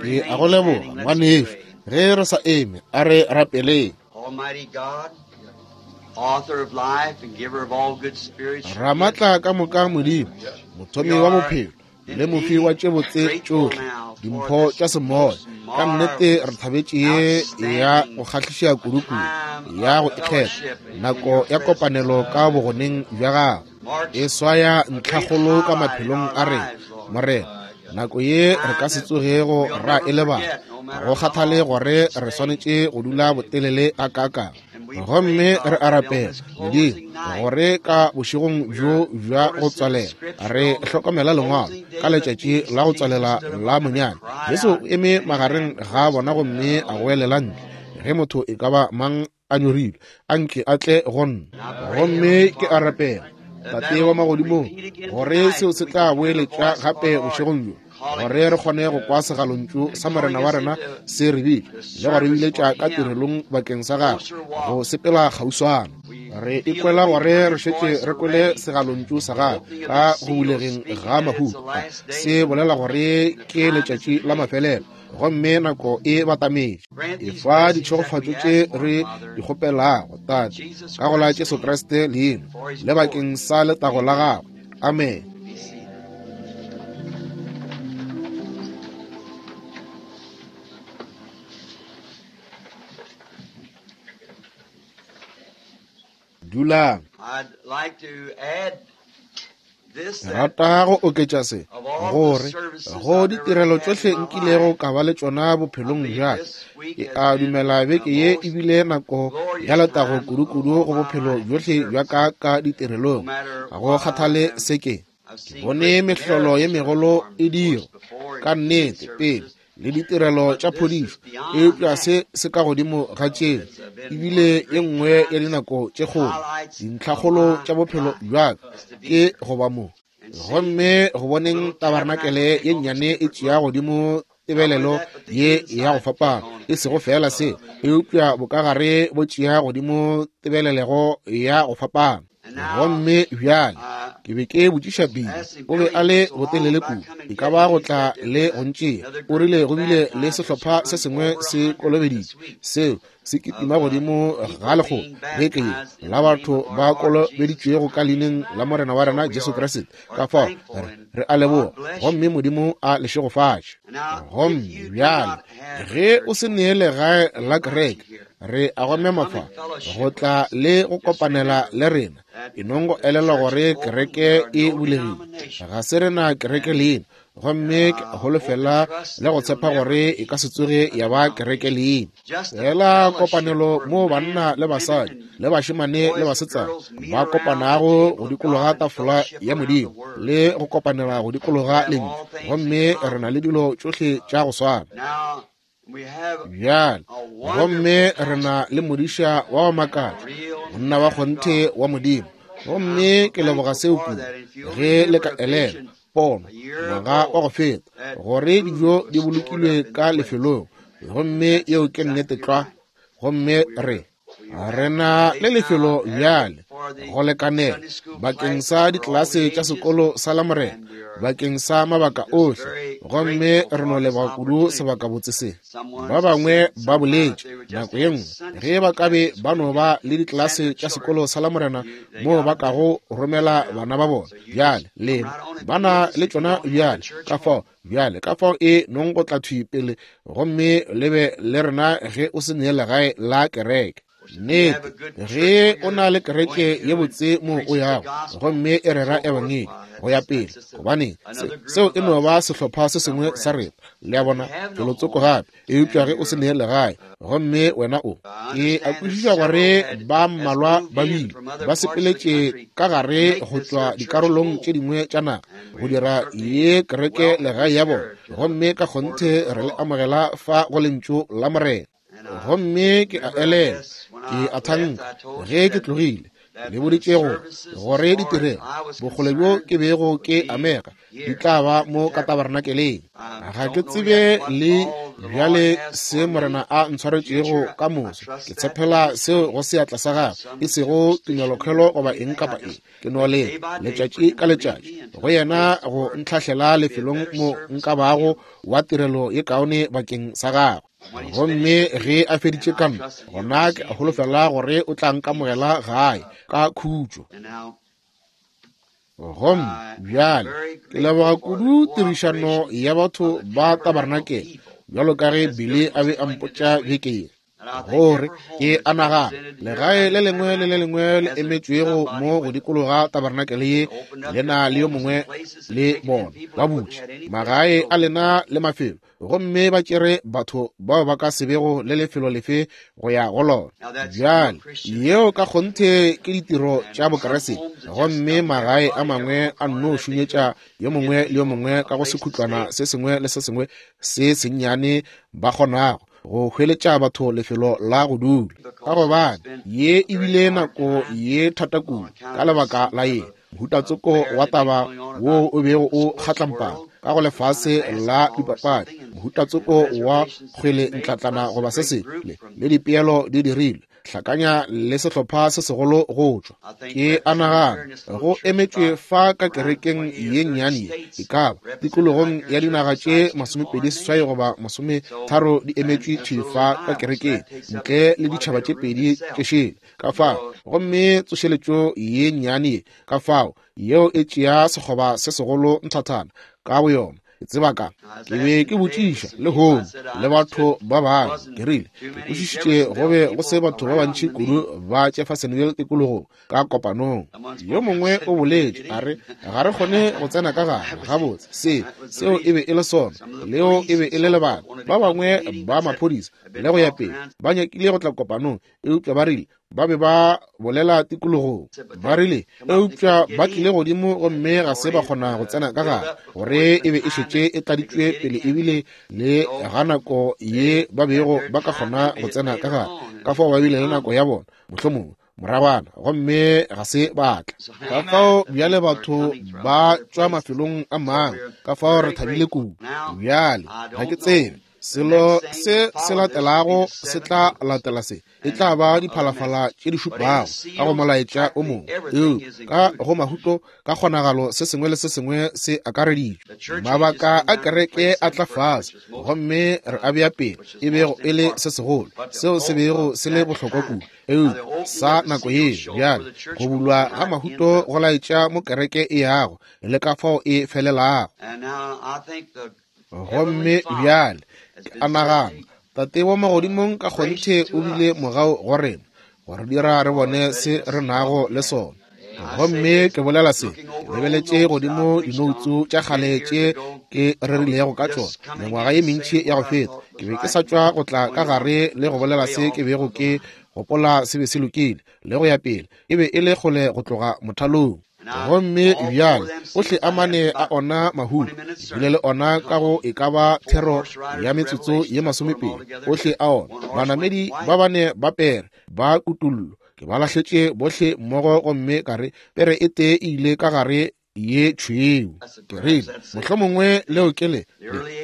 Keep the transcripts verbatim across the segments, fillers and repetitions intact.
Ke a go leboga, ngwanešu. Ge re sa eme, a re rapeleng. Ramatla ka moka Modimo, mothomi wa bophelo le mofi wa tše botse tšohle, dimpho tša semoya, ka nnete re thabetše ye ya go kgahliša kudu-kudu, ya go ikgetha, nako ya kopanelo ka bogoneng bja gago. E swaya ntlhakgolo ka maphelong a rena, Morena. Nako ye re ka se tsogego ra e lebala, go kgathale gore re swanetše go dula botelele a kakang. Gomme re a rapela, Modimo, gore ka bošegong bjo bja go tswalela re hlokomela lengwalo ka letšatši la go tswalela la monyanya. Jesu o eme magareng ga bona gomme a goelela ntle, ge motho e ka ba mang a nyorilwe, a nke a tle go nna. Gomme ke a rapela, Tate wa magodimong, gore seo se tla boeletša gape bošegong bjo, gore re kgone go kwa segalontšu sa Morena wa rena se re bitša le go re biletša ka tirelong bakeng sa gagwe go sepela kgauswana. Re ikwela gore re šetše re kwele segalontšu sa gagwe ka go bulegeng ga mahuto. Se bolela gore ke letšatši la mafelelo, gomme nako e batametše. Efa ditšhegofatšo tše re di kgopelago, Tate, ka go la Jesu Kriste leina le bakeng sa letago la gagwe. Amen. Dulang. Rata go oketša se, gore go ditirelo tšohle nkilego ka ba le tšona bophelong bja ka, ke a dumela beke ye e bile nako ya letago kudu-kudu go bophelo bjohle bja ka ka ditirelong. Ga go kgathale se ke ke bone mehlolo ye megolo e dirwa ka nnete pele le ditirelo tša phodišo, eupša se se ka godimo ga tšeo ebile ye nngwe ya dinako tše kgolo, dintlhakgolo tša bophelo bja ka ke go ba mo. Gomme go boneng tabarnakele ye nnyane e tšea godimo tebelelo ye ya go fapana, e sego fela se, eupša bokagare bo tšea godimo tebelelego ya go fapana. Gomme bjale ke be ke botšiša Billy, o be a le botelele kudu, e ka ba go tla le go ntšea. O rile go bile le sehlopha se sengwe se kolobeditše seo se kitima godimo ga lekgolo beke ye la batho ba kolobeditšwego ka leineng la Morena wa rena Jesu Kriste. Ka fao re re a leboga, gomme Modimo a le šegofatše. Gomme bjale ge o se nee legae la kereke, re a go mema fa go tla le go kopanela le rena. E nong go elelwa gore kereke e bulegile, ga se rena kereke leina, gomme ke holofela le go tshepa gore e ka se tsoge ya ba kereke leina. Fela kopanelo mo banna le basadi le bašemane le basetsana ba kopanago go dikologa tafola ya Modimo le go kopanela go dikologa lentšu, gomme re na le dilo tšohle tša go swana. Bjale gomme re na le modiša wa wa makatša, monna wa kgonthe wa Modimo, gomme ke leboga seo kudu. Ge le ka elela pono ngwaga wa go feta gore dijo di bolokilwe ka lefelong, gomme yeo ke nnete tlwa. Gomme re re na le lefelo bjale go lekanela bakeng sa ditlelase tša sekolo sa Lamorena bakeng sa mabaka ohle, gomme re no leboga kudu sebakabotse se. Ba bangwe ba boletše nako ye nngwe ge ba ka be ba no ba le ditlelase tša sekolo sa Lamorena moo ba kago romela bana ba bona. Bjale lena ba na le tšona bjale, ka fao bjale ka fao e nong go tla thwi pele gomme le be le rena ge o se nee legae la kereke. Nnete, ge o na le kereke ye botse mo o yago gomme e rera ebangedi go ya pele, gobane seo e no ba sehlopha se sengwe sa rena, le a bona, felotsoko gape. Eupša ge o se nee legae gomme wena o, ke a kwešiša gore ba mmalwa ba bile ba sepeletše ka gare go tšwa dikarolong tše dingwe tša naga go dira ye kereke legae ya bona, gomme ka kgonthe re le amogela fa go lentšu la Morena. Gomme ke a elela, ke a thanka ge ke tlogile le boditše go gore ditirelo bokgole bjo ke bego ke amega di tla ba mo ka tabernakeleng. Ga ke tsebe le Bjale se Morena a ntshwaretšego ka moso, ke tshepela seo go seatla sa gagwe, e sego tumelokhwelo goba eng kapa eng. Ke no leta letšatši ka letšatši go yena go ntlhahlela lefelong mo nka bago wa tirelo ye kaone bakeng sa gagwe. Gomme ge a feditše ka nna, gona ke holofela gore o tla nkamogela gae ka khutšo. Gomme bjale ke leboga kudu tirišano ya batho ba tabarnakele, bjalo ka ge Billy a be a mpotša beke ye, gore ke a nagana legae le lengwe le le lengwe le emetšwego mo go dikologa tabarnakele ye le na le yo mongwe le bona ba butše magae a lena le mafelo, gomme ba tšere batho bao ba ka se bego le lefelo lefe go ya go lona. Bjale yeo ka kgonthe ke ditiro tša Bokeresete, gomme magae a mangwe a nno šunyetša yo mongwe le yo mongwe ka go sekhutlwana se sengwe le se sengwe se sennyane ba kgonago go hweletša batho lefelo la go dula, ka gobane ye e bile nako ye thata kudu ka lebaka la ye mohutatsoko wa taba wo o bego o kgatlampana ka go lefase la dipapadi, mohutatsoko wa kgwele ntlatlana goba se sengwe, le dipeelo di dirilwe hlakanya le sehlopha se segolo go tšwa. Ke a nagana go emetšwe fa ka kerekeng ye nnyane ye, e ka ba tikologong ya dinaga tše masomepedi seswai goba masometharo di emetšwe thwi fa ka kerekeng, ntle le ditšhaba tše pedi tše šele ka fao. Gomme tsošeletšo ye nnyane ye ka fao yeo e tšea sekgoba se segolo nthathana ka boyona. Ke tseba ka ke be ke botšiša lehono le batho ba bangwe, ke rile ke kwešišitše go be go se batho ba bantši kudu ba Jeffersonville tikologong ka kopanong. Yo mongwe o boletše a re ga re kgone go tsena ka gare gabotse, se seo e be e le sona, leo e be e le lebaka. Ba bangwe ba maphodisa le go ya pele ba nyakile go tla kopanong, eupša ba rile ba be ba bolela tikologong, ba rile eupša ba tlile godimo gomme ga se ba kgona go tsena ka gare, gore e be e šetše e tladitšwe pele ebile le ga nako ye ba bego ba ka kgona go tsena ka gare. Ka fao ba bile le nako ya bona mohlomongwe moragwana, gomme ga se ba tla. Ka fao bjale batho ba tšwa mafelong a mangwe, ka fao re thabile kudu. Bjale ga ke tsebe selo se se latelago se tla latela se, e tla ba diphalafala tše di šupago ka go molaetša o mongwe, eupša ka go mahuto ka kgonagalo se sengwe le se sengwe se akareditšwe. Mabaka a kereke a tla fase, gomme re a bea pele e bego e le se segolo, seo se bego se le bohlokwa kudu, eupša sa nako ye bjale go bulwa ga mahuto go laetša mo kereke e yago le ka fao e felelago. Gomme bjale ke a nagana Tate wa magodimong ka kgonthe o bile mogau go rena go re dira re bone se re nago le sona. Gomme ke bolela se ke lebeletše godimo dinoutsu tša kgale tše ke rerilego ka tšona mengwaga ye mentši ya go feta. Ke be ke sa tšwa go tla ka gare le go bolela se ke bego ke gopola se be se lokile le go ya pele, e be e le kgole go tloga mothalong. Gomme bjale ohle a mane a ona mahuto, ebile le ona ka go e ka ba thero ya metsotso ye masomepedi, ohle a ona banamedi ba bane ba pere ba kutullo ke ba lahletše bohle mmogo, gomme ka re pere e tee e ile ka gare ye tšhweu. Ke rile mohlomongwe leo ke le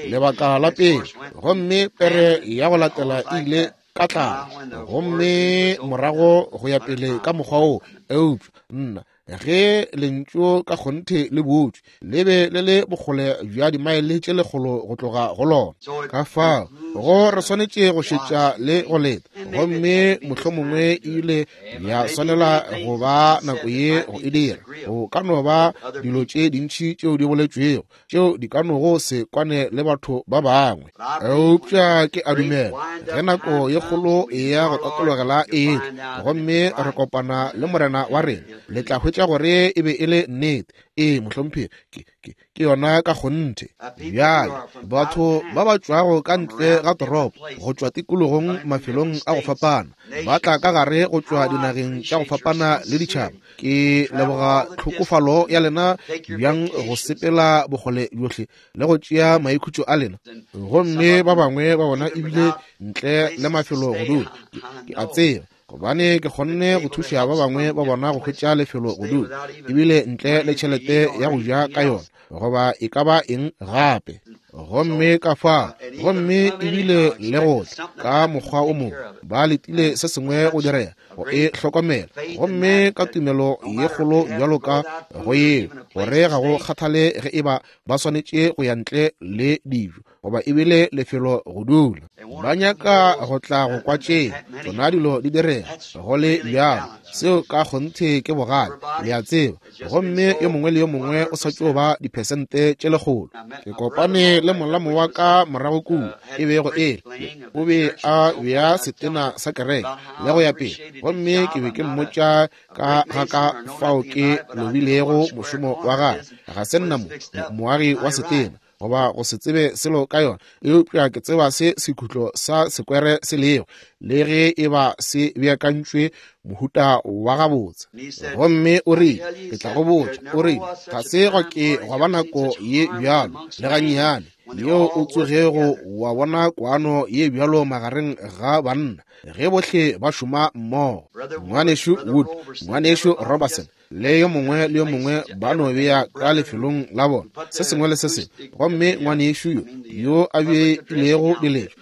lebaka la pele, gomme pere ya go latela e ile ka tlala, gomme morago go ya pele ka mokgwa wo. Eupša nna ge lentšu ka kgonthe le butšwe, le be le le bokgole bja dimaele tše lekgolo go tloga go lona. Ka fao go re swanetše go šetša le go leta, gomme mohlomongwe e ile ya swanela go ba nako ye go e dira. Go ka no ba dilo tše dintši tšeo di boletšwego tšeo di ka nogo se kwane le batho ba bangwe, eupša ke a dumela ge nako ye kgolo ya go tatologela e etla gomme re kopana le Morena wa rena, le tla hwetša gore e be e le nnete. Ee mohlomphegi, ke, ke, ke yona ka kgonthe. Bjale batho ba ba tšwago ka ntle ga toropo, go tšwa tikologong mafelong a go fapana, ba tla ka gare go tšwa dinageng tša go fapana le ditšhaba. Ke leboga tlhokofalo ya lena bjang go sepela bokgole bjohle le go tšea maikhutšo a lena, gomme ba bangwe ba bona ebile ntle le mafelo go dula. Ke a tseba gobane ke kgonne go thuša ba bangwe ba bona go hwetša lefelo go dula, ebile ntle le tšhelete ya go ja ka yona goba e ka ba eng gape. Gomme ka fao, gomme ebile le go tla ka mokgwa o mongwe, ba letile se sengwe go direga, go e hlokomela. Gomme ka tumelo ye kgolo bjalo ka go yeo, gore ga go kgathale ge eba ba swanetše go ya ntle le dijo goba ebile lefelo go dula, ba nyaka go tla go kwa tšeo tšona dilo di direga. Go le bjalo, seo ka kgonthe ke bogale, le a tseba. Gomme yo mongwe le yo mongwe o sa tšo ba diphesente tše lekgolo. Ke kopane le molamo wa ka morago kua, e bego e le o be a bea setena sa kereke le go ya pele, gomme ke be ke mmotša ka ga ka fao ke lobilego mošomo wa gagwe. Ga se nna mo moagi wa setena goba go se tsebe selo ka yona, eupša ke tseba se sekhutlo sa sekwere se lego, le ge e ba se beakantšwe mohuta wa gabotse. Gomme o rile, ke tla go botša, o rile, ga se gwa ke gwa ba nako ye bjalo le gannyane yeo o tsogego wa bona kwano ye bjalo magareng ga banna ge bohle ba šoma mmogo. Ngwanešu Wood, ngwanešu Robertson le yo mongwe le yo mongwe ba no bea ka lefelong la bona se sengwe le se sengwe. Gomme ngwanešu yo yo a beilego diletšo,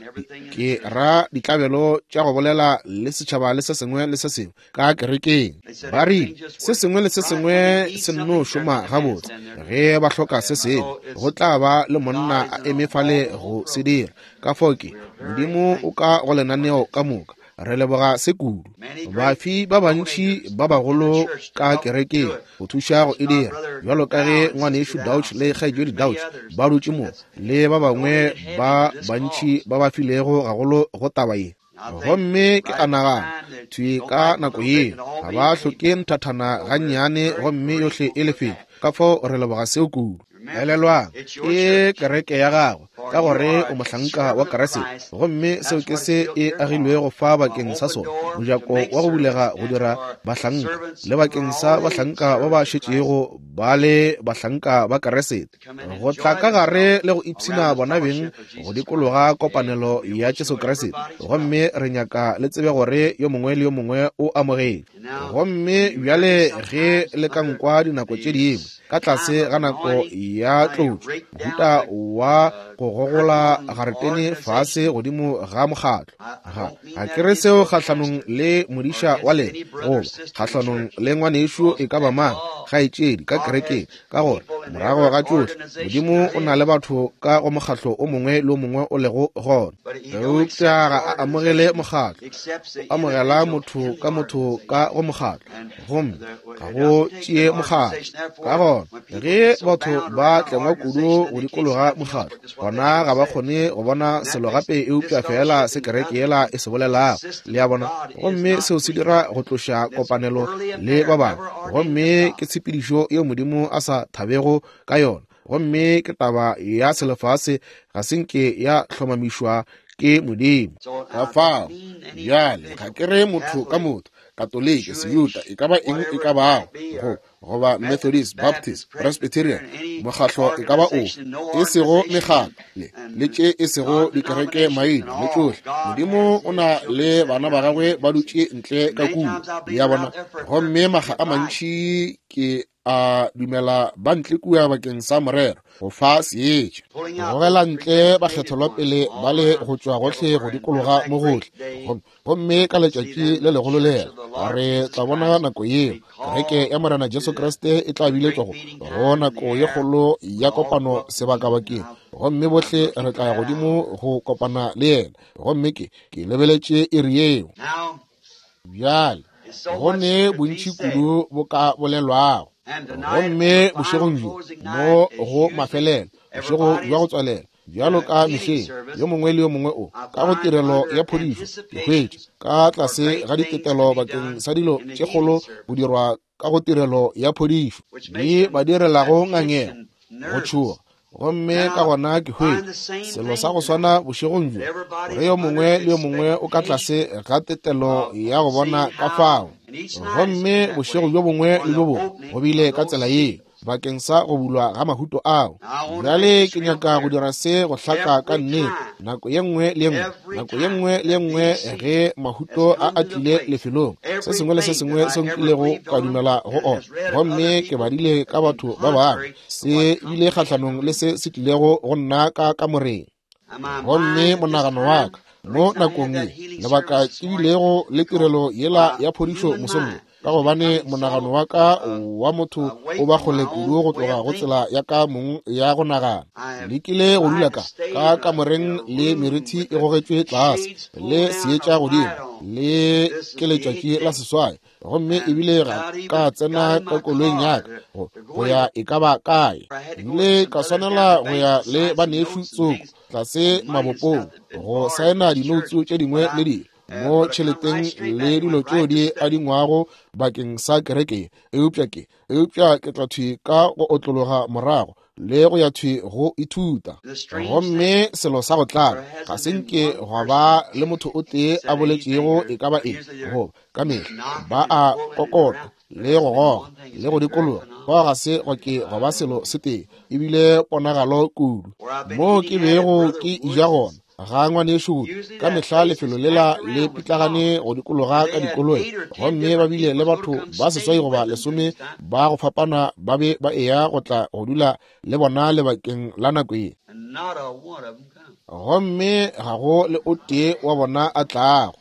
ke ra ditlabelo tša go bolela le setšhaba le se sengwe le se sengwe ka kerekeng, ba rile se sengwe le se sengwe se nno šoma gabotse. Ge ba hloka se sengwe, go tla ba le monna a eme fale go se dira. Ka fao ke Modimo o ka go lenaneo ka moka. Re leboga se kudu. Bafi ba bantši ba bagolo ka kerekeng go thuša go e dira, bjalo ka ge ngwanešu Dauch le kgaetšedi Dauch ba dutše mo, le ba bangwe ba bantši ba ba filego gagolo go taba ye. Gomme ke a nagana thwi ka nako yeo ga ba hloke nthathana gannyane, gomme yohle e lefetšwe. Ka fao re leboga seo kudu. Elelwang, ke kereke ya gagwe, ka gore o mohlanka wa Kriste, gomme seo ke se e agilwego fa bakeng sa sona, mojako wa go bulega go dira bahlanka, le bakeng sa bahlanka ba ba šetšego ba le bahlanka ba Kriste, go tla ka gare le go ipshina bona beng go dikologa kopanelo ya Jesu Kriste. Gomme re nyaka le tsebe gore yo mongwe le yo mongwe o amogetšwe. Gomme bjale ge le ka nkwa dinako tše dingwe ka tlase ga nako ya tlotšo, mohuta wa go gogola garetene fase godimo ga mokgatlo, ga ga ke re seo kgahlanong le modiša wa lena goba kgahlanong le ngwanešu e ka ba mang kgaetšedi ka kerekeng, ka gore morago ga tšohle Modimo o na le batho ka go mokgatlo o mongwe le o mongwe o lego gona, eupša ga a amogele mokgatlo, o amogela motho ka motho ka go mokgatlo, gomme ga go tšee mokgatlo. Ka gona ge batho ba tlengwa kudu go dikologa mokgatlo, gona ga ba kgone go bona selo gape eupša fela se kereke yela e se bolelago, le a bona. Gomme seo se dira go tloša kopanelo le ba bangwe, gomme ke tshepedišo yeo Modimo a sa thabego ka yona. Gomme ke taba ya selefase, ga se nke ya hlomamišwa ke Modimo. Ka fao bjale ga ke re motho ka motho, Katoliki, Sejuta, e ka ba eng e ka bago, go goba Methodist, Baptist, Presbyterian, mokgatlo e ka ba ofe, e sego mekgatlo le le tše e sego dikereke maina le tšohle. Modimo o na le bana ba gagwe ba dutše ntle ka kua, le a bona. Gomme makga a mantši ke a dumela ba ntle kua bakeng sa morero, go fa seetša, go gogela ntle bakgethelwa pele ba le go tšwa gohle go dikologa mo gohle. Gomme ka letšatši le legolo lela re tla bona nako yeo kereke ya Morena Jesu Kriste e tla biletšwa go go nako ye kgolo ya kopano sebakabakeng, gomme bohle re tla ya godimo go kopana le yena. Gomme ke ke lebeletše iri yeo. Bjale go ne bontši kudu bo ka bolelwago. Gomme bošegong bjo mo go mafelelo, bošego bja go tswalela, bjalo ka mehleng, yo mongwe le yo mongwe o ka go tirelo ya phodišo, ke hwetša ka tlase ga ditetelo bakeng sa dilo tše kgolo go dirwa ka go tirelo ya phodišo, di ba direlago ngangego, go tšhoga. Gomme ka gona ke hwetša selo sa go swana bošegong bjo, gore yo mongwe le yo mongwe o ka tlase ga tetelo ya go bona ka fao. Gomme bošego bjo bongwe le bjo bongwe go bile ka tsela yeo. bakeng sa go bulwa ga mahuto ao. Bjale ke nyaka go dira se go hlaka ka nnete nako ye nngwe le ye nngwe, nako ye nngwe le ye nngwe ge mahuto a a tlile lefelong, se sengwe le se sengwe se nkilego ka dumela go ona, gomme ke badile ka batho ba bangwe, se bile kgahlanong le se se tlilego go nna ka kamoreng. Gomme monagano wa ka mo nakong ye, lebaka ke bilego le tirelo yela ya phodišo mosong wo, ka gobane monagano wa ka wa motho o ba kgole kudu go tloga go tsela ya ka mong ya go nagana. Lekile go dula ka ka kamoreng le merithi e gogetšwe tlase le seetša godimo le ke letšatši la seswai, gomme ebile ga ka tsena ka koloing ya ka go, go ya e ka ba kae. Ebile ka swanela go ya le banešu tsoko tlase mabopong go saena dinoutsu tše dingwe le dilo mo tšheleteng le dilo tšeo di adingwago bakeng sa kereke. Eupša ke eupša ke tla thwi ka go otlologa morago le go ya thwi go ithuta. Gomme selo sa go tlala ga se nke gwa ba le motho o tee a boletšego e ka ba eng, goba ka mehla ba a kokota le go goga le go dikologa, fao ga se gwa ke gwa ba selo se tee, ebile ponagalo kudu. Mo ke bego ke ija gona ga ngwanešu, ka mehla lefelo lela le pitlagane go dikologa ka dikoloi, gomme ba bile le batho ba seswai goba lesome ba go fapana ba be ba eya go tla go dula le bona lebakeng la nako ye, gomme ga go le o tee wa bona a tlago.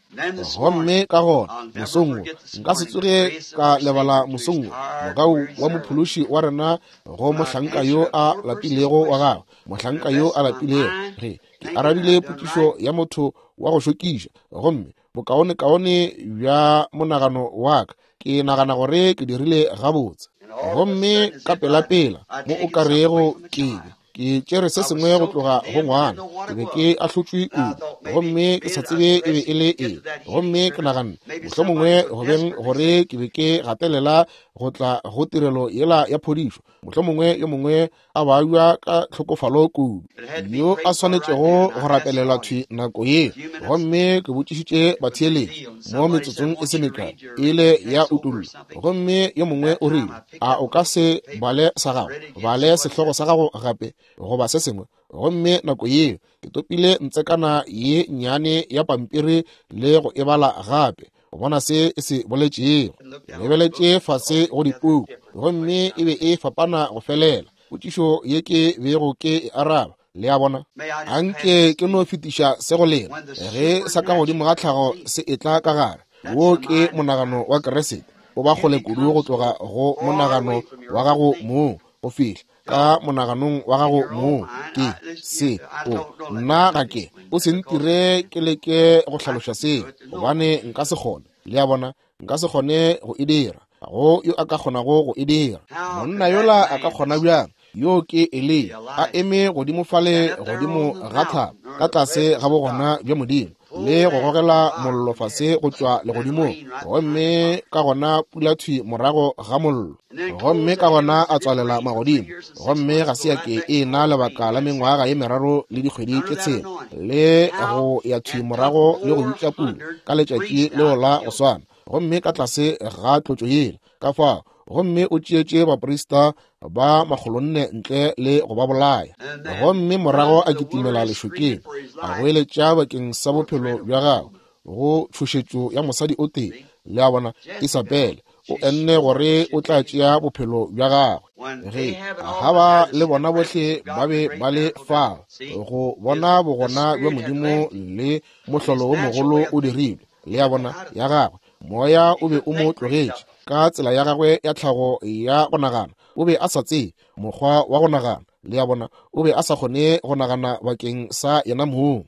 Gomme ka gona mosong wo, nka se tsoge ka lebala mosong wo, mogau wa mophološi wa rena go mohlanka yo a lapilego wa gagwe, mohlanka yo a lapilego, ge ke arabile potšišo ya motho wa go šokiša, gomme bokaonekaone bja monagano wa ka ke nagana gore ke dirile gabotse. Gomme ka pelapela mo o ka rego ke ke tšere se sengwe go tloga go ngwana, ke be ke ahlotšwe kudu, gomme ke sa tsebe e be e le eng. Gomme ke naganne mohlomongwe go beng gore ke be ke gatelela go tla go tirelo yela ya phodišo, mohlomongwe yo mongwe a babja ka tlhokofalo kudu yo a swanetšego go rapelelwa thwi nako ye. Gomme ke botšišitše batheeletši mo metsotsong e se mekae ile ya utullo, gomme yo mongwe o rile, a o ka se bale sa gago, bale sehlogo sa gago gape goba se sengwe. Gomme nako yeo ke topile ntsekana ye nnyane ya pampiri le go e bala gape go bona se e se boletšego. Lebeletše fase go dipuku, gomme e be e fapana go felela potšišo ye ke bego ke e araba. Le a bona, anke ke no fetiša se go lena ge sa ka godimo ga tlhago se etla ka gare. Wo ke monagano wa Kriste, o ba kgole kudu go tloga go monagano wa gago mong go fihla ka monaganong wa gago mong. Ke se o nna ga ke o se ntire ke leke go hlaloša seo, gobane nka se kgone. Le a bona, nka se kgone go e dira. Go yo a ka kgonago go e dira. Monna yola a ka kgona bjang? Yo ke Eliya a eme godimo fale godimo ga thaba ka tlase ga bogona bja Modimo le go gogela mollo fase go tšwa legodimong, gomme ka gona pula thwi morago ga mollo, gomme ka gona a tswalela magodimo, gomme ga se ya ke e na lebaka la mengwaga ye meraro le dikgwedi tše tshela, le go ya thwi morago le go bitša pula ka letšatši leo la go swana, gomme ka tlase ga tlotšo yela ka fao. Gomme o tšeetše baprista ba makgolonne ntle le go ba bolaya, gomme morago a kitimela lešokeng a goeletša bakeng sa bophelo bja gagwe go tšhošetšo ya mosadi o tee. Le a bona, Isabele o enne gore o tla tšea bophelo bja gagwe. Ge Ahaba le bona bohle ba be ba le fao go bona bogona bja Modimo le mohlolo wo mogolo o dirilwe, le a bona, ya gagwe moya o be o mo tlogetše ka tsela ya gagwe ya tlhago ya go nagana. O be a sa tsebe mokgwa wa go nagana. Le a bona, o be a sa kgone go nagana bakeng sa yena mong.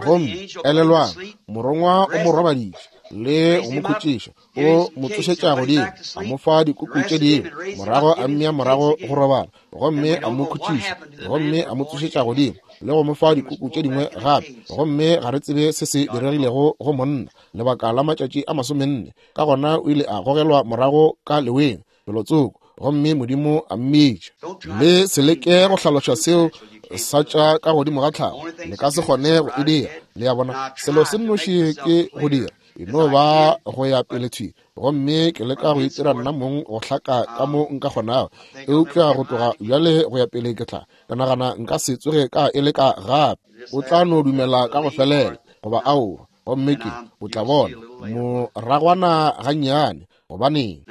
Gomme elelwang, morongwa o mo robaditše le go mo khutšiša, o mo tsošetša godimo, a mo fa dikuku tše dingwe, morago a mmea morago go robala, gomme a mo khutšiša, gomme a mo tsošetša godimo le go mo fa dikuku tše dingwe gape. Gomme ga re tsebe se se diregilego go monna lebaka la matšatši a masomenne. Ka gona o ile a gogelwa morago ka leweng felotsoko, gomme Modimo a mmitša. Le se leke go hlaloša seo sa tša ka godimo ga tlhago, le ka se kgone go e dira. Le a bona, selo se nnoši ke go dira E no ba go ya pele thwi, gomme ke leka go itira nna mong go hlaka ka mo nka kgonago. Eupša go tloga bjale go ya pele ke tla, ke nagana nka se tsoge ka e leka gape. O tla no dumela ka go felela, goba aowa, gomme ke, o tla bona, moragwana gannyane, gobaneng.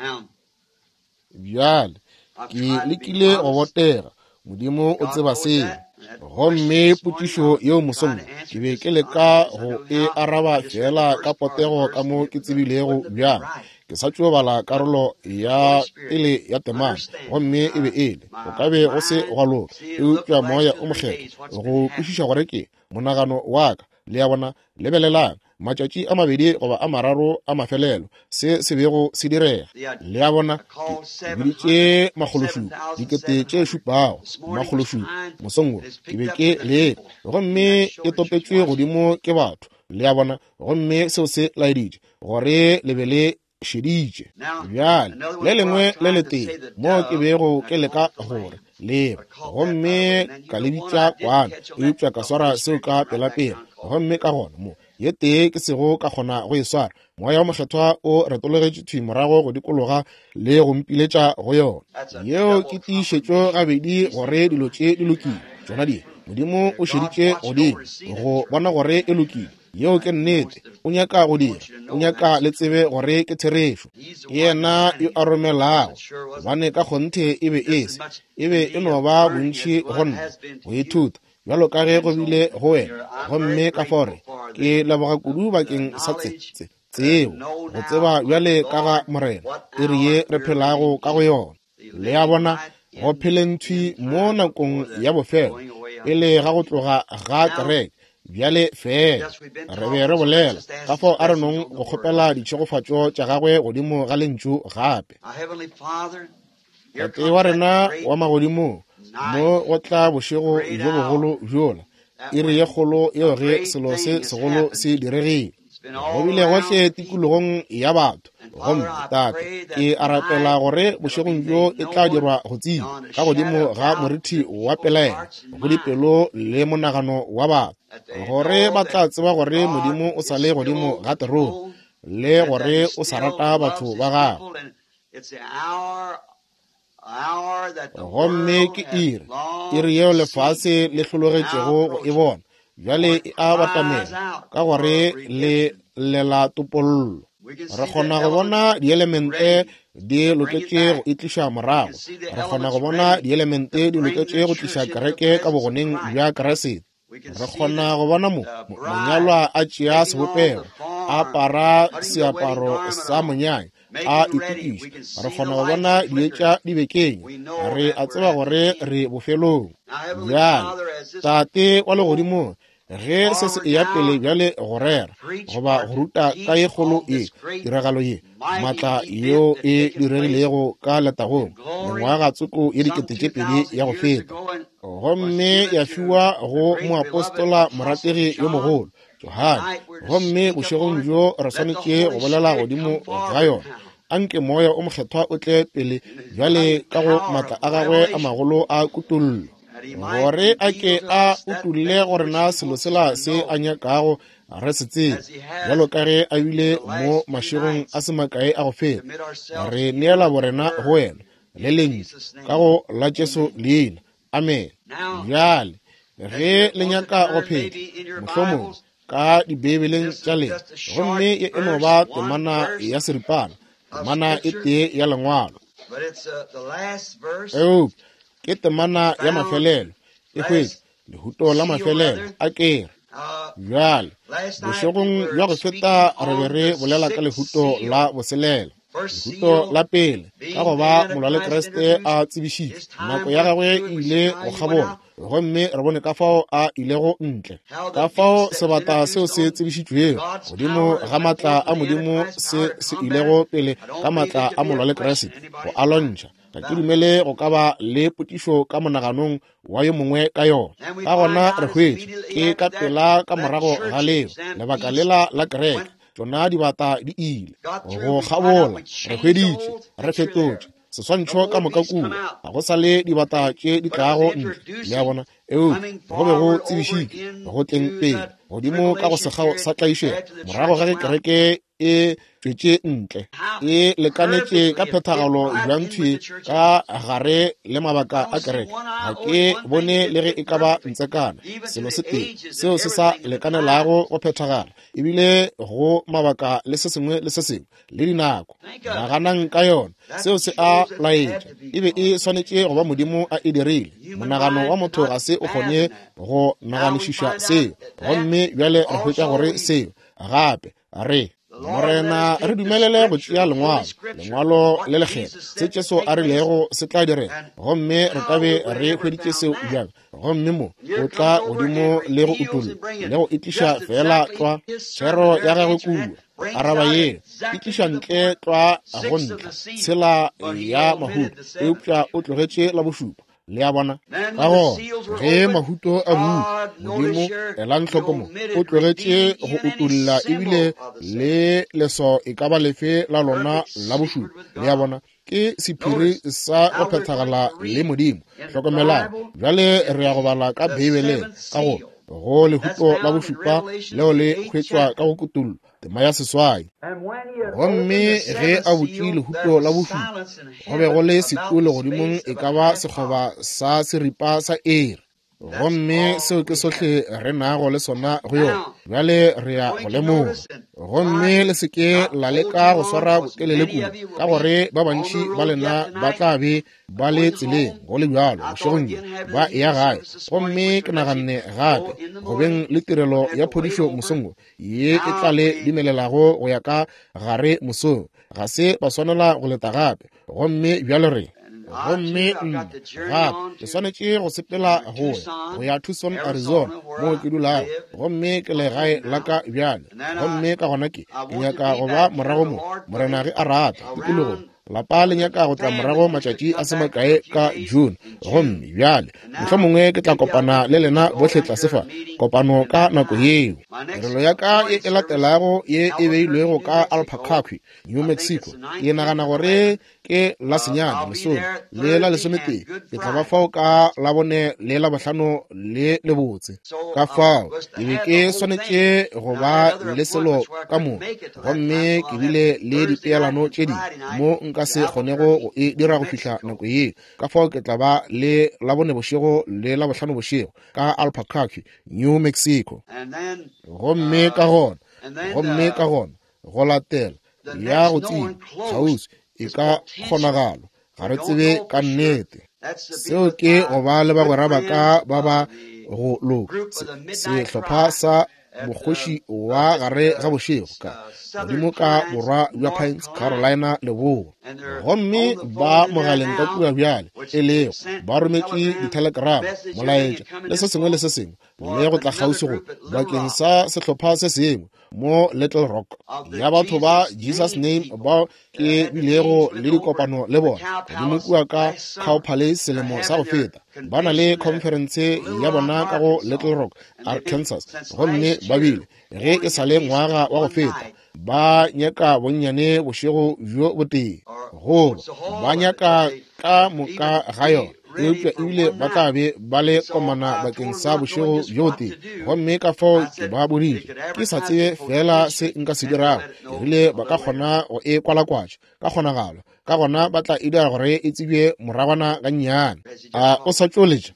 Bjale, ke lekile go botega, Modimo o tseba seo. Gomme potšišo yeo mosong ke be ke leka go e araba fela ka potego ka mo ke tsebilego bjang. Ke sa tšo bala karolo ya pele ya temana, gomme e be e le, go ka be go se gwa loka, eupša Moya o Mokgethwa go kwešiša gore ke monagano wa ka. Le a bona, lebelelang, matšatši a mabedi goba a mararo a mafelelo, se se bego se direga. Le a bona, ke biditše makgološupa, dikete tše šupago, makgološupa, mosong wo, ke be ke leka, gomme e topetšwe godimo ke batho. Le a bona, gomme seo se laeditše gore le be le šeditše. Bjale, le lengwe le letee mo ke bego ke leka gore leba, gomme ka le bitša kwana, eupša ka swara seo ka pelapela, gomme ka gona mo ye tee ke sego ka kgona go e swara, Moya o Mokgethwa o retologetše thwi morago go dikologa le go mpiletša go yona. Yeo ke tiišetšo gabedi gore dilo tše di lokile. Tšona di, Modimo o šeditše godimo go bona gore e lokile. Yeo ke nnete. O nyaka go dira, o nyaka le tsebe gore ke therešo. Ke yena yo a romelago, gobane ka kgonthe e be e se, e be e no ba bontši go nna go ithuta, bjalo ka ge go bile go wena. Gomme ka fao ke leboga kudu bakeng sa tse, tse, tsebo, go tseba bjale ka ga Morena, iri ye re phelago ka go yona. Le a bona, go pheleng thwi mo nakong ya bofelo, pele ga go tloga ga kereke. Bjale fela re be re bolela ka fao a re nong go kgopela ditšhegofatšo tša gagwe godimo ga lentšu gape. Tate wa rena wa magodimong, mo go tla bošego bjo bogolo bjola, iri ye kgolo yeo ge selo se segolo se diregile. Go bile gohle tikologong ya batho. Gomme Tate, ke a rapela gore bošegong bjo e tla dirwa go tseba ka godimo ga morithi wa pelaelo go dipelo le monagano wa batho, gore ba tla tseba gore Modimo o sa le godimo ga terone, le gore o sa rata batho ba gagwe. Gomme ke iri, iri yeo lefase le hlologetšego go e bona, bjale e a batamela, ka gore le llela topollo. Re kgona go bona dielemente di loketše go e tliša morago. Re kgona go bona dielemente di loketše go tliša kereke ka bogoneng bja Kriste. Re kgona go bona mo monyalwa a tšea sebopego, a apara seaparo sa monyanya, a itokiša. Re kgona go bona dietša di bekenya. Re a tseba gore re bofelong. Bjale, Tate wa legodimong, ge se se eya pele bjale go rera goba go ruta ka ye kgolo ye, tiragalo ye maatla yeo e diregilego ka letagong mengwaga tsoko ye dikete tše pedi ya go feta, gomme ya fiwa go moapostola morategi yo mogolo Johane, gomme bošegong bjo re swanetše go bolela godimo ga yona. Anke Moya o Mokgethwa o tle pele bjale ka go maatla a gagwe a magolo a kutollo, gore a ke a utulle gore na selo sela se a nyakago re se tsebe, bjalo ka ge a bile mo mašegong a se makae a go feta. Re neela borena go wena le lentšu ka go la Jesu leina. Amen. Bjale ge le nyaka go phela mohlomong ka dibeibeleng tša lena, gomme ye e no ba temana ya seripana, temana e tee ya lengwalo, eupša ke temana ya mafelelo e hwetša lehuto la mafelelo a kere. Bjale bošegong bja go feta re be re bolela ka lehuto la boselela, lehuto la pele, ka go ba molwa le Kriste a tsebišitšwe, nako ya gagwe e ile go kgabola, gomme re bone ka fao a ilego ntle, ka fao sebata seo se tsebišitšwego godimo ga maatla a Modimo se se ilego pele ka maatla a molwa le Kriste go a lwantšha. Ga ke dumele go ka ba le potšišo ka monaganong wa yo mongwe ka yona. Ka gona re hwetše ke ka pela ka morago ga leo lebaka lela la kereke, tšona dibata di ile go kgabola. Re hweditše, re fetotše seswantšho ka moka kua, ga go sa le dibata tše di tlago ntle. Le a bona, eupša go be go tsebišitšwe go tleng pele godimo ka go sekgao sa tlaišego, morago ga ge kereke e tšwetše ntle, e lekanetše ka phethagalo bjang thwi ka gare le mabaka a kereke. Ga ke bone le ge e ka ba ntsekana selo se tee seo se sa lekanelago go phethagala, ebile go mabaka le se sengwe le se sengwe le dinako. Naganang ka yona, seo se a laetša e be e swanetše go ba Modimo a e dirile. Monagano wa motho ga se o kgone go naganišiša seo, gomme bjale re hwetša gore seo gape re Morena re dumelele go tšea lengwalo, lengwalo le lekgethwa, se Jesu a rilego se tla direga, gomme re ka be re hweditše seo bjang. Gomme mo o tla godimo le go utolla le go itliša fela tlwa thero ya gagwe kua, araba yeo e tliša ntle tlwa go ntlha tshela ya mahuto, eupša o tlogetše la bošupa. Le a bona? Ka gona ge mahuto a butšwe, Modimo, elang hloko mo, o tlogetše go utolla ebile le leswao e ka ba lefe la lona la bošupa. Le a bona? Ke sephiri sa go phethagala le Modimo. Hlokomelang bjale, re ya go bala ka Beibeleng ka go go lehuto la bošupa leo le hwetšwa ka go kutollo tema ya seswai. Gomme ge a butše lehuto la bošupa, go be go le setu legodimong e ka ba sekgoba sa seripa sa iri. Gomme seo ke sohle re nago le sona go yona. Bjale re ya go lemoga. Gomme le se ke la leka go swara botelele kudu, ka gore ba bantši ba lena ba tla be ba le tseleng go le bjalo bošegong bjo ba eya gae. Gomme ke naganne gape go beng le tirelo ya phodišo mosong wo, ye e tla le dumelelago go ya ka gare mosong. Ga se ba swanela go leta gape. Gomme bjale re gomme nna gape ke swanetše go sepela go ya go ya Tucson, Arizona, moo ke dulago, gomme ke legae la ka bjale. Gomme ka gona ke ke nyaka go ba morago mo, Morena ge a rata, tikologong. Lapa le nyaka go tla morago matšatši a se makae ka June. Gomme bjale mohlomongwe ke tla kopana le lena bohle tlase fa kopano ka nako yeo. Tirelo ya ka ye e latelago ye e beilwego ka Albuquerque, New Mexico, ke nagana gore ke la senyane lesome le la lesometee. Ke tla ba fao ka labone le la bohlano le lebotse. Ka fao ke be ke swanetše go ba le selo ka moka, gomme ke bile le dipeelano tše dingwe mo nka se kgonego go e dira go fihla nako yeo. Ka fao ke tla ba le labone bošego le la bohlano bošego ka Albuquerque, New Mexico. Gomme ka gona, gomme ka gona go latela ya go tseba kgauswi e ka kgonagalo, ga re tsebe ka nnete. Seo ke go ba le bagwera ba ka ba ba go loka, sehlopha sa mokgoši wa gare ga bošego ka godimo ka borwa bja Pines, Carolina leboa. Gomme ba mogaleng ka kua bjale, e lego ba rometše ditelegrama, molaetša le se sengwe le se sengwe, le go tla kgauswi go bakeng sa sehlopha se sengwe mo Little Rock ya batho ba Jesus Name bao ke bilego le dikopano le bona godimo kua ka Cow Palace selemo sa go feta. Ba na le conference ya bona ka go Little Rock, Arkansas, gomme ba bile ge e sa le ngwaga wa go feta ba nyaka bonnyane bošego bjo botee, goba ba nyaka ka moka ga yona, eupša ebile ba tla be ba le komana bakeng sa bošego bjo botee. Gomme ka fao ke ba boditše ke sa tsebe fela se nka se dirago, ke rile ba ka kgona go e kwalakwatša ka kgonagalo, ka gona ba tla e dira gore e tsebje moragwana gannyane. A o sa tšoletša?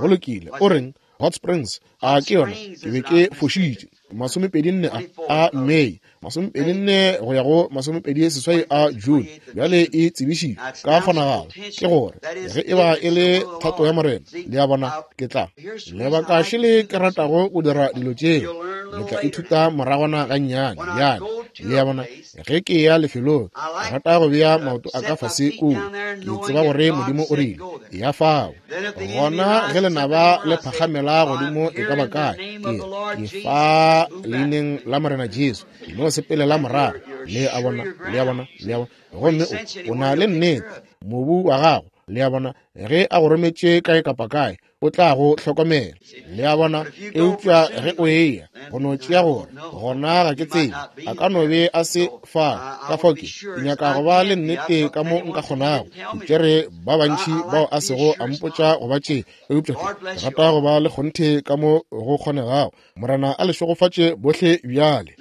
Go lokile. O reng? Hot Springs, a ke yona? Ke be ke fošitše. Masomepedi nne a a May, masomepedi nne go ya go masomepedi seswai a June. Bjale e tsebišitšwe ka kgonagalo, ke gore ge e ba e le thato ya Morena, le a bona, ke tla lebaka šele ke ratago go dira dilo tšeo. Le tla ithuta moragwana gannyane bjale. Le a bona, ge ke ya lefelong, ke rata go bea maoto a ka fase kua, ke tseba gore Modimo o rile ya fao. Gona ge lenaba le phagamela godimo e ka ba kae, ke ke fa leineng la Morena Jesu, no sepelela morago. Le a bona, le a bona, le a bona. Gomme o, o na le nnete mobu wa gago. Le a bona, ge a go rometše kae kapa kae, o tla go hlokomela. Le a bona, eupša ge o eya go no tšea gore gona ga ke tsebe, a ka no be a se fa. Ka fao ke nyaka go ba le nnete ka mo nka kgonago. Ke tšere ba bantši bao a sego a mpotša go ba tše, eupša ke rata go ba le kgonthe ka mo go kgonegago. Morena a le šegofatše bohle bjale.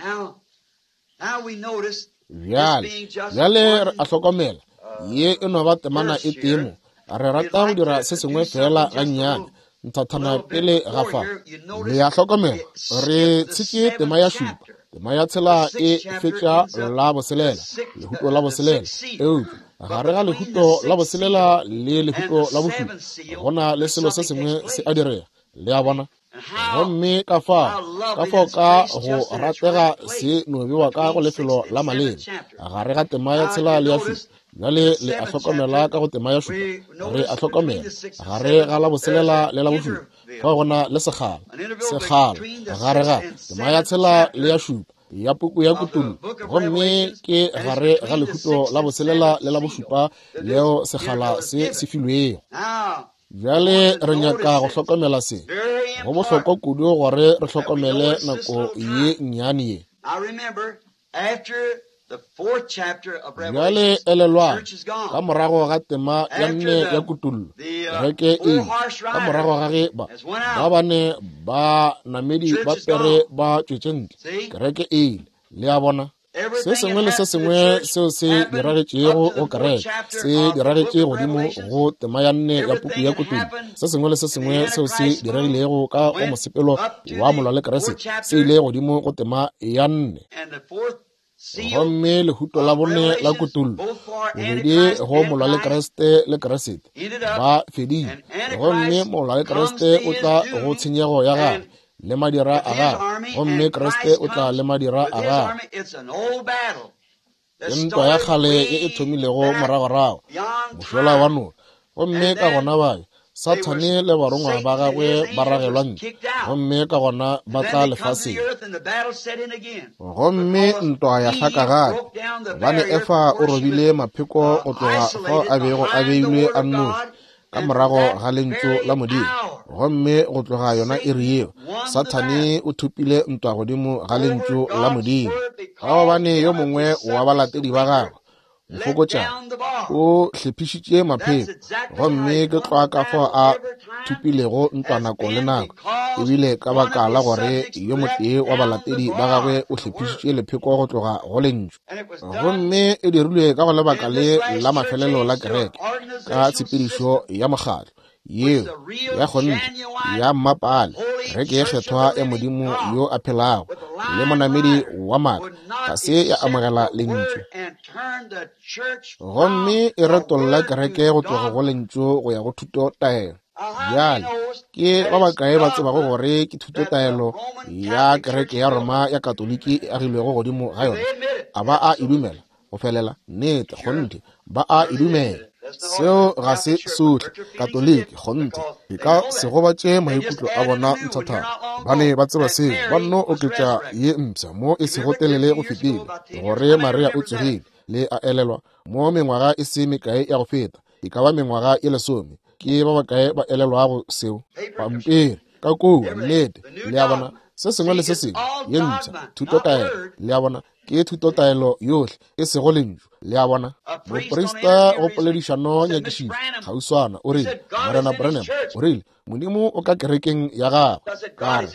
Bjale, bjale re a hlokomela, ye e no ba temana e tee mo. Re rata go dira se sengwe fela gannyane nthathana pele ga fa. Le a hlokomela, re tshetše tema ya šupa. Tema ya tshela e fetša la boselela, lehuto la boselela. Eupša gare ga lehuto la boselela le lehuto la bošupa go na le selo se sengwe se a direga. Le a bona? Gomme ka fao, ka fao ka go ratega se no bewa ka go lefelo la maleba gare ga tema ya tshela le ya šupa. Bjale le a hlokomela ka go tema ya šupa, re a hlokomela gare ga la boselela le la bošupa fao go na le sekgala, sekgala gare ga tema ya tshela le ya šupa ya puku ya Kutullo, gomme ke gare ga lehuto la boselela le la bošupa leo sekgala se se filwego. Bjale re nyaka go hlokomela se. Go bohlokwa kudu gore re hlokomele nako ye nnyane ye. Bjale elelwang, ka morago ga tema ya nne ya Kutullo, kereke e ile, ka morago ga ge ba ba bane ba namedi ba pere ba tšwetše ntle, kereke e ile. Le a bona? Se sengwe le se sengwe seo se diragetšego go kereke se diragetše godimo go tema ya nne ya puku ya Kutullo. Se sengwe le se sengwe seo se diregilego ka go mosepelo wa molwa le Kriste se ile godimo go tema ya nne. Gomme lehuto la bone la Kutullo, bobedi go molwa le Kriste le Kriste ba fedile, gomme molwa le Kriste o tla go tshenyego ya gagwe le madira a gagwe, gomme Kriste o tla le madira a gagwe. Ke ntwa ya kgale ye e thomilego moragorago mošola wa noka, gomme ka gona bayo Sathane le barongwa ba gagwe ba ragelwa ntle, gomme ka gona ba tla lefaseng. Gomme ntwa ya hlaka gape, gobane Efa o robile mapheko go tloga fao a bego a beilwe a nnoši ka morago ga lentšu la Modimo, gomme go tloga yona iri yeo Sathane o thopile ntwa godimo ga lentšu la Modimo. Ka gobane yo mongwe wa balatedi ba gagwe mofokotšana o hlephišitše mapheko, gomme ke tlwa ka fao a thopilego ntwa nako le nako, ebile ka baka la gore yo motee wa balatedi ba gagwe o hlephišitše lepheko go tloga go lentšu. Gomme e dirilwe ka go lebaka le la mafelelo la kereke ka tshepedišo ya mokgatlo yeo ya kgonthe ya mmapale, kereke ye kgethwa ya Modimo yo a phelago le monamedi wa maaka ga se ya amogela lentšu, gomme e retolla kereke go tloga go lentšu go ya go thutotaelo. Bjale ke ba bakae ba tsebago gore ke thutotaelo ya kereke ya Roma ya Katoliki e agilwego godimo ga yona? A ba a e dumela go felela? Nnete, kgonthe ba a e dumela. Seo ga se sohle Katoliki, kgonthe e ka se gobatše maikutlo a bona nthathana. Ba ne ba tseba seo, ba nno oketša ye mpsha mo e sego telele go fetile, gore Maria o tsogile. Le a elelwa mo mengwaga e se mekae ya go feta, e ka ba mengwaga e lesome. Ke ba bakae ba elelwago seo? Pampiri ka kua, nnete. Le a bona? Se sengwe le se sengwe ye mpsha thutotaelo. Le a bona? Ke thutotaelo yohle e sego lentšu. Le a bona? Moprista go poledišano nyakišišo kgauswana o rile, Morena Branham o rile, Modimo o ka kerekeng ya gagwe. Ka re,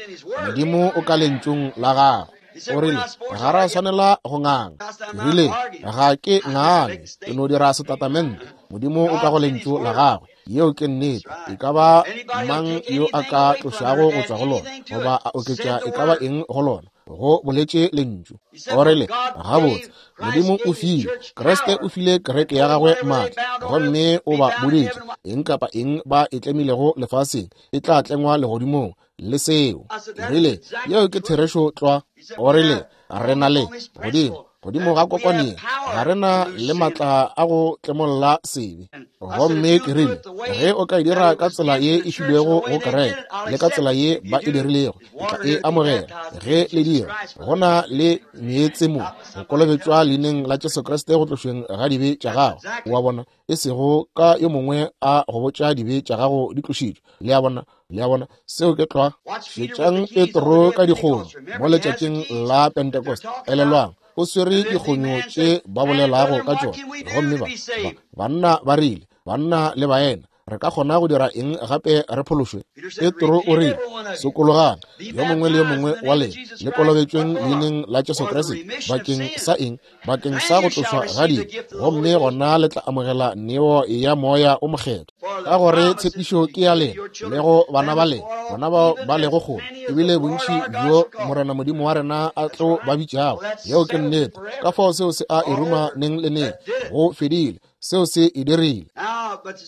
Modimo o ka lentšung la gagwe. O rile, ga ra swanela go nganga. Ke rile, ga ke ngane, ke no dira setatamente. Modimo o ka go lentšu la gagwe. Yeo ke nnete. E ka ba mang yo a ka tlošago go tšwa go lona goba a oketša e ka ba eng go lona, go boletše lentšu. O rile, gabotse, Modimo o file, Kriste o file kereke ya gagwe maatla, gomme o ba boditše eng kapa eng ba e tlemilego lefaseng e tla tlengwa legodimong le seo. Ke rile, yeo ke therešo tlwa. O rile, re na le godimo godimo ga kokwane ga re na le maatla a go tlemolla sebe. Gomme ke rile, ge o ka e dira ka tsela ye e filwego go kereke le ka tsela ye ba e dirilego, ke tla e amogela. Ge le dira, go na le meetse mo go kolobetšwa leineng la Jesu Kriste go tlošweng ga dibe tša gago. Wa bona? E sego ka yo mongwe a go botša dibe tša gago di tlošitšwe. Le a bona? Le a bona? Seo ke tlwa. Šetšang Petro ka dikgonyo mo letšatšing la Pentecost. Elelwang, o swere dikgonyo tše ba bolelago ka tšona, gomme ba, ba banna ba rile, banna le baena, Re ka kgona go dira eng gape re phološwe? Petro o rile, sokologang, yo mongwe le yo mongwe wa lena, le kolobetšweng leineng la Jesu Kriste, bakeng sa eng? Bakeng sa go tlošwa ga dibe, gomme gona le tla amogela neo ya Moya o Mokgethwa. Ka gore tshepišo ke ya lena le go bana ba lena, bona bao ba lego kgole, ebile bontši bjo Morena Modimo wa rena a tlo ba bitšago. Yeo ke nnete. Ka fao seo se a e ruma neng le neng. Go fedile. Seo se e dirile.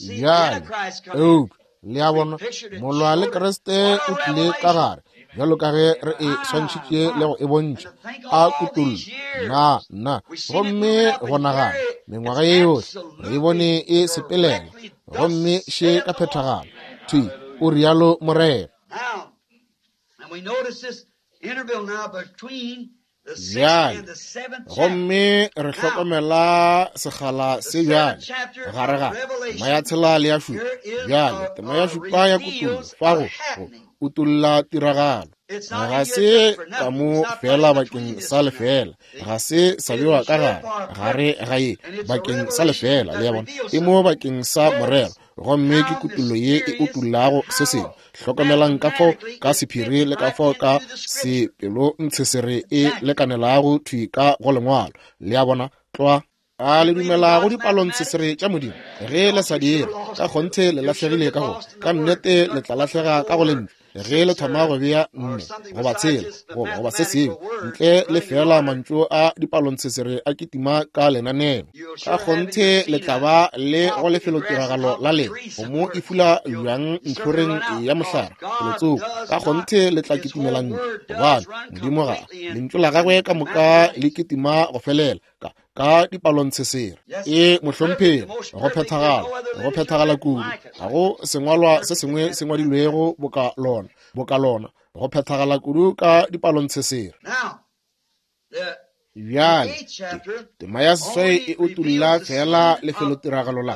Bjale, eupša le a bona, molwa le Kriste o tlile ka gare, bjalo ka ge re e swantšhitše le go e bontšha, a kutollo, na, na, gomme go nagana, mengwaga ye yohle, re e bone e sepelela, gomme še ka phethagalo, thwi, o rialo Morena. Bjale, gomme re hlokomela sekgala se bjale gare ga tema ya tshela le ya šupa. Bjale, tema ya šupa ya kutollo fa go go utolla tiragalo. Ga se ka mo fela bakeng sa lefela, ga se sa bewa ka gare gare ga ye bakeng sa lefela, le ya bona, e mo bakeng sa morero, gomme ke kutollo ye e utollago se sengwe. Hlokomelang ka fao ka sephiri le ka fao ka sepelo ntshesere e lekanelago thwi ka go lengwalo. Le a bona, tlwa. A le dumela go dipalontshesere tša Modimo? Ge le sa dire, ka kgonthe le lahlegile ka go, ka nnete le tla lahlega ka go lentšu. Ge le thoma go bea nne goba tshela goba goba se sengwe ntle le fela mantšu a dipalontshesere a kitima ka lenaneo, ka kgonthe le tla ba le go lefelotiragalo la lena go mo e fula bjang ntlhoreng ya mohlare felotsoko. Ka kgonthe le tla kitimela ntle, gobane Modimo ga lentšu la gagwe ka moka le kitima go felela ka ka dipalontshesere. E mohlomphegi, go phethagala, go phethagala kudu. Ga go sengwalwa se sengwe se ngwadilwego boka lona, boka lona, go phethagala kudu ka dipalontshesere. Bjale, tema ya seswai e utolla fela lefelotiragalo la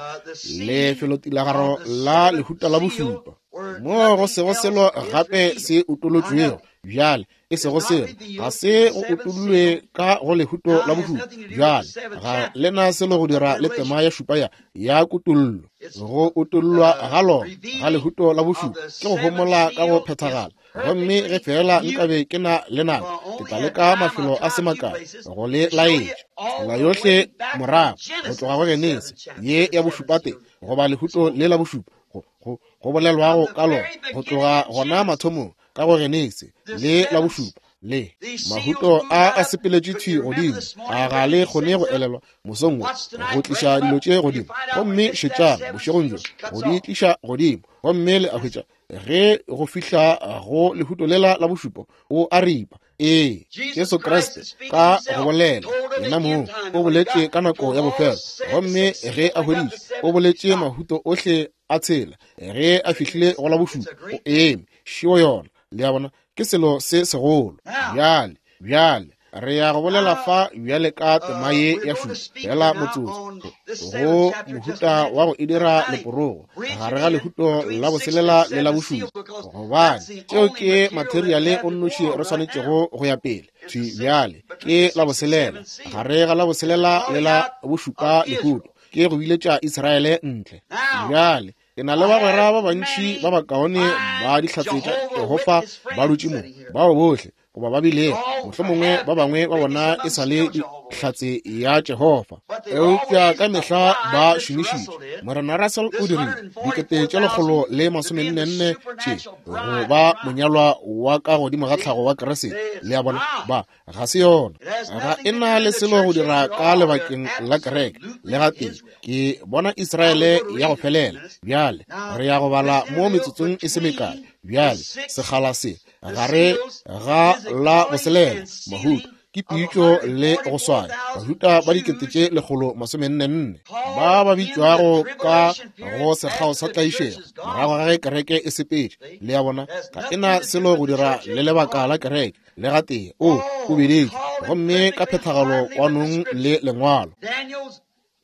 lefelotiragalo la lehuta la bošupa, moo go sego selo gape se utolotšwego. Bjale, e sego selo, ga se go utollwe ka go lehuto la bošupa. Bjale, ga lena selo go dira le tema ya šupa ya ya kutollo. Go utollwa ga lona ga lehuto la bošupa ke go homola ka go phethagala. Gomme ge fela nkabe ke na le nako, ke tla leka mafelo a se makae go le laetša tsela yohle morago go tloga go Genesi ye ya bošupate goba lehuto le la bošupa go, go, go bolelwago ka lona go tloga gona mathomong ka go Genesi le la bošupa le mahuto a a sepeletše thwi godimo. A ga le kgone go elelwa mosong wo go tliša dilo tše godimo, gomme šetšang bošegong bjo go di tliša godimo, gomme le a hwetša ge go fihla go lehuto lela la bošupo o a ripa. Ee, Jesu Kriste ka go bolela yena mong o boletše ka nako ya bofelo, gomme ge a hweditše o boletše mahuto ohle a tshela. Ge a fihlile go la bošupa o eme šio yona. Le a bona, ke selo se segolo. Bjale, bjale re ya go bolela fa bjale ka tema ye ya šupa fela motsotso, go mohuta wa go e dira leporogo gare ga lehuto la boselela le la bošupa, gobane tšeo ke materiale o nnoši re swanetšego go ya pele. Thwi bjale ke la boselela, gare ga la boselela le la bošupa lehuto ke go biletša Israele ntle. Bjale ke na le bagwera ba bantši ba bakaone ba dihlatse tša Jehofa ba dutše mo, bao bohle goba ba bile mohlomongwe ba bangwe ba bona e sa le dihlatse ya Jehofa, eupša ka mehla ba šomišitše. Morena Russell o dirile dikete tše lekgolo le masomenne tše go ba monyalwa wa ka godimo ga tlhago wa Kriste. Le a bona, ba ga se yona, ga e na le selo go dira ka lebakeng la kereke le gatee. Ke bona Israele ya go felela. Bjale re ya go bala mo metsotsong e se mekae. Bjale sekgala se gare ga la boselela mahuto ke pitšo le go swaya bajuta ba dikete tše lekgolo masomenne nne ba ba bitšwago ka go sekgao sa tlaišego morago ga ge kereke e sepetše. Le a bona, ga e na selo go dira le lebaka la kereke le gatee. O o bedetše gomme ka phethagalo kwanong le lengwalo.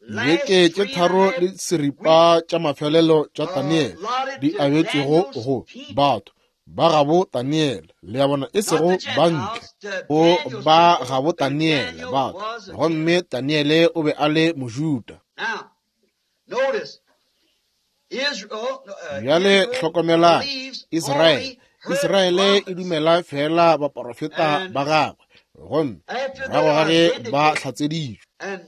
Beke tše tharo le seripa tša mafelelo tša Daniel di abetšwego go batho ba gabo Daniel, le a bona, e sego ba ntle, o ba gabo Daniel batho, gomme Daniele o be a le Mojuda. Bjale hlokomelang, Israele, Israele e dumela fela baporofeta ba gagwe, gomme morago ga ge ba hlatseditšwe.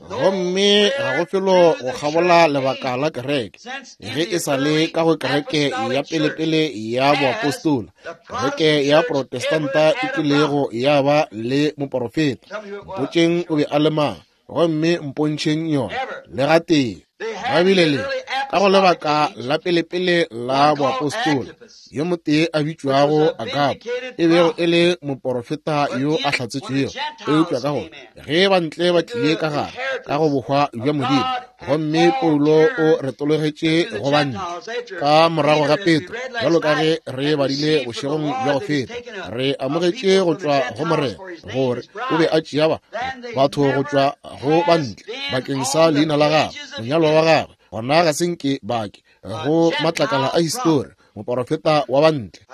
Gomme ga go felo go kgabola lebaka la kereke, ge e sa le ka go kereke ya pelepele ya boapostola, kereke ya Protestanta e kilego ya ba le moporofeta. Mpotšeng o be a le mang, gomme mpontšheng yona le gatee. Ba bile le ka go lebaka la pelepele la boapostola, yo motee a bitšwago Agabo, e bego e le moporofeta yo a hlatsetšwego, eupša ka gore ge bantle ba tlile ka gare ka go bohwa bja Modimo, gomme Paulo o retologetše go bantle ka morago ga Petro, bjalo ka ge re badile bošegong bja go feta, re amogetše go tšwa go Morena gore o be a tšea ba batho go tšwa go bantle bakeng sa leina la gagwe, monyalwa wa gagwe. Gona ga se nke bake go matlakala a histori, moporofeta wa bantle.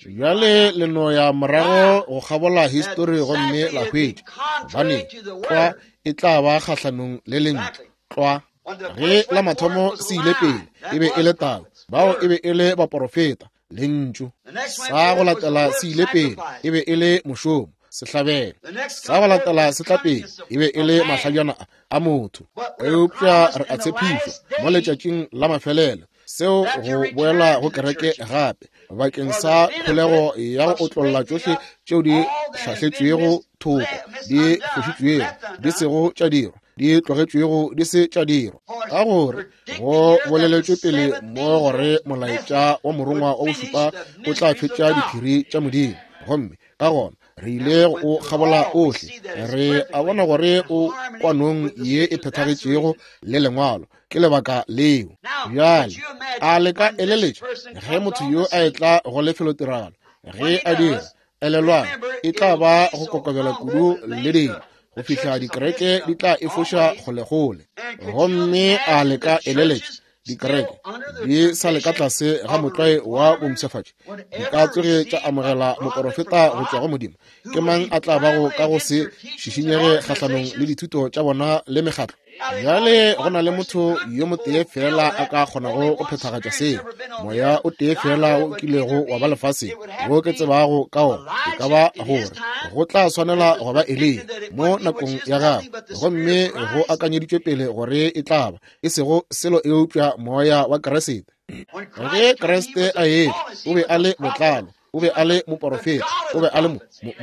Bjale le no ya morago go kgabola histori gomme la hwetša, gobane tlwa e tla ba kgahlanong le lentšu. Tlwa ge la mathomo se ile pele e be e le tau, bao e be e le baporofeta, lentšu. Sa go latela se ile pele e be e le mošomo, sehlabelo. Sa go latela se tla pele e be e le mahlajana a motho. Eupša re a tshepišwa mo letšatšing la mafelelo seo go boela go kereke gape bakeng sa kholego ya go otlolla tšohle tšeo di hlahletšwego thoko, di fošitšwego, di sego tša dirwa, di tlogetšwego di se tša dirwa. Ka gore go boleletšwe pele mo gore molaetša wa morongwa wa bošupa o tla fetša diphiri tša Modimo, gomme ka gona re ile go kgabola ohle, re a bona gore o kwanong ye e phethagetšego le lengwalo. Ke lebaka leo. Bjale a le ka eleletša ge motho yo a etla go lefelotiragalo, ge a dira, elelwang, e tla ba go kokobela kudu le dilo go fihla dikereke di tla efoša kgolekgole. Gomme a le ka eleletša dikereke di sa le ka tlase ga motlwae wa bompshafatši, di ka tsoge tša amogela moporofeta go tšwa go Modimo? Ke mang a tla bago ka go se šišinyege kgahlanong le dithuto tša bona le mekgatlo? Bjale go na le motho yo motee fela a ka kgonago go phethagatša seo, moya o tee fela o kilego wa ba lefaseng wo ke tsebago ka ona, e ka ba gore go tla swanela go ba Eliya mo nakong ya gagwe, gomme go akanyeditšwe pele gore e tla ba e sego selo eupša moya wa Kriste. Ge Kriste a etla, o be a le botlalo, o be a le moporofeta, o be a le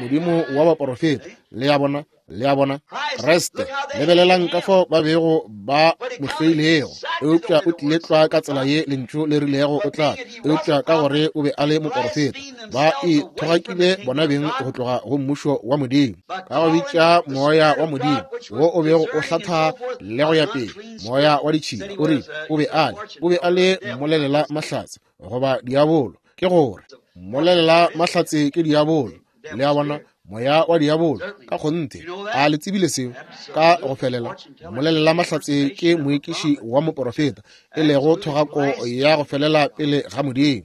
Modimo wa baporofeta. Le a bona, le a bona, Kriste, lebelelang ka fao ba bego ba mo hloilego, eupša o tlile tlwa ka tsela ye lentšu le rilego o tla, eupša ka gore o be a le moporofeta, ba ithogakile bona beng go tloga go mmušo wa Modimo, ka go bitša moya wa Modimo wo o bego o hlatha le go ya pele, moya wa ditšhila. O rile o be a le, o be a le mmolelela mahlatse goba diabolo, ke gore mmolelela mahlatse ke diabolo. Le a bona, moya wa diabolo ka kgonthe. A le tsebile seo ka go felela? Mmolelela mahlatse ke moekiši wa moporofeta, e lego thogako ya go felela pele ga Modimo.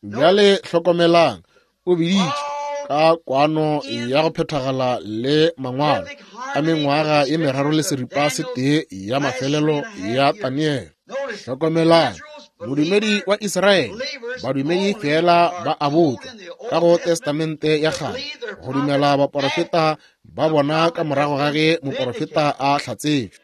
Bjale hlokomelang, o biditše ka kwano ya go phethagala le mangwalo a mengwaga ye meraro le seripa se tee ya mafelelo ya Daniele. Hlokomelang, modumedi wa Israele, badumedi fela ba a botšwa ka go Testamente ya kgale go dumela baporofeta ba bona ka morago ga ge moporofeta a hlatsetšwe.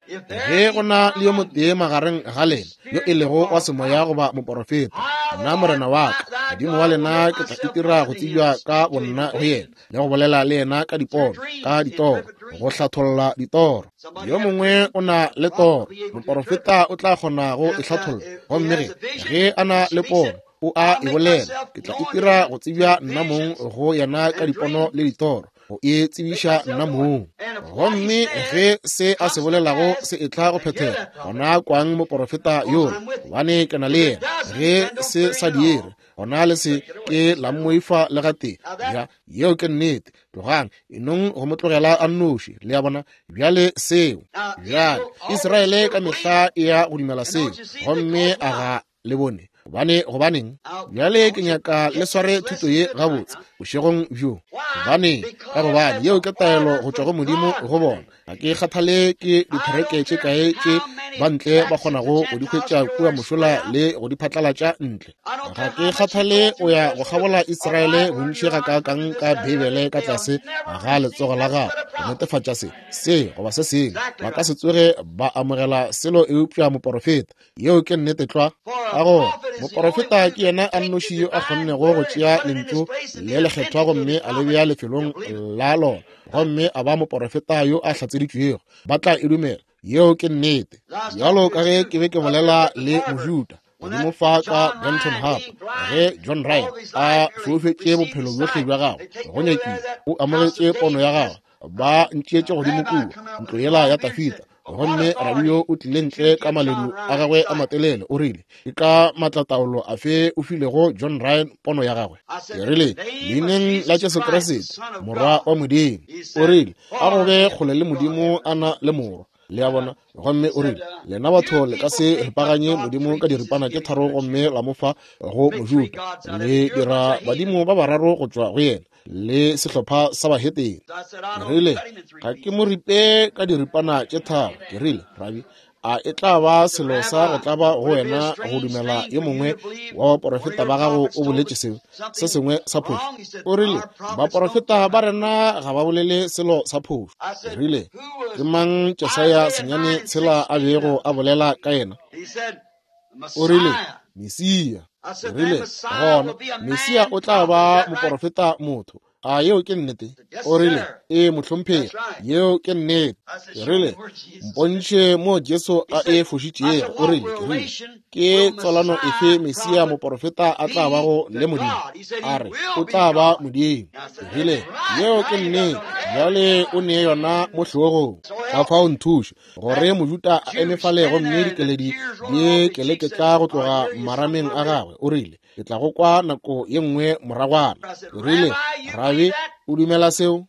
Ge go na le yo motee magareng ga lena yo e lego wa semoya goba moporofeta, nna Morena wa ka, Modimo wa lena, ke tla itira go tsebja ka bonna go yena le go bolela le yena ka dipono, ka ditoro, go hlatholla ditoro. Yo mongwe o na le toro, moporofeta o tla kgona go e hlatholla, gomme ge ge a na le pono o a e bolela, ke tla itira go tsebja nna mong go yena ka dipono le ditoro, go e tsebiša nna mong. Gomme ge se a se bolelago se etla go phethega, gona kwang moporofeta yola, gobane ke na le yena. Ge se sa diere, gona le se ke la mmoifa le gatee. Ja, yeo ke nnete. Tlogang, enong go mo tlogela a nnoši. Le a bona? Bjale seo, bjale Israele ka mehla e ya go dumela seo, gomme a ga le bone. Gobane, gobaneng? Bjale ke nyaka le sware thuto ye gabotse bošegong bjo. Gobaneng? Ka gobane yeo ke taelo go tšwa go Modimo go bona. Ga ke kgathale ke dithereke tše kae tše ba ntle ba kgonago go di hwetša kua mošola le go di phatlalatša ntle. Ga ke kgathale o ya go kgabola Israele bontši gakaakang ka Beibele ka tlase ga letsogo la gago go netefatša se, se goba se sengwe. Ba ka se tsoge ba amogela selo eupša moporofeta. Yeo ke nnete tlwa. Ka gore moporofeta ke yena a nnoši yo a kgonnego go tšea lentšu le lekgethwa gomme a le bea lefelong la lona, gomme a ba moporofeta yo a hlatseditšwego. Ba tla e dumela. Yeo ke nnete. Bjalo ka ge ke be ke bolela le Mojuda godimo fa ka Benton Harbor, ge John Ryan a foufetše bophelo bjohle bja gagwe go nyakile, o amogetše pono ya gagwe. Ba ntšeetše godimo kua ntlo yela ya Tafita, gomme rabi yo o tlile ntle ka maledu a gagwe a matelele. O rile, ke ka maatlataolo afe o filego John Ryan pono ya gagwe? Ke rile, leineng la Jesu Kriste, Morwa wa Modimo. O rile, a go be kgole le Modimo a na le Morwa. Le a bona? Gomme o rile, lena batho le ka se ripaganye Modimo ka diripana tše tharo gomme la mo fa go Mojuda. Le dira badimo ba bararo go tšwa go yena le sehlopha sa bahetene. Ke rile, ga ke mo ripe ka diripana tše tharo. Ke rile, rabi, a e tla ba selo sa go tlaba go wena go dumela yo mongwe wa baporofeta ba gago o boletše seo se sengwe sa phošo? O rile, baporofeta ba rena ga ba bolele selo sa phošo. Ke rile, ke mang Jesaya senyane tshela a bego a bolela ka yena? O rile, Mesia. Ke rile, gona Mesia o tla ba moporofeta motho. A yeo ke nnete? O rile, ee mohlomphegi, yeo ke nnete. Ke rile, mpontšhe mo Jesu a e fošitšego. O rile, ke rile, ke tswalano efe Mesia moporofeta a tla bago le Modimo? A re, o tla ba Modimo. Ke rile, yeo ke nnete. Bjale o ne yona mo hlogong. Ka fao nthuše gore Mojuda a eme fale gomme dikeledi di keleketla go tloga marameng a gagwe. O rile, ke tla go kwa nako ye nngwe moragwana. Ke rile, rabi, o dumela seo?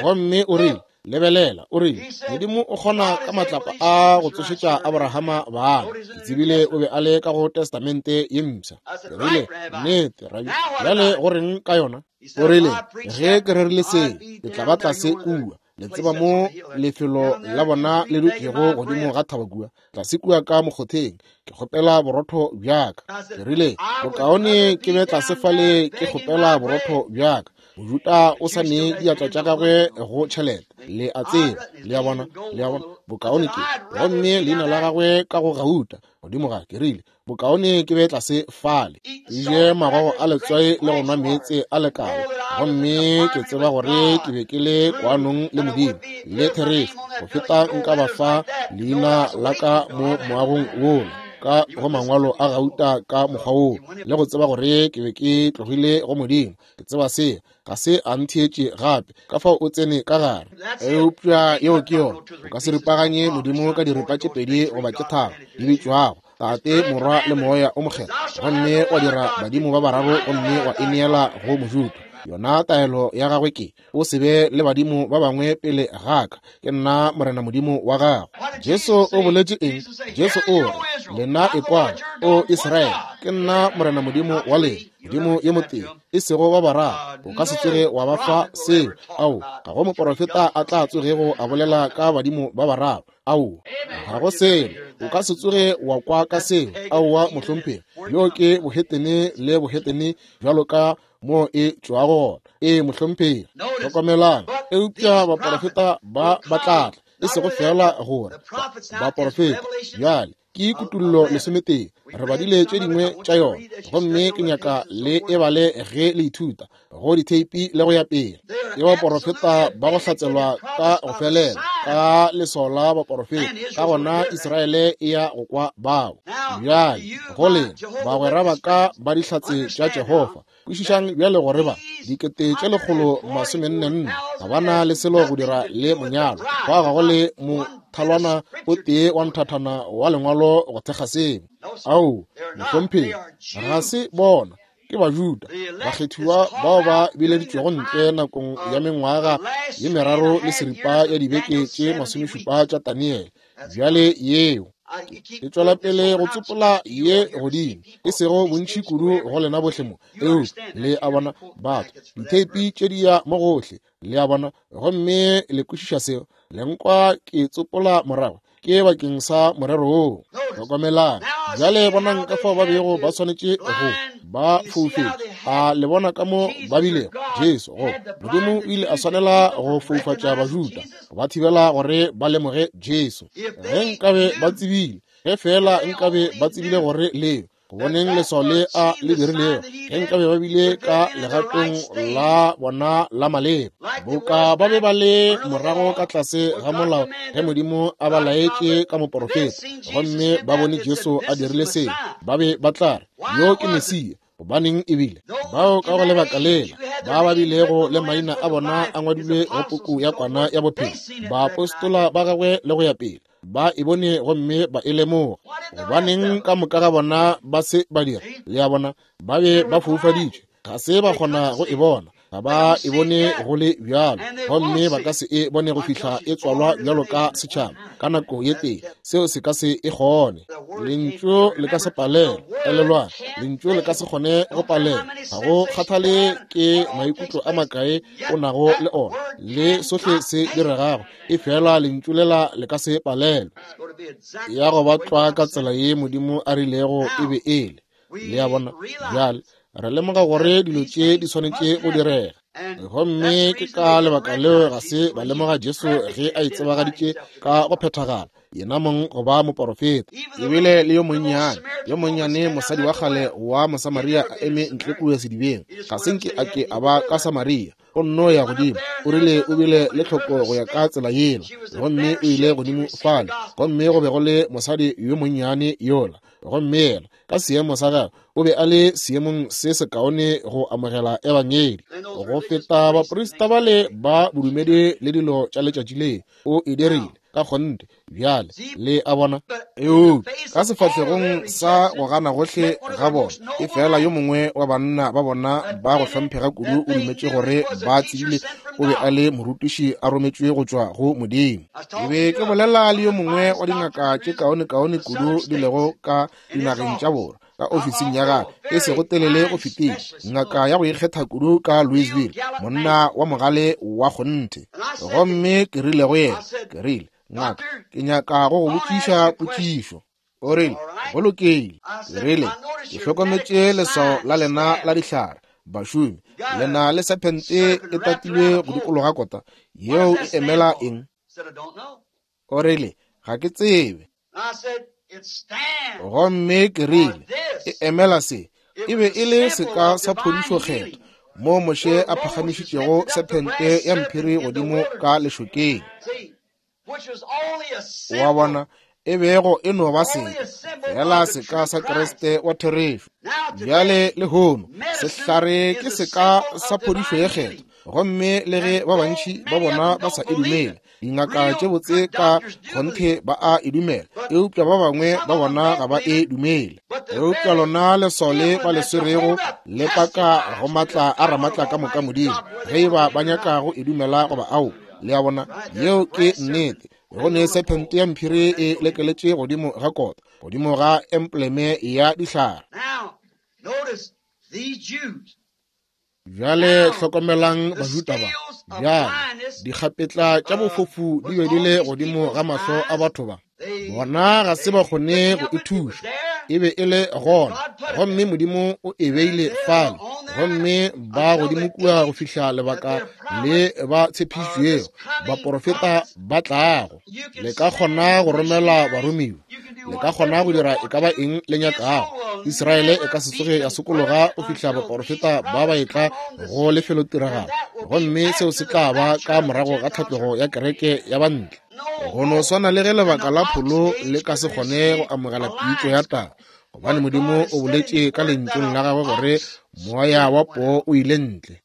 Gomme o rile, lebelela. O rile, Modimo o kgona ka matlapa a go tsošetša Abrahama bana. Ke tsebile o be a le ka go Testamente ye mpsha. Ke rile, nnete, rabi, bjale go reng ka yona? O rile, ge ke rerile seo, ke tla ba tlase kua. Le tseba mo lefelo la bona le dutšego godimo ga thaba kua, tlase kua ka mokgotheng, ke kgopela borotho bjaka. Ke rile, bokaone ke be tlase fale ke kgopela borotho bjaka. Mojuda o sa ne diatla tša gagwe go tšhelete. Le a tseba, le a bona, le a bona, bokaone ke. Gomme leina la gagwe ka go gauta godimo ga. Ke rile, bokaone ke be tlase fale, ke je magogo a letswai le go nwa meetse a lekala, gomme ke tseba gore ke be ke le kwanong le Modimo le therešo go feta nka ba fa leina la ka mo moagong wola ka go mangwalo a gauta ka mokgwa woo, le go tseba gore ke be ke tlogile go Modimo. Ke tseba se ga se a ntheetše gape, ka fao o tsene ka gare. Eupša yeo ke yona. O ka se ripaganye Modimo ka diripa tše pedi goba tše tharo di bitšwago Tate, Morwa le Moya o Mokgethwa, gomme wa dira badimo ba bararo gomme wa ineela go Mojuda. Yona taelo ya gagwe ke, o se be le badimo ba bangwe pele ga ka, ke nna Morena Modimo wa gago. Jesu o boletše eng? Jesu o re, lena ekwang, o Israele, ke nna Morena Modimo wa lena, Modimo yo motee, e sego ba bararo. O ka se tsoge wa ba fa seo. Ao, ga go moporofeta a tla tsogego a bolela ka badimo ba bararo. Ao, ga go selo. O ka se tsoge wa kwa ka seo. Aowa mohlomphegi, yo ke bohetene le bohetene bjalo ka mo e tšwago gona. Ee mohlomphegi, hlokomelang. Eupša baporofeta ba ba tla tla, e sego fela gore baporofeta. Bjale ke kutullo lesometee, re badile tše dingwe tša yona, gomme ke nyaka le e bale ge le ithuta go ditheipi le go ya pele. Ke baporofeta ba go hlatselwa ka go felela ka leswao la baporofeta, ka gona Israele e ya go kwa bao. Bjale go lena bagwera ba ka ba dihlatse tša Jehofa, kwešišang bjale gore ba dikete tše lekgolo masomenne nne ga ba na le selo go dira le monyalo. Fa ga go le mothalwana o tee wa nthathana wa lengwalo go thekga seo. Ao, mohlomphegi, ga se bona, ke Bajuda bakgethiwa bao ba bileditšwego ntle nakong ya mengwaga ye meraro le seripa ya dibeke tše masomešupa tša Daniele. Bjale yeo Ke tšwela pele go tsopola ye godimo, e sego bontši kudu go lena bohle mo, eupša le a bona batho ditheipi tše di ya mo gohle, le a bona, gomme le kwešiša seo. Le nkwa ke tsopola morago, ke bakeng sa morero woo. Hlokomelang bjale, bonang ka fao ba bego ba swanetše go ba foufetše. A le bona ka mo ba bilego? Jesu, go Modimo o ile a swanela go foufatša Bajuda, ba thibela gore ba lemoge Jesu. Ge nkabe ba tsebile, ge feela nkabe ba tsebile gore leo go boneng leswao le a le dirilego, ge nkabe ba bile ka legatong la bona la maleba, boka ba be ba le morago ka tlase ga molao ge Modimo a ba laetše ka moporofeta, gomme ba bone Jesu a dirile seo, ba be ba tla re, yo ke Mesia. Gobaneng ebile bao ka go lebaka lela ba ba bilego le maina a bona a ngwadilwe go puku ya kwana ya bophelo, baapostola ba gagwe le go ya pele, ba e bone gomme ba e lemoga. Gobaneng ka moka ga bona ba se ba dira? Le a bona, ba be ba foufaditšwe, ga se ba kgona go e bona, ga ba e bone go le bjalo, gomme ba ka se e bone go fihla e tswalwa bjalo ka setšhaba ka nako ye tee. Seo se ka se e kgone. Lentšu le ka se palelwe. Elelwang, lentšu le ka se kgone go palelwa. Ga go kgathale ke maikutlo a makae o nago le ona le sohle se diregago, e fela lentšu lela le ka se palelwe. Ya go ba tlwa ka tsela ye Modimo a rilego e be e le. Le a bona? Bjale re lemoga gore dilo tše di swanetše go direga, gomme ke ka lebaka leo ga se ba lemoga Jesu ge a itsebagaditše ka go phethagala yena mong go ba moporofeta. Ebile le yo monnyane, yo monnyane mosadi wa kgale wa Mosamaria a eme ntle kua sedibeng, ga se nke a ke a ba ka Samaria, o nno ya godimo, o rile o bile le tlhoko go ya ka tsela yela, gomme o ile godimo fale, gomme go be go le mosadi yo monnyane yola, gomme yena ka seemo sa gagwe o be a le seemong se sekaone go amogela ebangedi go feta baprista bale ba bodumedi le dilo tša letšatši le. O e dirile ka kgonthe. Bjale le a bona, eupša ka sefahlegong sa go gana gohle ga bona, e fela yo mongwe wa banna ba bona ba go hlomphega kudu o dumetše gore ba tsebile o be a le morutiši a rometšwe go tšwa go Modimo. Ke be ke bolela le yo mongwe wa dingaka tše kaonekaone kudu di lego ka dinageng tša borwa ka ofising ya gagwe e sego telele go fetile, ngaka ya go ikgetha kudu ka Louisville, monna wa mogale wa kgonthe. Gomme ke rile go yena, ke rile, ngaka, ke nyaka go go botšiša potšišo. O rile, go lokile. Ke rile, ke hlokometše leswao la lena la dihlare, bašomi, le na le sephente e tatilwe go dikologa kota, yeo e emela eng? O rile, ga ke tsebe. Gomme ke rile, e emela se. E be e le seka sa phodišo kgetho, mo Moshe a phagamišitšego sephente ya mphiri godimo ka lešokeng. Wa bona, e bego e no ba seka, fela seka sa Kriste wa therešo. Bjale lehono sehlare ke seka sa phodišo ye kgetho, gomme le ge ba bantši ba bona ba sa e dumele, dingaka tše botse ka kgonthe ba a e dumela, eupša ba bangwe ba bona ga ba e dumele. Eupša lona leswao le ba le swerego le paka go matla a ramatla ka moka Modimo, ge e ba ba nyaka go e dumela goba ao. Le a bona, yeo ke nnete. Go ne sephente ya mphiri e lekeletše godimo ga kota, godimo ga embleme ya dihlare. Bjale hlokomelang Bajuda ba. Bjale dikgapetla tša bofofu di be di le godimo ga mahlo a batho ba. Bona ga se ba kgone go ithuša. E be e le gona, gomme Modimo o e beile fale, gomme ba godimo kua go fihla lebaka le ba tshepišitšwego, baporofeta ba tlago. Le ka kgona go romela baromiwa, le ka kgona go dira e ka ba eng le nyakago. Israele e ka se tsoge ya sokologa go fihla baporofeta ba ba etla go lefelotiragalo, gomme seo se tla ba ka morago ga tlhatlogo ya kereke ya bantle. Go no swana le ge lebaka la pholo le ka se kgone go amogela pitšo ya taba, gobane Modimo o boletše ka lentšung la gagwe gore moya wa poo o ile ntle,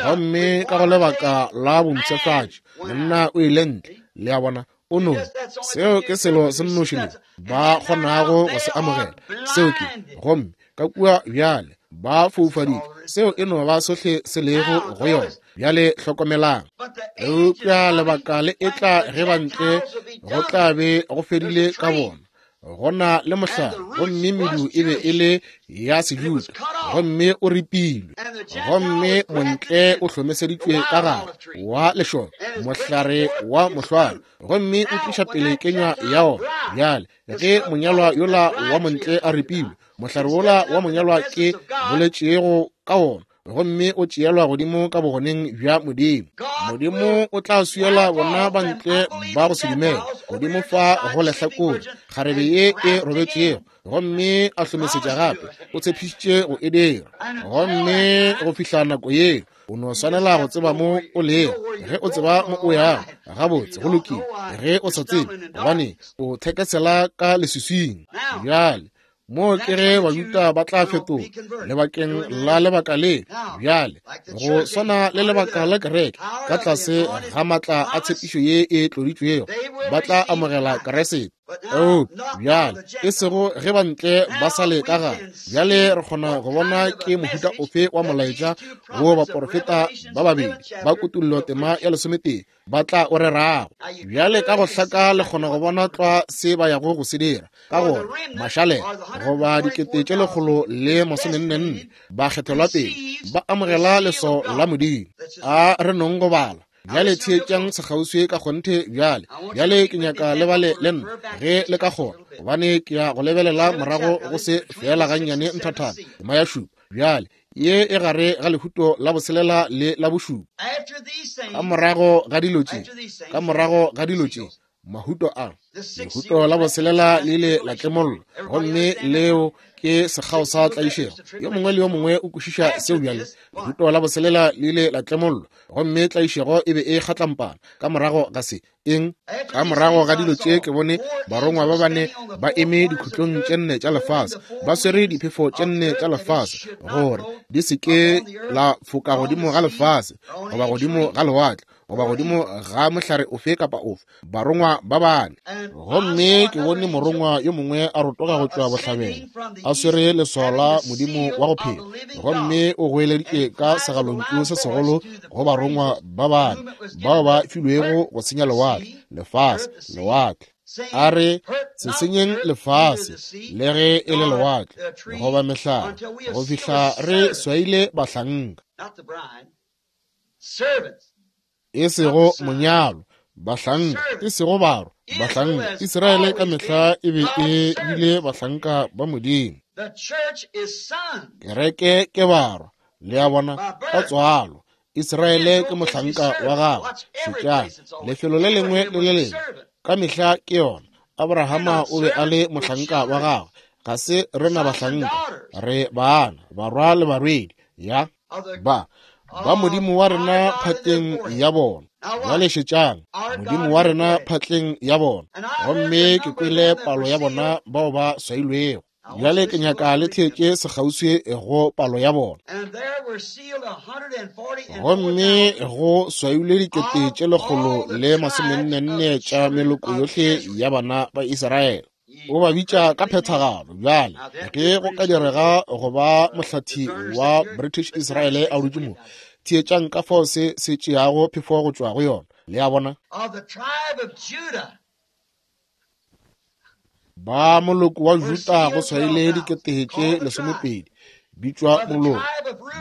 gomme ka go lebaka la bompshafatši monna o ile ntle. Le a bona, o no seo ke selo se nnoši le ba kgonago go se amogela, seo ke, gomme ka kua bjale ba foufaditšwe, seo e no ba sohle se lego go yona. Bjale hlokomelang, eupša lebaka le etla ge bantle go tla be go fedile ka bona. Go na le mohlare, gomme medu e be e le ya Sejuda, gomme o ripilwe, gomme montle o hlomeseditšwe ka gare wa lešoka, mohlare wa mohlware, gomme o tliša pele kenywa ya ona. Bjale ge monyalwa yola wa montle a ripilwe, mohlare wola wa monyalwa ke boletšego ka wona, gomme o tšeelwa godimo ka bogoneng bja Modimo. Modimo o tla swiela bona bantle ba go se dumele godimo fa go lehlakore kgarebe ye e robetšego, gomme a hlomesetša gape. O tshepišitše go e dira, gomme go fihla nako yeo o no swanela go tseba mo o lego. Ge o tseba mo o yago, gabotse go lokile. Ge o sa tsebe, gobane o thekesela ka leswiswing. Bjale mo ke ge Bajuda ba tla fetoga lebakeng la lebaka le. Bjale go swana le lebaka la kereke, ka tlase ga matla a tshepišo ye e tloditšwego, ba tla amogela Kriste. Eupša bjale e sego ge bantle ba sa le ka gare. Bjale re kgona go bona ke mohuta ofe wa molaetša wo baporofeta ba babedi ba Kutullo tema ya lesometee ba tla o rerago. Bjale ka go hlaka le kgona go bona tlwa se ba yago go se dira. Ka gona mašalela goba dikete tše lekgolo le masomenne ba kgethelwa pele, ba amogela leswao la Modimo. A re nong go bala. Bjale theetšang sekgauswi ka kgonthe bjale. Bjale ke nyaka le bale le nna ge le ka kgona, gobane ke ya go lebelela morago go se fela gannyane nthathana. Tema ya šupa bjale ye e gare ga lehuto la boselela le la bošupa. Ka morago ga dilo tše, ka morago ga dilo tše, mahuto a lehuto la boselela le ile la tlemollwa, gomme leo ke sekgao sa tlaišego. Yo mongwe le yo mongwe o kwešiša seo bjale. Lehuto la boselela le ile la tlemollwa, gomme tlaišego e be e kgatlampana. Ka morago ga se eng? Ka morago ga dilo tše ke bone barongwa ba bane ba eme dikhutlong tše nne tša lefase, ba swere diphefo tše nne tša lefase, gore di se ke la foka godimo ga lefase, goba godimo ga lewatle, goba godimo ga mohlare ofe kapa ofe. Barongwa ba bane. Gomme ke bone morongwa yo mongwe a rotoga go tšwa bohlabela, a swere leswao la Modimo wa go phela, gomme o goeleditše ka segalontšu se segolo go barongwa ba bane bao ba filwego go senya lewatle, lefase, lewatle. A re, se senyeng lefase le ge e le lewatle goba mehlare, go fihla re swaile bahlanka, e sego monyalo, bahlanka, e sego barwa, bahlanka. Israele ka mehla e be e bile bahlanka ba Modimo. Kereke ke barwa, le a bona, ka tswalo. Israele ke mohlanka wa gagwe. Šetšang lefelo le lengwe le le lengwe, ka mehla ke yona. Abrahama o be a le mohlanka wa gagwe. Ga se rena bahlanka, re bana, barwa le barwedi ya ba ba Modimo wa rena phatleng ya bona. Bjale šetšang, Modimo wa rena phatleng ya bona. Gomme ke kwele palo ya bona bao ba swailwego. Bjale ke nyaka le theetše sekgauswi go palo ya bona. Gomme go swailwe dikete tše lekgolo le masomenne tša meloko yohle ya bana ba Israele. O ba bitša ka phethagalo. Bjale ge go ka direga go ba mohlathi wa British Israel a dutše mo, theetšang ka fao se se tšeago phefo go tšwa go yona. Le a bona? Ba moloko wa Juda go swaile dikete tše lesomepedi, bitšwa moloko.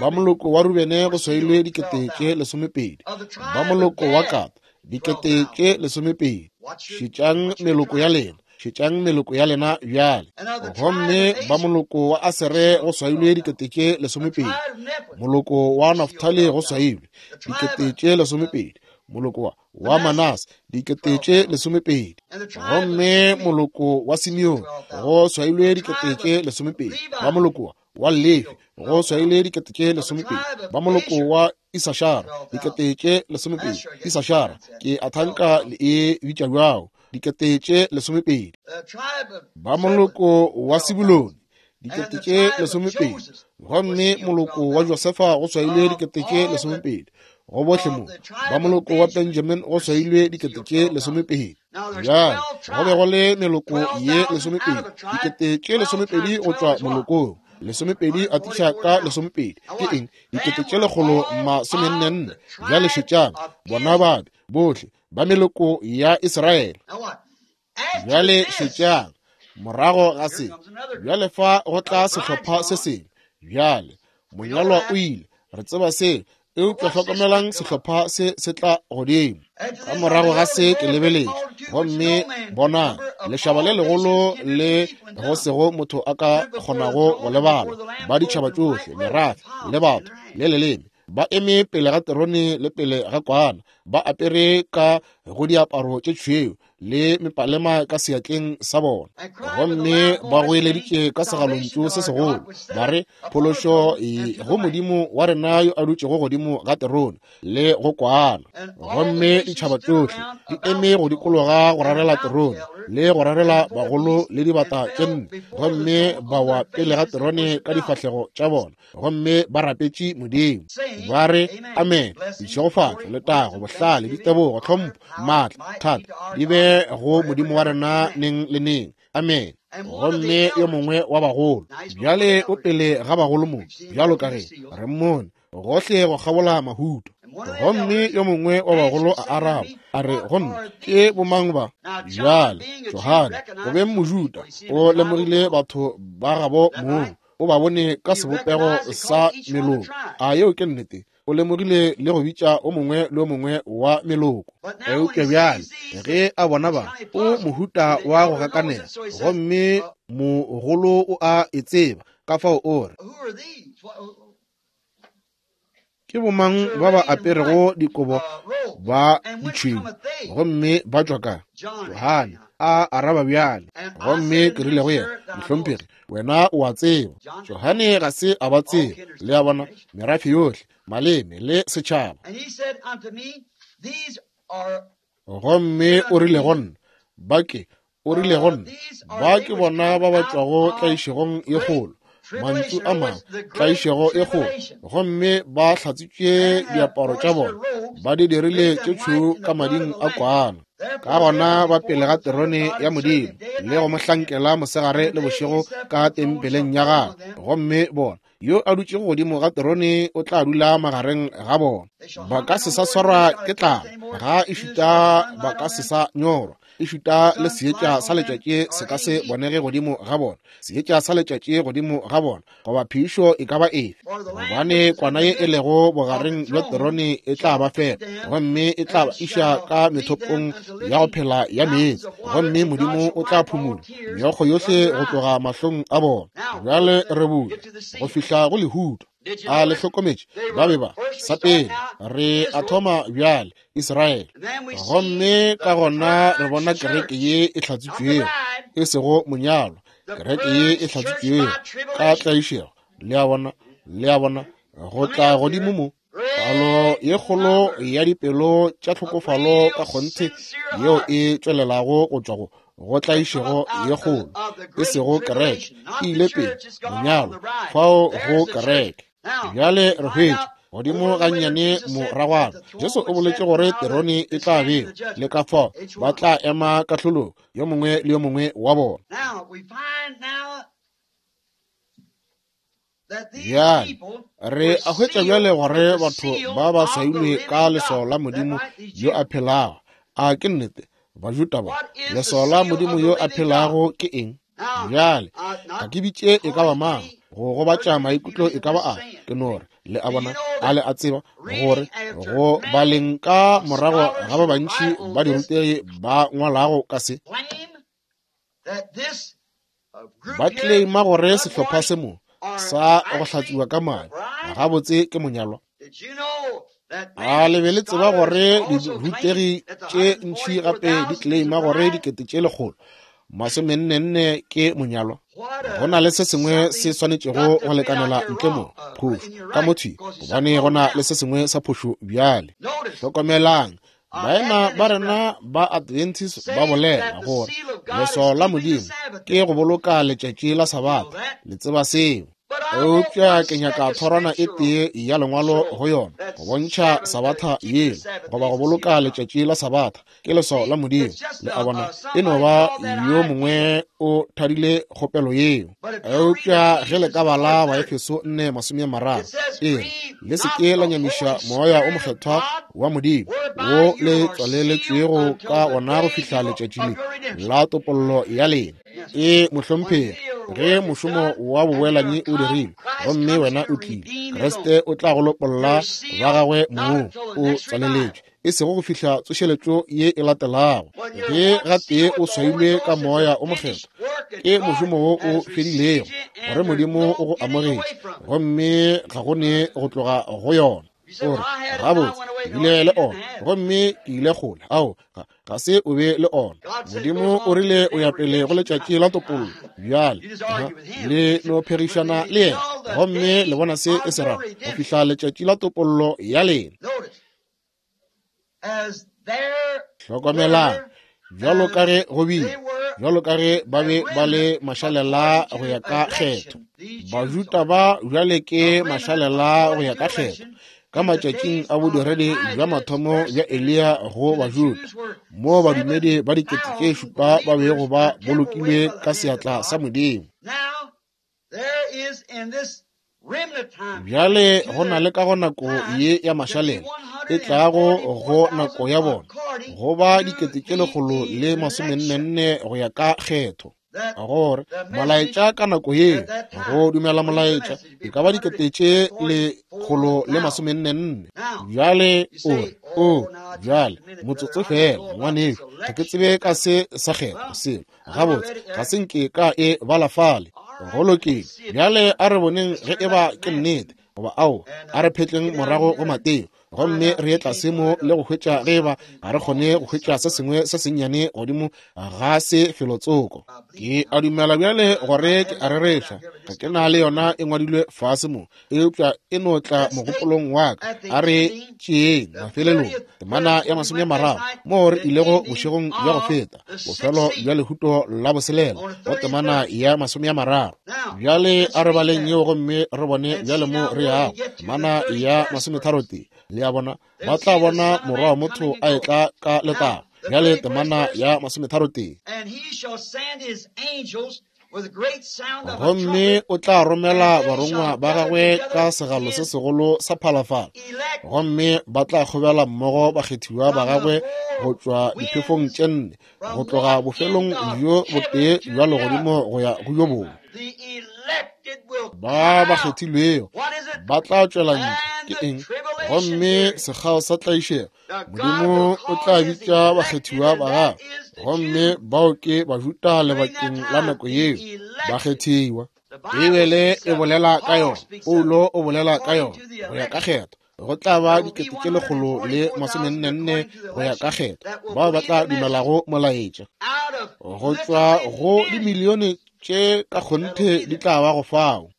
Ba moloko wa Rubene go swailwe dikete tše lesomepedi. Ba moloko wa Gad dikete tše lesomepedi. Šetšang meloko ya lena, šetšang meloko ya lena bjale. Gomme ba moloko wa Asere go swailwe dikete tše lesomepedi. Moloko wa Naftali go swailwe dikete tše lesomepedi. Moloko wa wa Manase dikete tše lesomepedi. Gomme moloko wa Simeone go swailwe dikete tše lesomepedi. Ba moloko wa Lefi go swailwe dikete tše lesomepedi. Ba moloko wa Isashara dikete tše lesomepedi. Isashara ke a thanka le e bitša bjao, dikete tše lesomepedi. Ba moloko wa Sebulone dikete tše lesomepedi. Gomme moloko wa Josefa go swailwe dikete tše lesomepedi. Go bohle mo ba moloko wa Benjamin go swailwe dikete tše lesomepedi. Bjale go be go le meloko ye lesomepedi, dikete tše lesomepedi go tšwa molokong lesomepedi atiša ka lesomepedi ke eng? Dikete tše lekgolo masomenne. Bjale šetšang bona babe bohle ba meloko ya Israele. Bjale šetšang Morago ga se, bjale fa go tla sehlopha se sengwe. Bjale monyalwa o ile, re tseba se, eupša hlokomelang sehlopha se se tla godimo. Ka morago ga se ke lebeletše, gomme bonang lešaba le legolo le go sego motho a ka kgonago go lebala, ba ditšhaba tšohle, merafe le batho le leleme, ba eme pele ga terone le pele ga kwana, ba apere ka go diaparo tše tšhweu le mepalema ka seatleng sa bona, gomme ba goeleditše ka segalontšu se segolo ba re, phološo go Modimo wa rena yo a dutšego godimo ga terone le go kwana. Gomme ditšhaba tšohle di eme go dikologa go rarela terone le go rarela bagolo le dibata tše nne, gomme ba wa pele ga terone ka difahlego tša bona, gomme ba rapetše Modimo ba re, amen. Ditšhegofatšo, letago, bohlale, ditebogo, tlhompho, maatla, thata di be go Modimo wa rena neng le neng. Amen. Gomme yo mongwe wa bagolo bjale o pele ga bagolo mo, bjalo ka ge re mmone gohle go kgabola mahuto. Gomme yo mongwe wa bagolo a araba a re go nna, ke bomang ba? Bjale Johane, go beng Mojuda, o lemogile batho ba gabo mong, o ba bone ka sebopego sa meloko. A yeo ke nnete? O lemogile le go bitša o mongwe le o mongwe wa meloko. Eupša bjale ge a bona ba, o mohuta wa go gakanega, gomme mogolo o a e tseba, ka fao o re, ke bomang ba ba aperego dikobo ba ditšhweu gomme ba tšwa ka? Johane a araba bjale, gomme ke rile go yena, mohlomphegi, wena o a tseba. Johane ga se a ba tseba, le a bona, merafe yohle, maleme le setšhaba. Gomme o rile go nna, ba ke, o rile go nna, ba ke bona ba ba tšwago tlaišegong ye kgolo, mantšu a mangwe, tlaišego e kgolo, gomme ba hlatswitše diaparo tša bona, ba di dirile tše tšhweu ka mading a kwana. Ka gona ba pele ga terone ya Modimo le go mo hlankela mosegare le bošego ka tempeleng ya gagwe, gomme bona yo a dutšego godimo ga terone o tla dula magareng ga bona. Ba ka se sa swarwa ke tlala, ga ešita ba ka se sa nyorwa, ešita le seetša sa letšatši se ka se bonege godimo ga bona, seetša sa letšatši godimo ga bona, goba phišo e ka ba efe, gobane kwana ye e lego bogareng bja terone e tla ba fepa, gomme e tla ba iša ka methopong ya go phela ya meetse, gomme Modimo o tla phumola meokgo yohle go tloga mahlong a bona. Bjale re bula go fihla go lehuto. A le hlokometše? Ba be ba sa pele re a thoma bjale Israele, gomme ka gona re bona kereke ye e hlatswitšwego, e sego monyalwa, kereke ye e hlatswitšwego ka tlaišego. Le a bona, le a bona, go tla godimo mo palo ye kgolo ya dipelo tša tlhokofalo ka kgonthe yeo e tšwelelago go tšwa go go tlaišego ye kgolo, e sego kereke, e ile pele monyalwa fao go kereke. Bjale re hwetša godimo gannyane moragwana, Jesu o boletše gore terone e tla bewa, le ka fao ba tla ema kahlolong yo mongwe le yo mongwe wa bona. Bjale re a hwetša bjale gore batho ba ba swailwe ka leswao la Modimo yo a phelago. A ke nnete? Bajuda ba, leswao la Modimo yo a phelago ke eng? Bjale ga ke bitše e ka ba mang go gobatša maikutlo e ka ba a ke no re, le a bona, a le a tseba gore go baleng ka morago ga ba bantši ba dirutegi ba ngwalago ka se, ba claima gore sehlopha se mo sa go hlatswiwa ka madi gabotse ke monyalwa. A le be le tseba gore dirutegi tše ntši gape di claima gore dikete tše lekgolo masomennenne ke monyalwa? Go na le se sengwe se swanetšego go lekanela ntle mo, phošo ka mothwi, gobane go na le se sengwe sa phošo bjale. Hlokomelang, baena ba rena ba Adventist ba bolela gore leswao la Modimo ke go boloka letšatši la Sabatha. Le tseba seo. Eupša ke nyaka thorwana e tee ya lengwalo go yona go bontšha Sabatha yeo, goba go boloka letšatši la Sabatha ke leswao la Modimo. Le a bona, e no ba yo mongwe o thadile kgopelo yeo. Eupša ge le ka bala Baefeso nne masome a mararo, e re, le se ke la nyamiša moya o mokgethwa wa Modimo wo le tswaleletšwego ka ona go fihla letšatši le la topollo ya lena. E mohlomphegi, ge mošomo wa boboelanyi o dirilwe gomme wena o tlile, Kriste o tla go lopolla ba gagwe moo o tswaleletšwe, e sego go fihla tsošeletšo ye e latelago. Ge gatee o swailwe ka Moya o Mokgethwa, ke mošomo wo o fedilego gore Modimo o go amogetše, gomme ga go ne go tloga go yona. O re, gabotse, ke bile le ona gomme ke ile kgole. Ao, ga, ga se o be le ona. Modimo o rile o ya pele go letšatši la topollo. Bjale le no phegišana le yena, gomme le bona se e se rago go fihla letšatši la topollo ya lena. Hlokomelang, bjalo ka ge go bile, bjalo ka ge ba be ba le mašalela go ya ka kgetho. Bajuda ba bjale ke mašalela go ya ka kgetho. Ka matšatšing a bodiredi bja mathomo bja Eliya go Bajuda, mo badumedi ba dikete tše šupa ba bego ba bolokilwe ka seatla sa Modimo. Bjale go na le ka go nako ye ya mašalela e tlago go nako ya bona go ba dikete tše lekgolo le masomennenne go ya ka kgetho. Gore molaetša ka nako ye, go dumela molaetša e ka ba dikete tše lekgolo le masomennenne. Bjale o re, o bjale motsotso fela ngwanešu, ga ke tsebe ka se sa kgetho selo. Gabotse, ga se nke ka e bala fale. Go lokile, bjale a re boneng ge e ba ke nnete goba ao. A re phetleng morago go Mateo gomme re ye tlase mo le go hwetša ge eba ga re kgone go hwetša se sengwe se sennyane godimo ga se felotsoko. Ke a dumela bjale gore ke a rereša, ga ke na le yona e ngwadilwe fase mo, eupša e no tla mogopolong wa ka. A re tšeeng mafelelong temana ya masome a mararo moo re ilego bošegong bja go feta, bofelo bja lehuto la boselela go temana ya masome a mararo. Bjale a re baleng yeo gomme re bone bjale mo re yago. Temana ya masometharotee. Le a bona, ba tla bona morwa wa motho a etla ka letago. Bjale temana ya masometharotee. Gomme o tla romela barongwa ba gagwe ka segalo se segolo sa phalafala, gomme ba tla kgobela mmogo bakgethiwa ba gagwe go tšwa diphefong tše nne, go tloga bofelong bjo botee bja legodimo go ya go yo bongwe. Ba ba kgethilwego ba tla tšwela ntle. Ke eng? Gomme sekgao sa tlaišego, Modimo o tla bitša bakgethiwa ba gagwe, gomme bao ke Bajuda lebakeng la nako yeo, bakgethiwa. Beibele e bolela ka yona, Paulo o bolela ka yona, go ya ka kgetho go tla ba dikete tše lekgolo le masomennenne go ya ka kgetho bao ba tla dumelago molaetša. Go tšwa go dimilione tše ka kgonthe di tla ba go fao.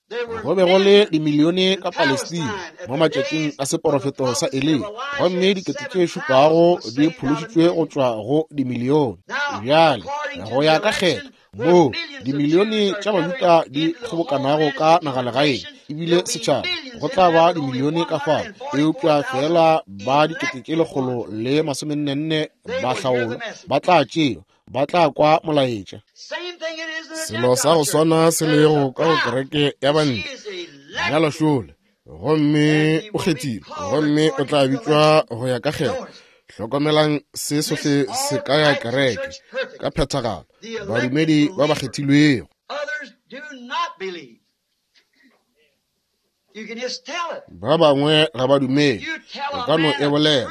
Go be go le dimilione ka Palestina mo matšatšing a seporofeto sa Eliya, gomme dikete tše šupago di phološitšwe go tšwa go dimilione. Bjale go ya ka kgetho moo dimilione tša Bajuda di kgobokanago ka nagalegaeng ebile setšhaba, go tla ba dimilione ka fao, eupša fela ba dikete tše lekgolo le masomennenne ba hlaolwa ba tla tšewa, ba tla kwa molaetša. Selo sa go swana se lego ka go kereke ya bantle bjalo šole, gomme o kgethilwe, gomme o tla bitšwa go ya ka kgetho. Hlokomelang se sohle se ka ya kereke ka phethagalo, badumedi ba ba kgethilwego. Ba bangwe ga ba dumele, o ka no e bolela,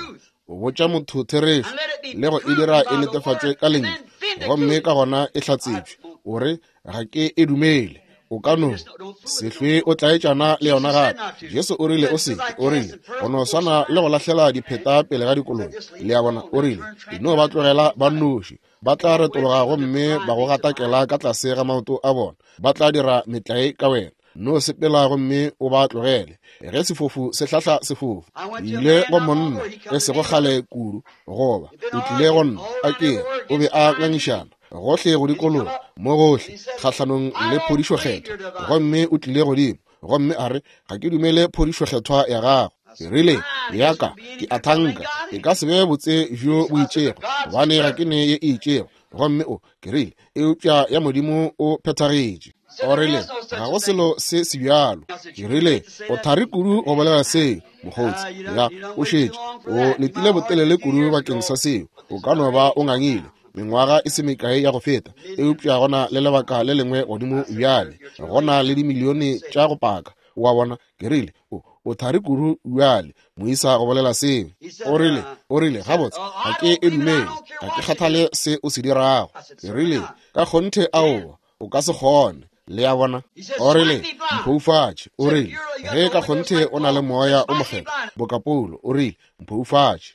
o botša motho therešo le go e dira e netefatšwe ka lentšu, gomme ka gona e hlatsetšwe. O re, ga ke e dumele. O ka no se hlwe o tlaetšana le yona gape. Jesu o rile o se, o rile go no swana le go lahlela dipheta pele ga dikoloi. Le a bona, o rile e no ba tlogela ba nnoši, ba tla retologa gomme ba go gatakela ka tlase ga maoto a bona, ba tla dira metlae ka wena. No sepela gomme o ba tlogele. Ge sefofu se hlahla sefofu, ile go monna e sego kgale kudu, goba o tlile go nna a ke o be a ngangišana gohle go dikologa mo gohle kgahlanong le phodišo kgethwa, gomme o tlile godimo gomme a re, ga ke dumele phodišo kgethwa ya gago. Ke rile, ya ka ke a thanka e ka se be botse bjo bo itšego, gobane ga ke ne ye e itšego. Gomme o ke rile, eupša ya Modimo o phethagetše. O rile, ga go selo se se bjalo. Ke rile, o thari kudu go bolela seo, mokgotsi. Ya, o šetše o letile botelele kudu bakeng sa seo. O ka no ba o ngangile, mengwaga e se mekae ya go feta, eupša gona le lebaka le lengwe godimo bjale. Gona le dimilione tša go paka. Wa bona, ke rile, o o thari kudu bjale, moisa go bolela seo. O rile, o rile, gabotse, ga ke e dumele, ga ke kgathale se o se dirago. Ke rile, ka kgonthe aowa, o ka se kgone. Le a bona? O rile, mphoufatše. O rile, ge ka kgonthe o na le moya o mokgethwa, boka Paulo, o rile, mphoufatše.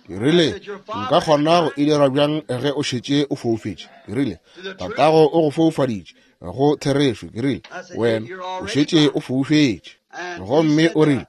Ke rile, nka kgona go e dira bjang ge o šetše o foufetše? Ke rile, tatago o go foufaditše go therešo. Ke rile, wena o šetše o foufetše. Gomme o rile,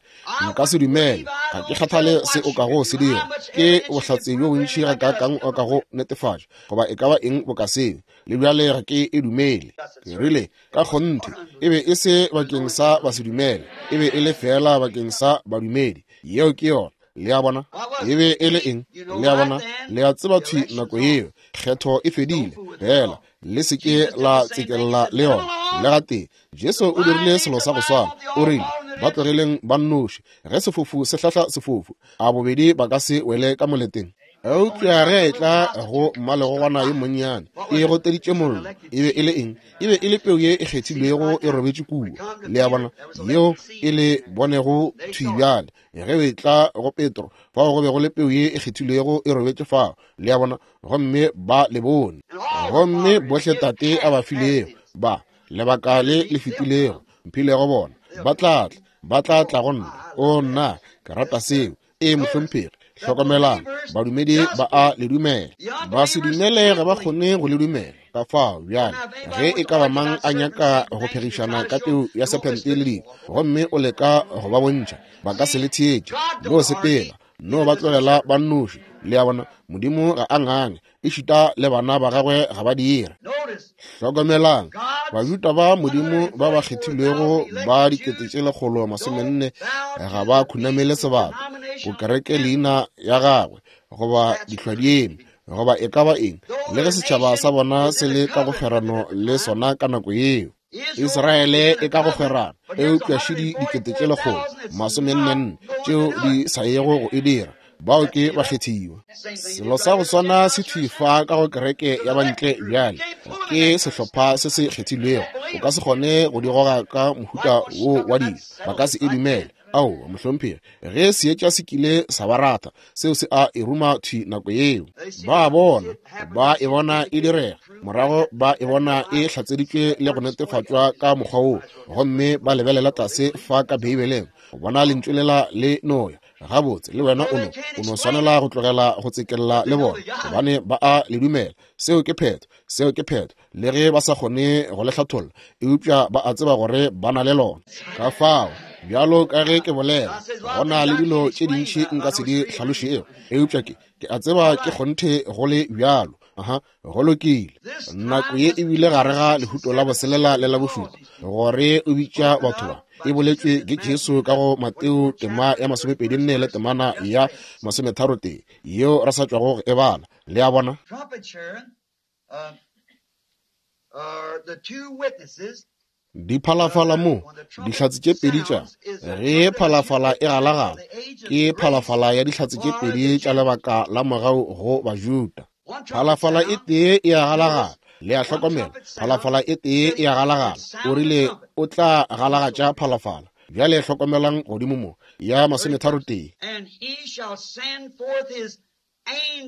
nka se dumele, ga ke kgathale se o kago se dira. Ke bohlatse bjo bontši ga kakang o kago netefatša, goba e ka ba eng boka seo, le bjale ga ke e dumele. Ke rile, ka kgonthe, e be e se bakeng sa basedumele, e be e le fela bakeng sa badumedi. Yeo ke yona. Le a bona? E be e le eng? Le a bona? Le a tseba thwi nako yeo, kgetho e fedile. Fela, le se ke la tsekella le yona. Le gatee, Jesu o dirile selo sa go swana. O rile, ba tlogeleng ba nnoši. Ge sefofu se hlahla sefofu, a bobedi ba ka se wele ka moleteng. Eupša ge a etla go mmalegogwana yo monnyane, e goteditše mollo. E be e le eng? E be e le peu ye e kgethilwego e robetše kua. Le a bona? Yeo e le bonego thwi bjale. Ge o etla go Petro, fao go be go le peu ye e kgethilwego e robetše fao. Le a bona? Gomme ba le bone. Gomme bohle tate a ba filego, ba lebaka le le fetilego, mphilego bona, ba tla tla, ba tla tla go nna. O nna, ke rata seo. E mohlomphegi, hlokomelang, badumedi ba a le dumela. Ba se dumele ga ba kgone go le dumela. Ka fao bjale, ge e ka ba mang a nyaka go phegišana ka peu ya sephente le dilo, gomme o leka go ba bontšha, ba ka se le theetše. No sepela, no ba tlogela ba nnoši. Le a bona? Modimo ga a ngange, ešita le bana ba gagwe ga ba dire. Hlokomelang, Bajuda ba Modimo ba ba kgethilwego ba dikete tše lekgolo masomenne ga ba khunamele sebaka go kereke leina ya gagwe goba dihlwadieme goba e ka ba eng, le ge setšhaba sa bona se le ka go kgwerano le sona ka nako yeo. Israele e ka go kgwerano, eupša šidi dikete tše lekgolo masomennenne tšeo di sa yego go e dira. Bao ke bakgethiwa. Selo sa go swana se thwi fa ka go kereke ya bantle bjale. Ke sehlopha se se kgethilwego. O ka se kgone go di goga ka mohuta wo wa dilo. Ba ka se e dumele. Aowa, mohlomphegi, ge seetša se kile sa ba rata, seo se a e ruma thwi nako yeo. Ba bona, ba e bona e direga, morago ba e bona e hlatseditšwe le go netefatšwa ka mokgwa woo, gomme ba lebelela tlase fa ka Beibeleng, go bona lentšu lela le noya. Gabotse, le wena o no, o no swanela go tlogela go tsekella le bona, gobane ba a le dumela. Seo ke phetho, seo ke phetho, le ge ba sa kgone go le hlatholla, eupša ba a tseba gore ba na le lona. Ka fao, bjalo ka ge ke bolela, go na le dilo tše dintši nka se di hlalošego, eupša ke, ke a tseba ke kgonthe go le bjalo. Aha, go lokile. Nako ye e bile gare ga lehuto la boselela le la bošupa, gore o bitša batho ba. E boletšwe ke Jesu ka go Mateo tema ya masomepedi nne le temana ya masometharo tee, yeo re sa tšwago go e bala. Le a bona? Diphalafala mo, dihlatse tše pedi tša, ge phalafala e galagala, ke phalafala ya dihlatse tše pedi tša lebaka la mogau go Bajuda. Phalafala e tee e a galagala. Le a hlokomela, phalafala e tee e a galagala. O rile o tla galagatša phalafala. Bjale hlokomelang godimo mo, ya masometharo tee.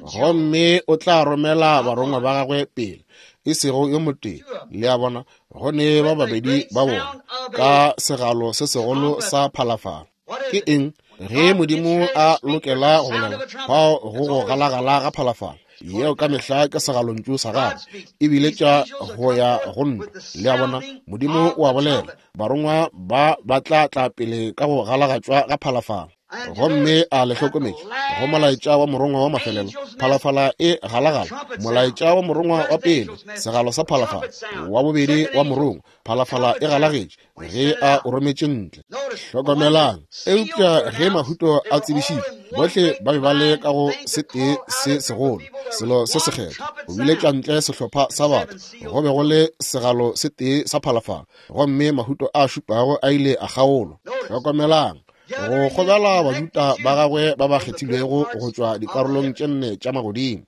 Gomme o tla romela barongwa ba gagwe pele, e sego yo motee. Le a bona, go ne ba babedi ba bona ka segalo se segolo sa phalafala. Ke eng? Ge Modimo a lokela go bolela, fao go go galagala ga phalafala, yeo ka mehla ke segalontšu sa gagwe, ebile tša go ya go ntwa. Le a bona, Modimo o a bolela, barongwa ba ba tla tla pele ka go galagatšwa ga phalafala. Gomme a le hlokometše go molaetša wa morongwa wa mafelelo, phalafala e galagala. Molaetša wa morongwa wa pele, segalo sa phalafala, wa bobedi wa morongwa, phalafala e galagetše ge a o rometše ntle. Hlokomelang, eupša ge mahuto a tsebišitšwe, bohle ba be ba le ka go setee se segolo, selo se sekgethwa, go biletšwa ntle sehlopha sa batho. Go be go le segalo se tee sa phalafala, gomme mahuto a šupago a ile a kgaolwa. Hlokomelang, go kgobela Bajuda ba gagwe ba ba kgethilwego go tšwa dikarolong tše nne tša magodimo.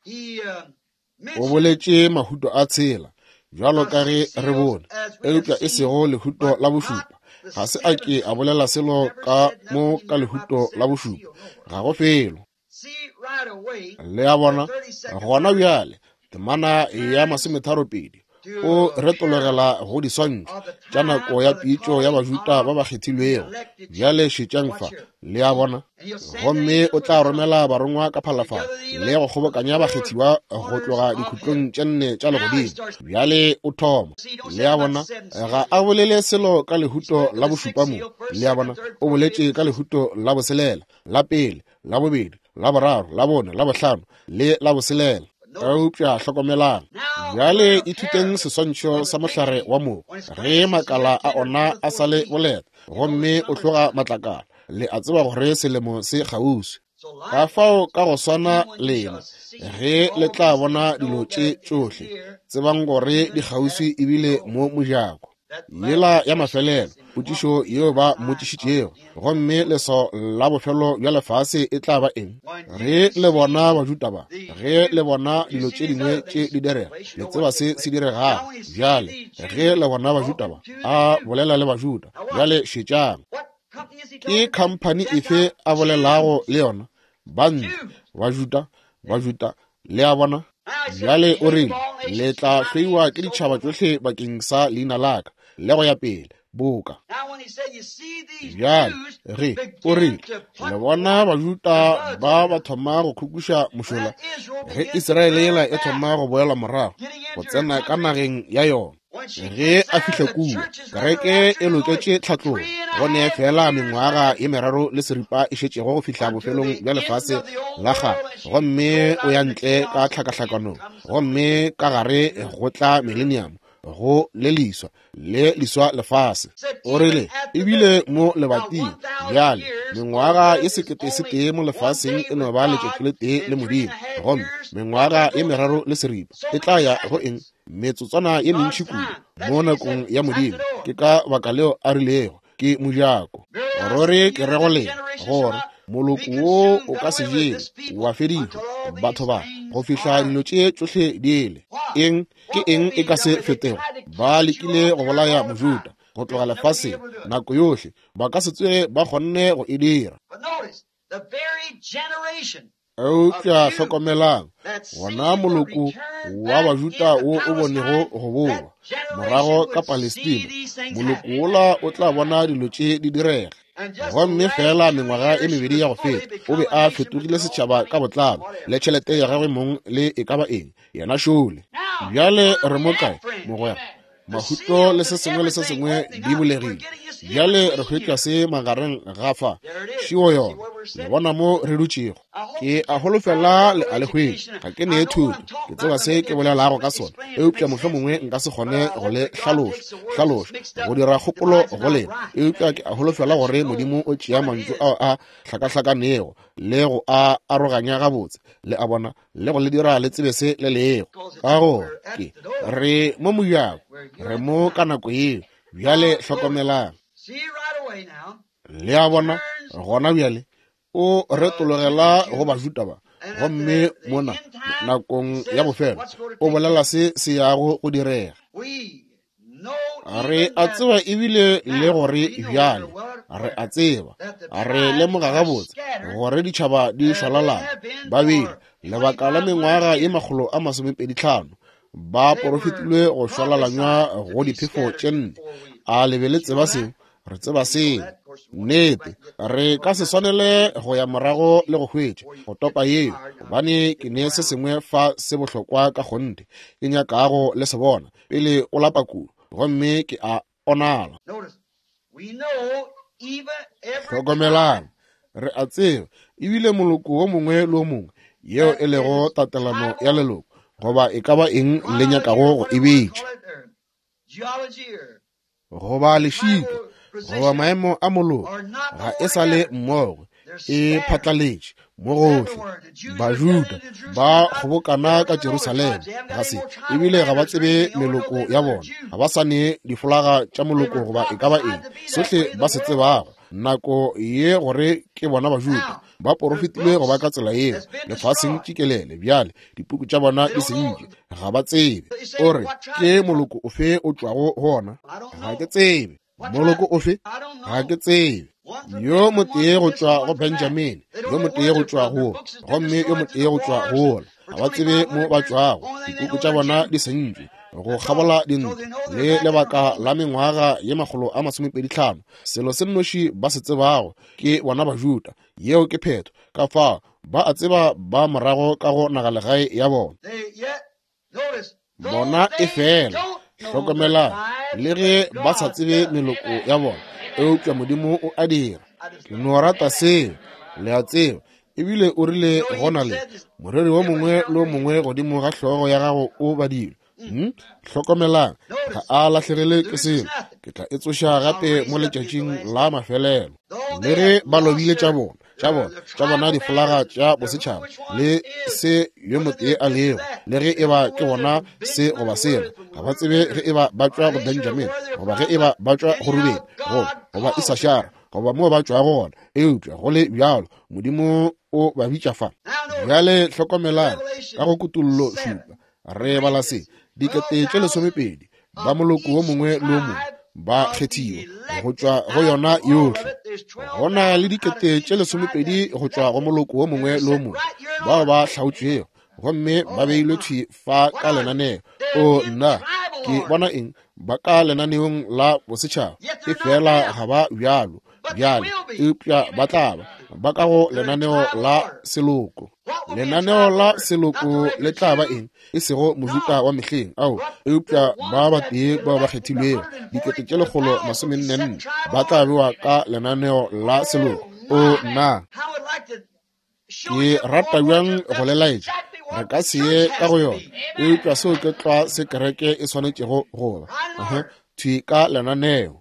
O boletše mahuto a tshela, bjalo ka ge re bone, eupša e sego lehuto la bošupa. Ga se a ke a bolela selo ka mo ka lehuto la bošupa, ga go felo. Le a bona, gona bjale, temana ya masometharopedi o retologela go diswantšho tša nako ya pitšo ya Bajuda ba ba kgethilwego. Bjale šetšang fa, le a bona. Gomme o tla romela barongwa ka phalafala le go kgobokanya bakgethiwa go tloga dikhutlong tše nne tša legodimo. Bjale o thoma, le a bona, ga a bolele selo ka lehuto la bošupa mo. Le a bona, o boletše ka lehuto la boselela, la pele, la bobedi, la boraro, la bone, la bohlano le la boselela. Eupša hlokomelang, bjale ithuteng seswantšho sa mohlare wa mogo, ge makala a ona a sa le boleta gomme o tloga matlakala, le a tseba gore selemo se kgauswi. Ka fao ka go swana lena, ge le tla bona dilo tše tšohle, tsebang gore di kgauswi ebile mo mojako. Yela ya mafelelo potšišo yeo ba mmotšišitšego, gomme leswao la bofelo bja lefase e tla ba eng? Ge le bona Bajuda ba, ge le bona dilo tše dingwe tše di direga, le tseba se se diregago. Bjale ge le bona Bajuda ba, a bolela le Bajuda. Bjale šetšang, ke khamphani efe a bolelago le yona? Bantle, Bajuda, Bajuda, le a bona. Bjale o rile, le tla hloiwa ke ditšhaba tšohle bakeng sa leina la ka, le go ya pele, boka. Bjale ge o rile, le bona Bajuda ba ba thoma go khukuša mošola, ge Israele yela e thoma go boela morago, go tsena ka nageng ya yona. Ge a fihla kua, kereke e loketše tlhatlogo, go ne fela mengwaga ye meraro le seripa e šetšego go fihla bofelong bja lefase la kgale, gomme o ya ntle ka tlhakahlakanong, gomme ka gare go tla millennium, go le leswa le leswa lefase. O rile ebile mo lebating, bjale mengwaga ye sekete se tee mo lefaseng e no ba letšatši le tee le Modimo, gomme mengwaga ye meraro le seripa e tla ya go eng? Metsotswana ye mentši kudu mo nakong ya Modimo. Ke ka baka leo a rilego ke mojako. Ruri ke re go lena gore moloko wo o ka se jewe wa fedišwa, batho ba, go fihla dilo tše tšohle di ele. Eng ke eng e ka se fetego? Ba lekile go bolaya Mojuda go tloga lefaseng nako yohle, ba ka se tsoge ba kgonne go e dira. Eupša hlokomelang, gona moloko wa Bajuda wo o bonego go boa morago ka Palestina, moloko wola o tla bona dilo tše di direga. Gomme fela mengwaga e mebedi ya go feta, o be a fetogile setšhaba ka botlalo, le tšhelete ya gagwe mong le e ka ba eng, yena šole. Bjale re mo kae, mogwera? Mahuto le se sengwe le se sengwe di bulegile. Bjale re hwetša se magareng ga fa šio yona, le bona mo re dutšego. Ke a holofela le a le hwetša. Ga ke nee thuto, ke tseba se ke bolelago ka sona, eupša mohlomongwe nka se kgone go le hlaloša hlaloša go dira kgopolo go lena, eupša ke a holofela gore Modimo o tšea mantšu ao a hlakahlakanego le go a aroganya gabotse, le a bona, le go le dira le tsebe se le lego. Ka gore ke re mo mojako, re mo ka nako yeo. Bjale hlokomelang, le a bona, gona bjale o retologela go Bajuda ba, gomme mona nakong ya bofelo o bolela se se yago go direga. Re a tseba ebile le gore bjale re a tseba, re lemoga gabotse gore ditšhaba di šwalalana. Ba bile lebaka la mengwaga ye makgolo a masomepedi tlhano ba porofetilwe go šwalalanywa go diphefo tše nne. A le be le tseba seo? Re tseba seo. Nnete, re ka se swanele go ya morago le go hwetša go topa yeo, gobane ke ne se sengwe fa se bohlokwa ka kgonthe ke nyakago le se bona pele o lapa kudu, gomme ke a onala. Hlokomelang, re a tseba ebile moloko wo mongwe le wo mongwe yeo e lego tatelano ya leloko, goba e ka ba eng le nyakago go e bitša, goba lešika, goba maemo a moloko, ga e sa le mmogo, E phatlaletše mo gohle. Bajuda ba kgobokana ka Jerusalema, ga se ebile ga ba tsebe meloko ya bona, ga ba sa ne difolaga tša moloko goba e ka ba eng. Sohle ba se tsebago nako ye gore ke bona Bajuda ba porofetile go ba ka tsela yeo lefaseng tšikelele. Bjale dipuku tša bona di sentše, ga ba tsebe. O re ke moloko ofe o tšwago go ona? Ga ke tsebe. Moloko ofe? Ga ke tsebe. Yo motee go tšwa go Benjamin, yo motee go tšwa go, gomme yo motee go tšwa go. Ga ba tsebe mo ba tšwago, dipuku tša bona di sentšwe go kgabola dintlo le lebaka la mengwaga ye makgolo a masomepedi hlano. Selo se nnoši ba se tsebago ke bona Bajuda. Yeo ke phetho. Ka fao ba a tseba ba morago ka go nagalegae ya bona. Bona e fela, hlokomelang, le ge ba sa tsebe meloko ya bona, eupša Modimo o a dira. Ke no rata seo, le a tseba. Ebile o rile gona le moreri wo mongwe le wo mongwe godimo ga hlogo ya gago o badilwe. Hmm? Hlokomelang, ga a lahlegele ke selo. Ke tla e tsoša gape mo letšatšing la mafelelo. Le ge ba lobile tša bona, tša bona, tša bona difolaga tša bosetšhaba le se yo motee a lego, le ge eba ke bona se goba sela, ga ba tsebe ge eba ba tšwa go Benjamin goba ge eba ba tšwa go Ruben goba goba Isashara goba moo ba tšwago gona. Eupša go le bjalo Modimo o ba bitša fa. Bjale hlokomelang ka go Kutollo šupa re bala se: dikete tše lesomepedi ba moloko wo mongwe le wo mongwe ba kgethiwa go tšwa go yona yohle. Go na le dikete tše lesomepedi go tšwa go moloko wo mongwe le wo mongwe bao ba hlaotšwego gomme ba beilwe thwi fa ka lenaneo. O nna, ke bona eng? Ba ka lenaneong la bosetšhaba, e fela ga ba bjalo bjale, eupša ba tla ba ba ka go lenaneo la seloko. Lenaneo la seloko le tla ba eng? E sego Mojuda wa mehleng ao, eupša ba batee bao ba kgethilwego, dikete tše lekgolo masomenne nne, ba tla bewa ka lenaneo la seloko. O nna, ke rata bjang go le laetša. Re ka se ye ka go yona, eupša seo ke tlwa se kereke e swanetšego go ba thwi ka lenaneo.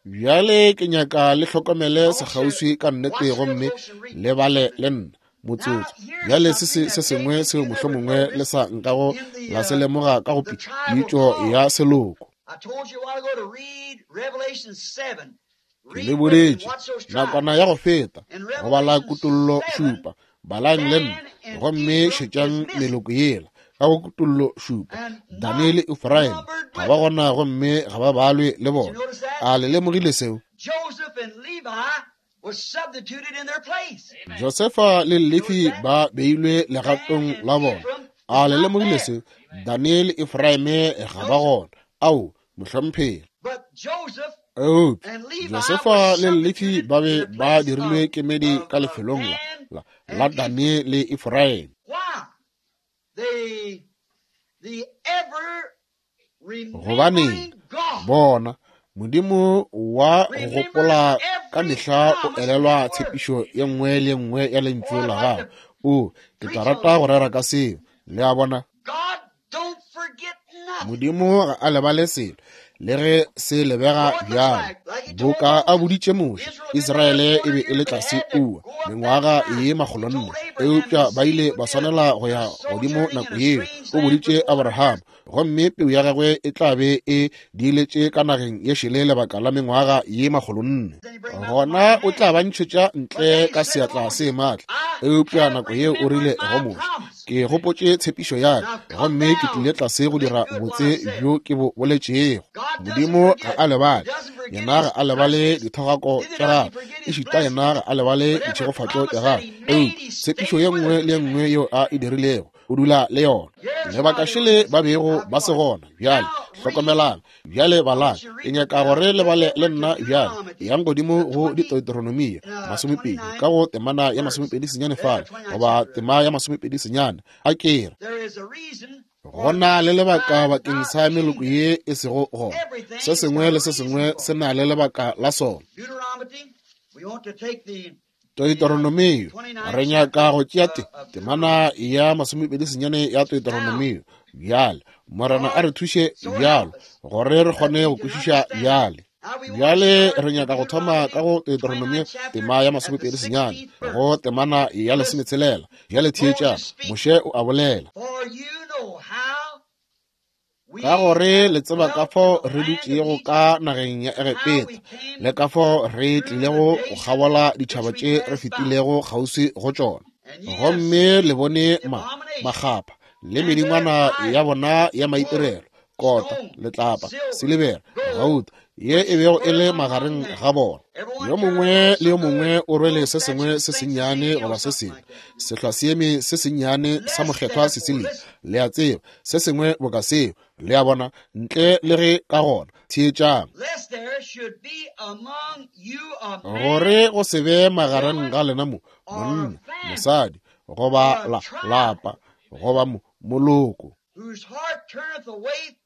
Bjale ke nyaka le hlokomele sekgauswi ka nnete gomme le bale le nna motsotso. Bjale se se se sengwe seo mohlomongwe le sa nkago la se lemoga ka go pitšo ya seloko. Ke le boditše nakwana ya go feta go bala Kutollo šupa. Balang le nna gomme šetšang meloko yela ka go Kutollo šupa. Daniele le Efraim ga ba gona gomme ga ba balwe le bona. A le lemogile seo? Josefa le Lefi ba beilwe legatong la bona. A le lemogile seo? Daniele le Efraim ga ba gona. Ao, mohlomphegi. Eupša Josefa le Lefi ba be ba dirilwe kemedi ka lefelong la la Daniele le Efraim. Gobaneng bona Modimo wa go gopola ka mehla o elelwa tshepišo ye nngwe le nngwe ya lentšu la gagwe. O, ke tla rata go rera ka seo. Le a bona, Modimo ga a lebale selo, le ge se lebega bjalo. Boka a boditše Moshe, Israele e be e le tlase kua mengwaga ye makgolonne, eupša ba ile ba swanela go ya godimo nako yeo. O boditše Abraham, gomme peu ya gagwe e tla be e diiletše ka nageng ye šele lebaka la mengwaga ye makgolonne. Gona o tla ba ntšhetša ntle ka seatla se maatla. Eupša nako yeo o rile go Moshe, ke gopotše tshepišo ya ka, gomme ke tlile tlase go dira botse bjo ke bo boletšego. Modimo ga a lebale. Yena ga a lebale dithogako tša gagwe, ešita yena ga a lebale ditšhegofatšo tša gagwe. Eupša tshepišo ye nngwe le ye nngwe yeo a e dirilego, o dula le yona. Lebaka šele ba bego ba se gona. Bjale hlokomelang, bjale balang. Ke nyaka gore le bale le nna bjale. Yang godimo go Deuteronomia masomepedi ka go temana ya masomepedi senyane fale, goba tema ya masomepedi senyane. A ke re go na le lebaka bakeng sa meloko ye e sego gona. Se sengwe le se sengwe se na le lebaka la sona. Deuteronomio, re nyaka go tšea te temana ya masomepedi senyane ya Deuteronomio. Bjale Morena a re thuše bjalo gore re kgone go kwešiša bjale. Bjale re nyaka go thoma ka go Deuteronomio tema ya masomepedi senyane go temana ya lesometshelela. Bjale theetša, Moshe o a bolela. Ka gore le tseba ka fao re dutšego ka nageng ya Egepeta, le ka fao re tlilego go kgabola ditšhaba tše re fetilego kgauswi go tšona. Gomme le bone ma makgapha le medingwana ya bona ya maitirelo, kota, letlapa, silibera, gauta, ye e bego e le magareng ga bona. Yo mongwe le yo mongwe o rwele se sengwe se sennyane goba se sengwe, sehlwaseeme se sennyane sa mokgethwa Cecilia, le a tseba, se sengwe boka seo, le a bona, ntle le ge ka gona. Theetšang, gore go se be magareng ga lena mo monna, mosadi, goba la lapa, goba mo moloko,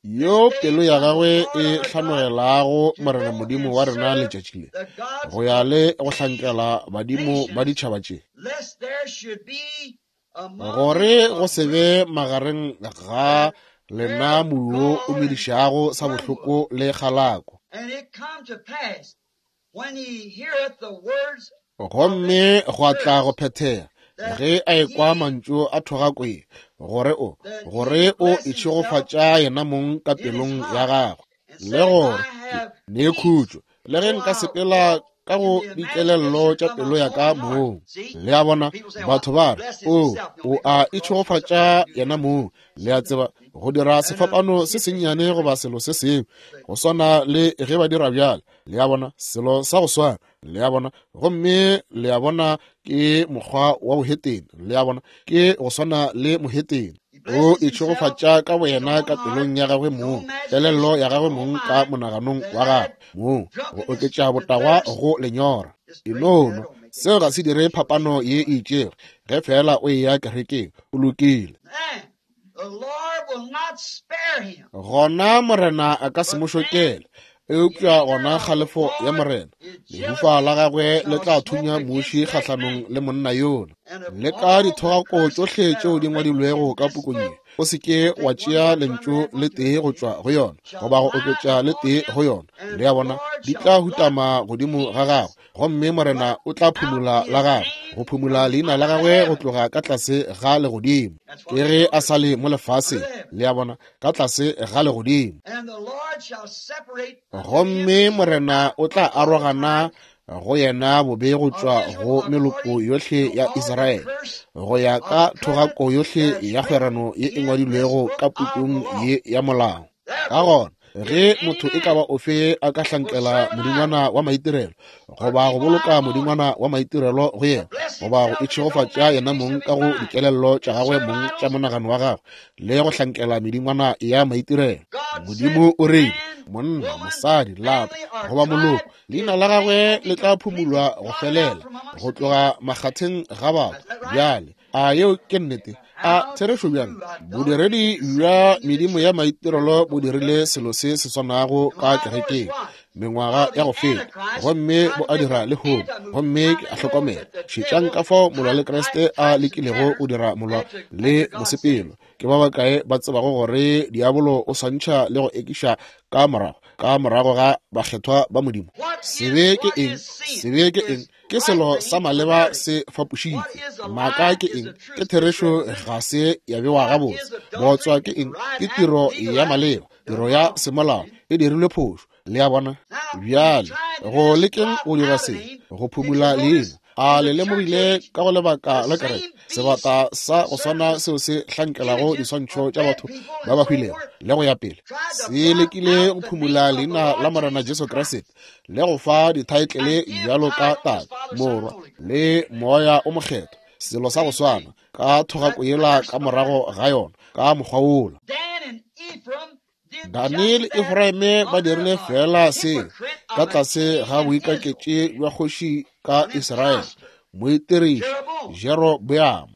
yo pelo ya gagwe e hlanogelago Morena Modimo wa rena letšatši le, go ya le go hlankela badimo ba ditšhaba tše, gore go se be magareng ga lena moyo o medišago sa bohloko le kgalako. Gomme gwa tla go phethega ge a ekwa mantšu a thogako ye, gore o gore o itšhegofatša yena mong ka pelong ya gagwe, le gore ne khutšo, le ge nka sepela ka go dikelello tša pelo ya ka mong. Le a bona, batho ba re, o o a itšhegofatša yena mong, le a tseba, go dira sefapano se sennyane goba selo se sengwe go swana le ge ba dira bjale. Le a bona, selo sa go swana. Le a bona, gomme le a bona ke mokgwa wa bohetene. Le a bona, ke go swana le mohetene. O itšhegofatša ka boyena ka pelong ya gagwe mong, kelello ya gagwe mong ka monaganong wa gagwe mong, go oketša botagwa go lenyora. E nono, seo ga se dire phapano ye e itšego. Ge fela o eya kerekeng, o lokile. Gona Morena a ka se mo šokele, eupša gona kgalefo ya Morena, lehufa la gagwe le tla thunya muši kgahlanong le monna yola. Le ka dithogako tšohle tšeo di ngwadilwego ka pukung ye, o se ke wa tšea lentšu le tee go tšwa go yona, goba go oketša le tee go yona. Le a bona, di tla hutama godimo ga gagwe, gomme Morena o tla phumula la gagwe, go phumula leina la gagwe go tloga ka tlase ga legodimo. Ke ge a sa le mo lefaseng, le a bona, ka tlase ga legodimo. Gomme Morena o tla arogana go yena bobe go tšwa go meloko yohle ya Israele, go ya ka thogako yohle ya kgwerano ye e ngwadilwego ka pukung ye ya molao. Ka gona, ge motho e ka ba ofe a ka hlankela modingwana wa maitirelo, goba go boloka modingwana wa maitirelo go yena, goba go itšhegofatša yena mong ka go dikelello tša gagwe mong tša monagano wa gagwe, le go hlankela medingwana ya maitirelo, Modimo o rile, monna, mosadi, lapa, goba moloko, leina la gagwe le tla phumulwa go felela go tloga makgatheng ga batho. Bjale, a yeo ke nnete? A therešo bjang? Bodiredi bja medimo ya maitirelo bo dirile selo se se swanago ka kerekeng mengwaga ya go feta, gomme bo a dira lehono. Gomme ke a hlokomela, šetšang ka fao molwa le Kriste a lekilego go dira molwa le mosepelo. Ke ba bakae ba tsebago gore diabolo o swantšha le go ekiša ka morago ka morago ga bakgethwa ba Modimo? Sebe ke eng? Sebe ke eng? Ke selo sa maleba se fapošitšwe. Maaka ke eng? Ke therešo ga se ya bewa gabotse. Bootswa ke eng? Ke tiro ya maleba, tiro ya semolao e dirilwe phošo. Le a bona? Bjale go lekeng go dira se, go phumula leina. A le lemogile ka go lebaka la kereke, sebata sa go swana seo se hlankelago diswantšho tša batho ba ba hwilego le go ya pele, se lekile go phumula leina la Morena Jesu Kriste le go fa dithaetlele bjalo ka Tate, Morwa le Moya o Mokgethwa, selo sa go swana ka thogako yela ka morago ga yona ka mokgwa wola. Dani le Efraime ba dirile fela se ka tlase ga boikaketši bja kgoši ka Israele, moitiriši Jeroboam.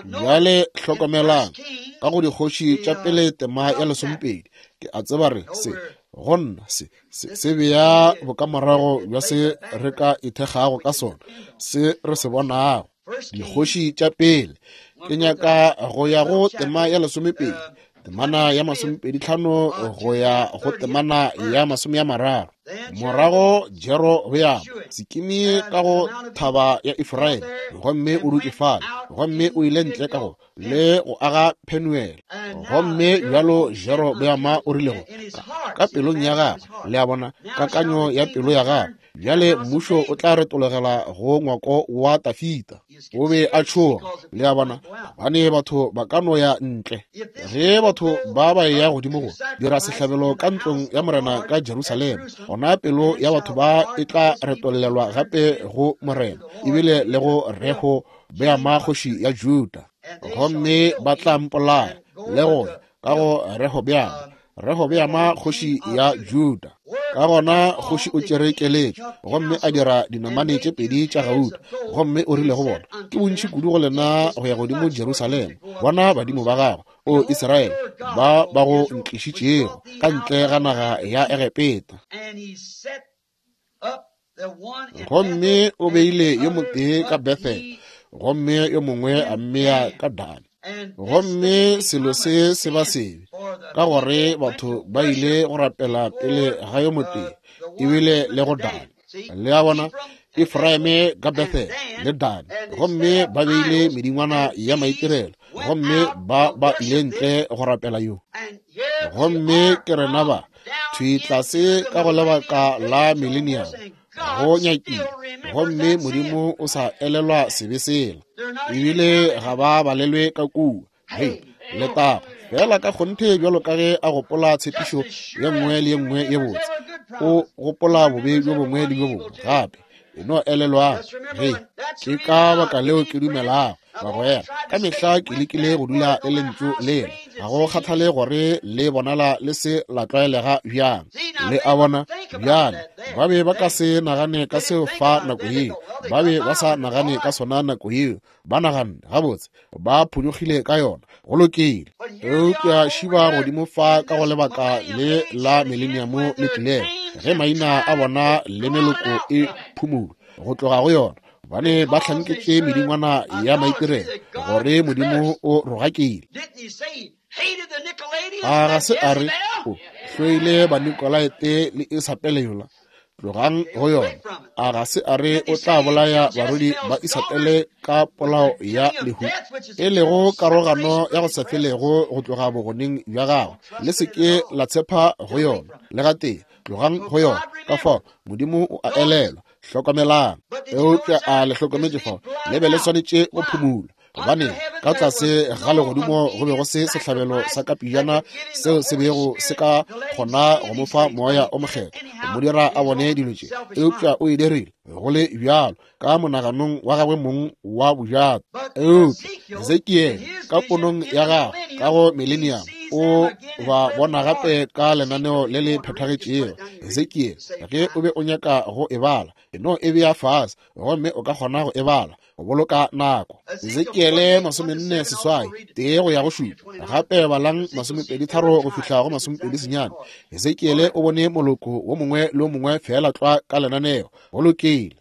Bjale hlokomelang, ka go dikgoši tša pele tema ya lesomepedi, ke a tseba re se go nna se se se bea bokamorago bja se re ka ithekgago ka sona, se re se bonago. Dikgoši tša pele, ke nyaka go ya go tema ya lesomepedi, temana ya masomepedi tlhano go ya go temana ya masome ya mararo. Morago Jerobeamo Sikimi ka go thaba ya Efraim, gomme o dutše fale, gomme o ile ntle ka go le go aga Penuel. Gomme bjalo Jerobeama o rile go ka pelong ya gagwe, le a bona, kakanyo ya pelo ya gagwe, bjale mmušo o tla retologela go ngwako wa Tafita. O be a tšhoga, le a bona, gobane batho ba ka no ya ntle. Ge batho ba ba ya godimo go dira sehlabelo ka ntlong ya Morena ka Jerusalema, gona pelo ya batho ba e tla retollelwa gape go Morena, ebile le go Rehobeama kgoši ya Juda, gomme ba tla mpolaya le go ka go Rehobeama, Rehobeama kgoši ya Juda. Ka gona kgoši o tšere keletšo gomme a dira dinamane tše pedi tša gauta, gomme o rile go bona, ke bontši kudu go lena go ya godimo Jerusalema, bona badimo ba gago, o Israele, ba ba go ntlišitšego ka ntle ga naga ya Egepeta. Gomme o beile yo motee ka Bethel, gomme yo mongwe a mmea ka Dan. Gomme selo se se ba sebe, ka gore batho ba ile go rapela pele ga yo motee, ebile le go Dan. Le a bona, Efraime ka Bethel le Dan, gomme ba beile medingwana ya maitirelo, gomme ba ba ile ntle go rapela yo. Gomme ke rena ba thwi tlase ka go lebaka la millennium, go nyakile, gomme Modimo o sa elelwa sebe sela, ebile ga ba balelwe ka kua. Hei, letago fela ka kgonthe bjalo ka ge a gopola tshepišo ye nngwe le ye nngwe ye botse, o gopola bobe bjo bongwe le bjo bongwe gape. E no elelwang. Hei, ke ka baka leo ke dumelago, bagwera, ka mehla ke lekile go dula le lentšu lela, ga go kgathale gore le bonala le se la tlwaelega bjang. Le a bona, bjale ba be ba ka se nagane ka seo fa nako yeo, ba be ba sa nagane ka sona nako yeo, ba naganne gabotse, ba phonyokgile ka yona, go lokile. Eupša šiba godimo fa ka go lebaka le la millennium le tlilego, ge maina a bona le meloko e phumulwa go tloga go yona, bane ba hlanketše medingwana ya maitirelo, gore Modimo o rogakile. A ga se a re o hloile Banikolaite le Isapele yola? Tlogang go yona. A ga se a re o tla bolaya barwedi ba Isapele ka polao ya lehu, e lego karogano ya go sa felego go tloga bogoneng bja gagwe? Le se ke la tshepa go yona le gatee, tlogang go yona. Ka fao Modimo o a elelwa. Hlokomelang. Eupša a le hlokometše fao, le be le swanetše go phumula, gobane ka tlase ga legodimo go be go se sehlabelo sa kapejana seo se bego se ka kgona go mo fa moya o mokgethwa, go mo dira a bone dilo tše. Eupša o e dirile go le bjalo ka monaganong wa gagwe mong wa bojato. Eupša Hesekiele ka ponong ya gagwe ka go millennium o ba bona gape ka lenaneo le le phethagetšego. Hesekiele, ge o be o nyaka go e bala, e no e bea fase, gomme o ka kgona go e bala go boloka nako. Hesekiele masomenne seswai tee go ya go šupa, gape balang masomepedi tharo go fihla go masomepedi senyane. Hesekiele o bone moloko wo mongwe le wo mongwe fela tlwa ka lenaneo, go lokile.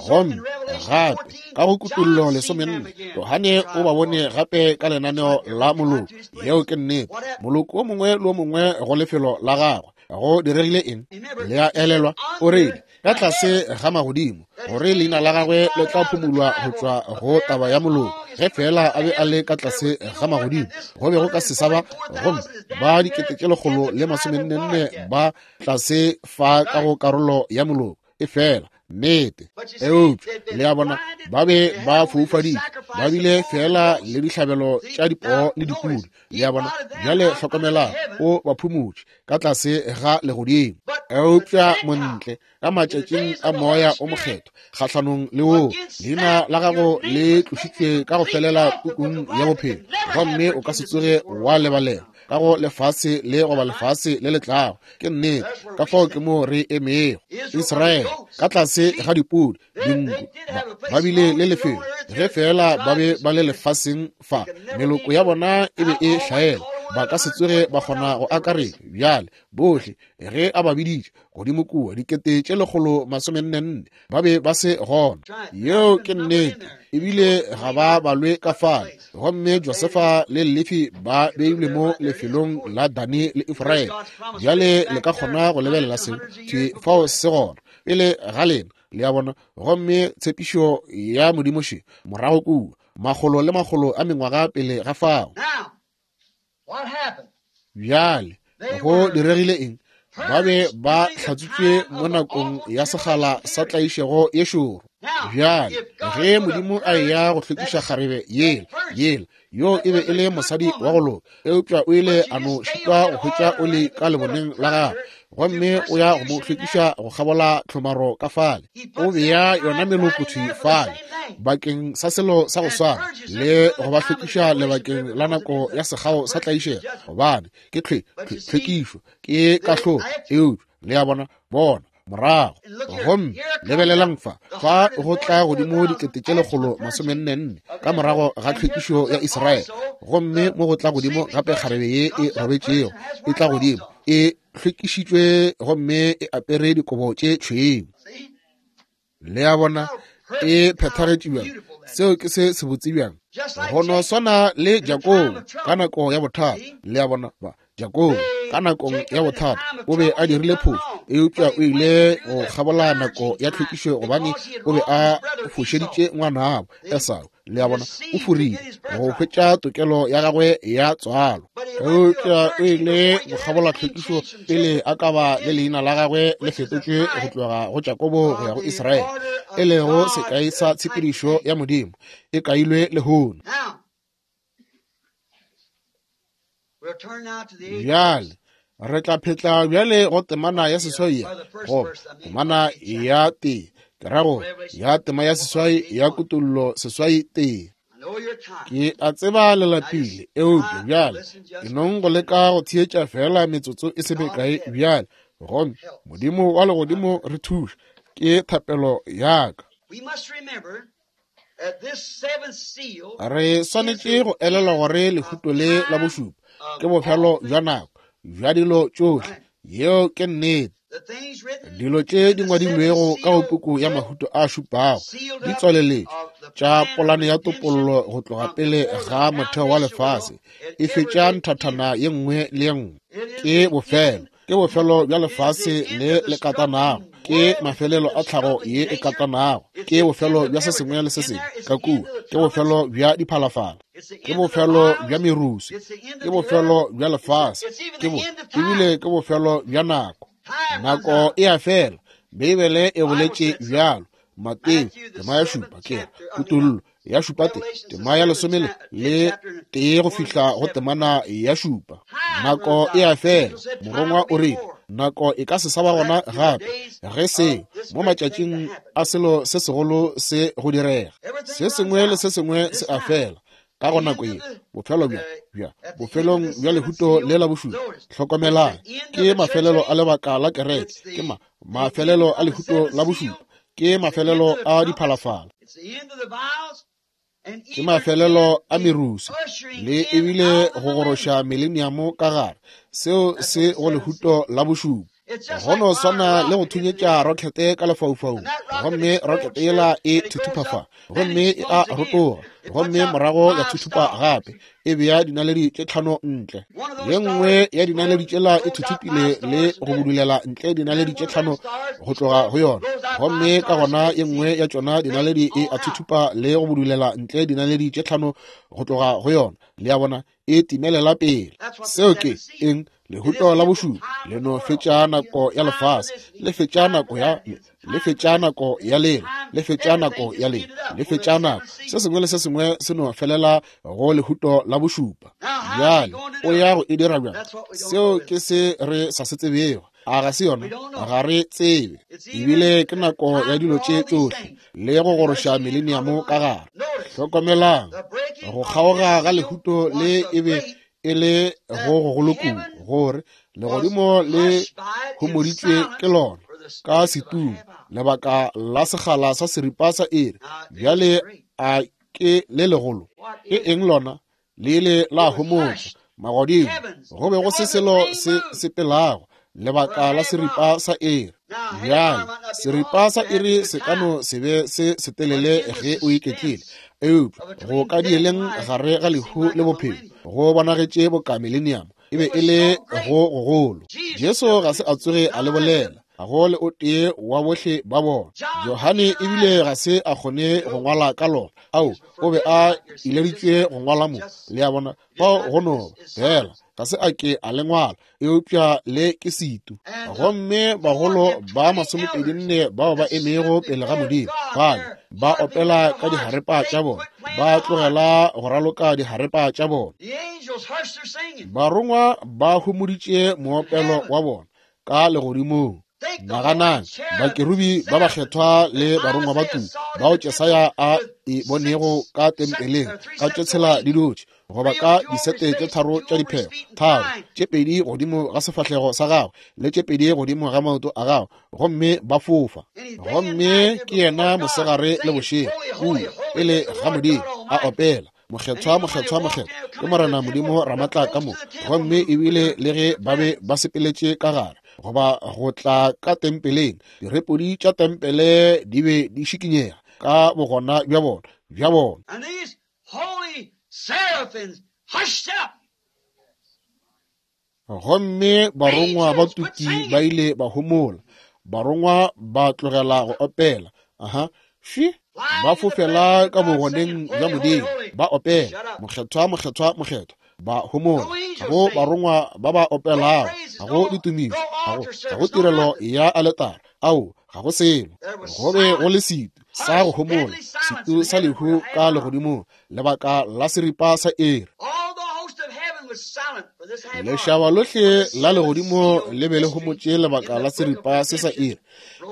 Gomme gape ka go Kutullo lesomenne, Johane o ba bone gape ka lenaneo la moloko. Yeo ke nnete, moloko wo mongwe le wo mongwe go lefelo la gagwe. Go diregile eng? Le a elelwa, o rile ka tlase ga magodimo gore leina la gagwe le tla phumulwa go tšwa go taba ya moloko. Ge fela a be a le ka tlase ga magodimo, go be go ka se sa ba, gomme ba dikete tše lekgolo le masomennenne ba tlase fa ka go karolo ya moloko. E fela nnete. Eupša le a bona, ba be ba foufaditšwe, ba bile fela le dihlabelo tša dipoo le dipudi. Le a bona, bjale hlokomelang, o ba phumutše ka tlase ga legodimo. Eupša montle ka matšatšing a moya o mokgethwa kgahlanong le woo, leina la gago le tlošitšwe ka go felela pukung ya bophelo, gomme o ka se tsoge wa lebalela ka go lefase le goba lefase le le tlago. Ke nnete, ka fao ke mo re emego. Israele ka tlase ga dipudi, dinku, ba bile le lefelo ge fela ba be ba le lefaseng fa, meloko ya bona e be e hlaela. Ba ka se tsoge ba kgona go akaretša bjale bohle ge a ba biditše godimo kua dikete tše lekgolo masomenne nne ba be ba se gona. Yeo ke nnete, ebile ga ba balwe ka fale. Gomme Josefa le Lefi ba beilwe mo lefelong la Dani le Efraim. Bjale le ka kgona go lebelela seo thwi fao se gona pele ga lena, le a bona. Gomme tshepišo ya Modimo še morago kua makgolo le makgolo a mengwaga pele ga fao. Bjale go diregile eng? Ba be ba hlatswitšwe mo nakong ya sekgala sa tlaišego ye šoro. Bjale ge Modimo a eya go hlwekiša kgarebe yela yela yo e be e le mosadi wa go loka, eupša o ile a no šitwa go hwetša oli ka leboneng la gagwe, gomme o ya go mo hlwekiša go kgabola tlhomaro ka fale. O bea yona meloko thwi fale bakeng sa selo sa go swana le go ba hlwekiša lebakeng la nako ya sekgao sa tlaišego, gobane ke tlhwekišo, ke kahlolo. Eupša le a bona, bona morago. Gomme lebelelang fa, fa go tla godimo dikete tše lekgolo masomenne nne ka morago ga tlhwekišo ya Israele. Gomme mo go tla godimo gape kgarebe ye e robetšego e tla godimo e hlwekišitšwe gomme e apere dikobo tše tšhweu. Le a bona, e phethagetše bjang. Seo ke se se botse bjang. Go no swana le Jakobo ka nako ya bothata. Le a bona, ba Jakobo ka nakong ya bothata o be a dirile phošo, eupša o ile go kgabola nako ya tlhwekišo gobane o be a fošeditše ngwanabo Esau. Le a bona, o forile go hwetša tokelo ya gagwe ya tswalo, eupša o ile go kgabola tlhwekišo pele a ka ba le leina la gagwe le fetotšwe go tloga go Jakobo go ya go Israele, e lego sekai sa tshepedišo ya Modimo e kailwe lehono. Bjale re tla phetla bjale go temana ya seswai, go temana ya tee, ke ra go ya tema ya seswai ya Kutollo seswai tee. Ke a tseba le lapile, eupša bjale ke nong go leka go theetša fela metsotso e se mekae bjale. Gomme Modimo wa legodimo re thuše, ke thapelo ya ka. Re swanetše go elelwa gore lehuto le la bošupa ke bofelo bja nako bja dilo tšohle. Yeo ke nnete. Dilo tše di ngwadilwego ka go puku ya mahuto a šupago di tswaleletšwe tša polane ya topollo go tloga pele ga motheo wa lefase, e fetša nthathana ye nngwe le ye nngwe. Ke bofelo, ke bofelo bja lefase le le katanago, ke mafelelo a tlhago ye e katanago, ke bofelo bja se sengwe le se sengwe ka kua, ke bofelo bja diphalafala, ke bofelo bja merusu, ke bofelo bja lefase, ke bo ebile ke bofelo bja nako. Nako e a fela. Beibele e boletše bjalo. Mateo tema ya šupa, ke Kutollo ya šupa te, tema ya lesome le tee go fihla go temana ya šupa. Nako e a fela. Morongwa o rile nako e ka se sa ba gona gape ge se mo matšatšing a selo se segolo se go direga. Se sengwe le se sengwe se a fela ka go nako ye. Bofelo bja bja bofelong bja lehuto le la bošupa. Hlokomelang, ke mafelelo a lebaka la kereke, ke ma mafelelo a lehuto la bošupa, ke mafelelo a diphalafala, ke mafelelo a merusu, le ebile go goroša mileniamo ka gare. Seo se go lehuto la bošupa. Go no swana le go thunyetša rokete ka lefaufaung, gomme rokete yela e thuthupa fa, gomme e a rotoga, gomme morago ya thuthupa gape, e bea dinaledi tše tlhano ntle. Ye nngwe ya dinaledi tšela e thuthupile le go budulela ntle dinaledi tše tlhano go tloga go yona, gomme ka gona ye nngwe ya tšona dinaledi e a thuthupa le go budulela ntle dinaledi tše tlhano go tloga go yona. Le a bona, e timelela pele. Seo ke eng? Lehuto la bošupa le no fetša nako ya lefase, le fetša nako ya le fetša nako ya lena, le fetša nako ya lena, le fetša nako. Se sengwe le se sengwe se no felela go lehuto la bošupa. Bjale o ya go e dira bjang? Seo ke se re sa se tsebego. A ga se yona? Ga re tsebe. Ebile ke nako ya dilo tše tšohle le go goroša mileniamo ka gare. Hlokomelang, go kgaoga ga lehuto le e be e le go gogolo kudu gore legodimo le homoditšwe ke lona ka setumo lebaka la sekgala sa seripa sa iri. Bjale a ke le legolo? Ke eng lona? Le ile la homotšwa Magodimo, go be go se selo se sepelago lebaka la seripa sa iri. Bjale seripa sa iri se ka no se be se setelele ge o iketlile, eupša go ka dieleng gare ga lehu le bophelo go bonagetše boka millennium e be e le go gogolo. Jesu ga se a tsoge a le bolela, ga go le o tee wa bohle ba bona. Johane ebile ga se a kgone go ngwala ka lona. Ao, o be a ileditšwe go ngwala mo, le a bona, fao go no fela ga se a ke a le ngwala, eupša le ke setu. Gomme bagolo ba masomepedi nne bao ba emego pele ga Modimo fale ba opela ka diharepa tša bona, ba tlogela go raloka diharepa tša bona. Barongwa ba humoditše moopelo wa bona ka legodimong. Naganang, bakerubi ba bakgethwa le barongwa ba tuku bao Jesaya a e bonego ka tempeleng ka tše tshela di dutše, goba ka disete tše tharo tša diphego, tharo, tše pedi godimo ga sefahlego sa gagwe le tše pedi godimo ga maoto a gagwe, gomme ba fofa. Gomme ke yena mosegare le bošego kua pele ga Modimo a opela, Mokgethwa, mokgethwa, mokgethwa ke Morena Modimo Ramatla ka moka. Gomme ebile le ge ba be ba sepeletše ka gare goba go tla ka tempeleng, direpodi tša tempele di be di šikinyega ka bogona bja bona bja bona. Gomme barongwa ba tuki ba ile ba homola, barongwa ba tlogela go opela. Aha, shi ba fofela ka bogoneng bja Modimo, ba opela mokgethwa, mokgethwa, mokgethwa, ba homola. Ga go barongwa ba ba opelago, ga go ditumišo, ga go ga go tirelo ya aletara, ao, ga go selo. Go be go le setu sa go homola, setu sa lehu ka legodimong lebaka la seripa sa iri. Lešaba lohle la legodimo le be le homotše lebaka la seripa se sa iri,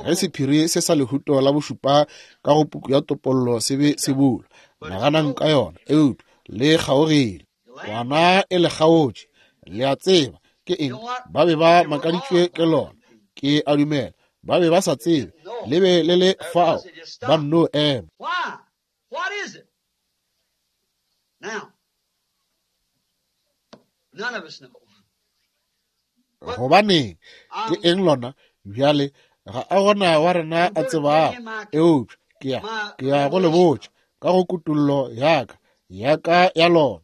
ge sephiri se sa lehuto la bošupa ka go puku ya topollo se be se bulwa. Naganang ka yona, eupša le kgaogile. Kwana e le kgaotše, le a tseba ke eng? Ba be ba makaditšwe ke lona, ke a dumela. Ba be ba sa tsebe, le be le le fao, ba nno ema. Gobaneng, ke eng lona? Bjale ga a gona wa rena a tsebago, eupša ke ya ke ya go le botša ka go kutollo ya ka ya ka ya lona.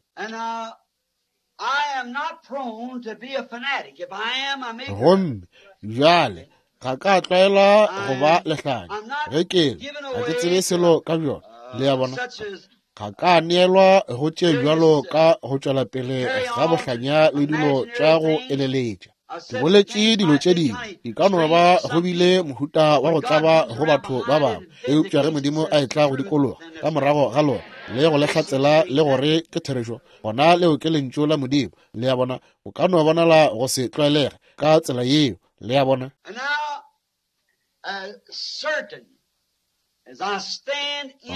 Gomme bjale ga ka tlwaela go ba lehlanya, ge ke le ga ke tsebe selo ka bjona, le a bona. Ga ka neelwa go tše bjalo ka go tšwela pele ga bohlanya le dilo tša go eleletša. Ke boletše dilo tše dingwe, di ka no ba go bile mohuta wa go tlaba go batho ba bangwe, eupša ge Modimo a etla go dikologa ka morago ga lona le go le hlatsela le gore ke therešo, gona leo ke lentšu la Modimo, le a bona. O ka no bonala go se tlwaelege ka tsela yeo, le a bona.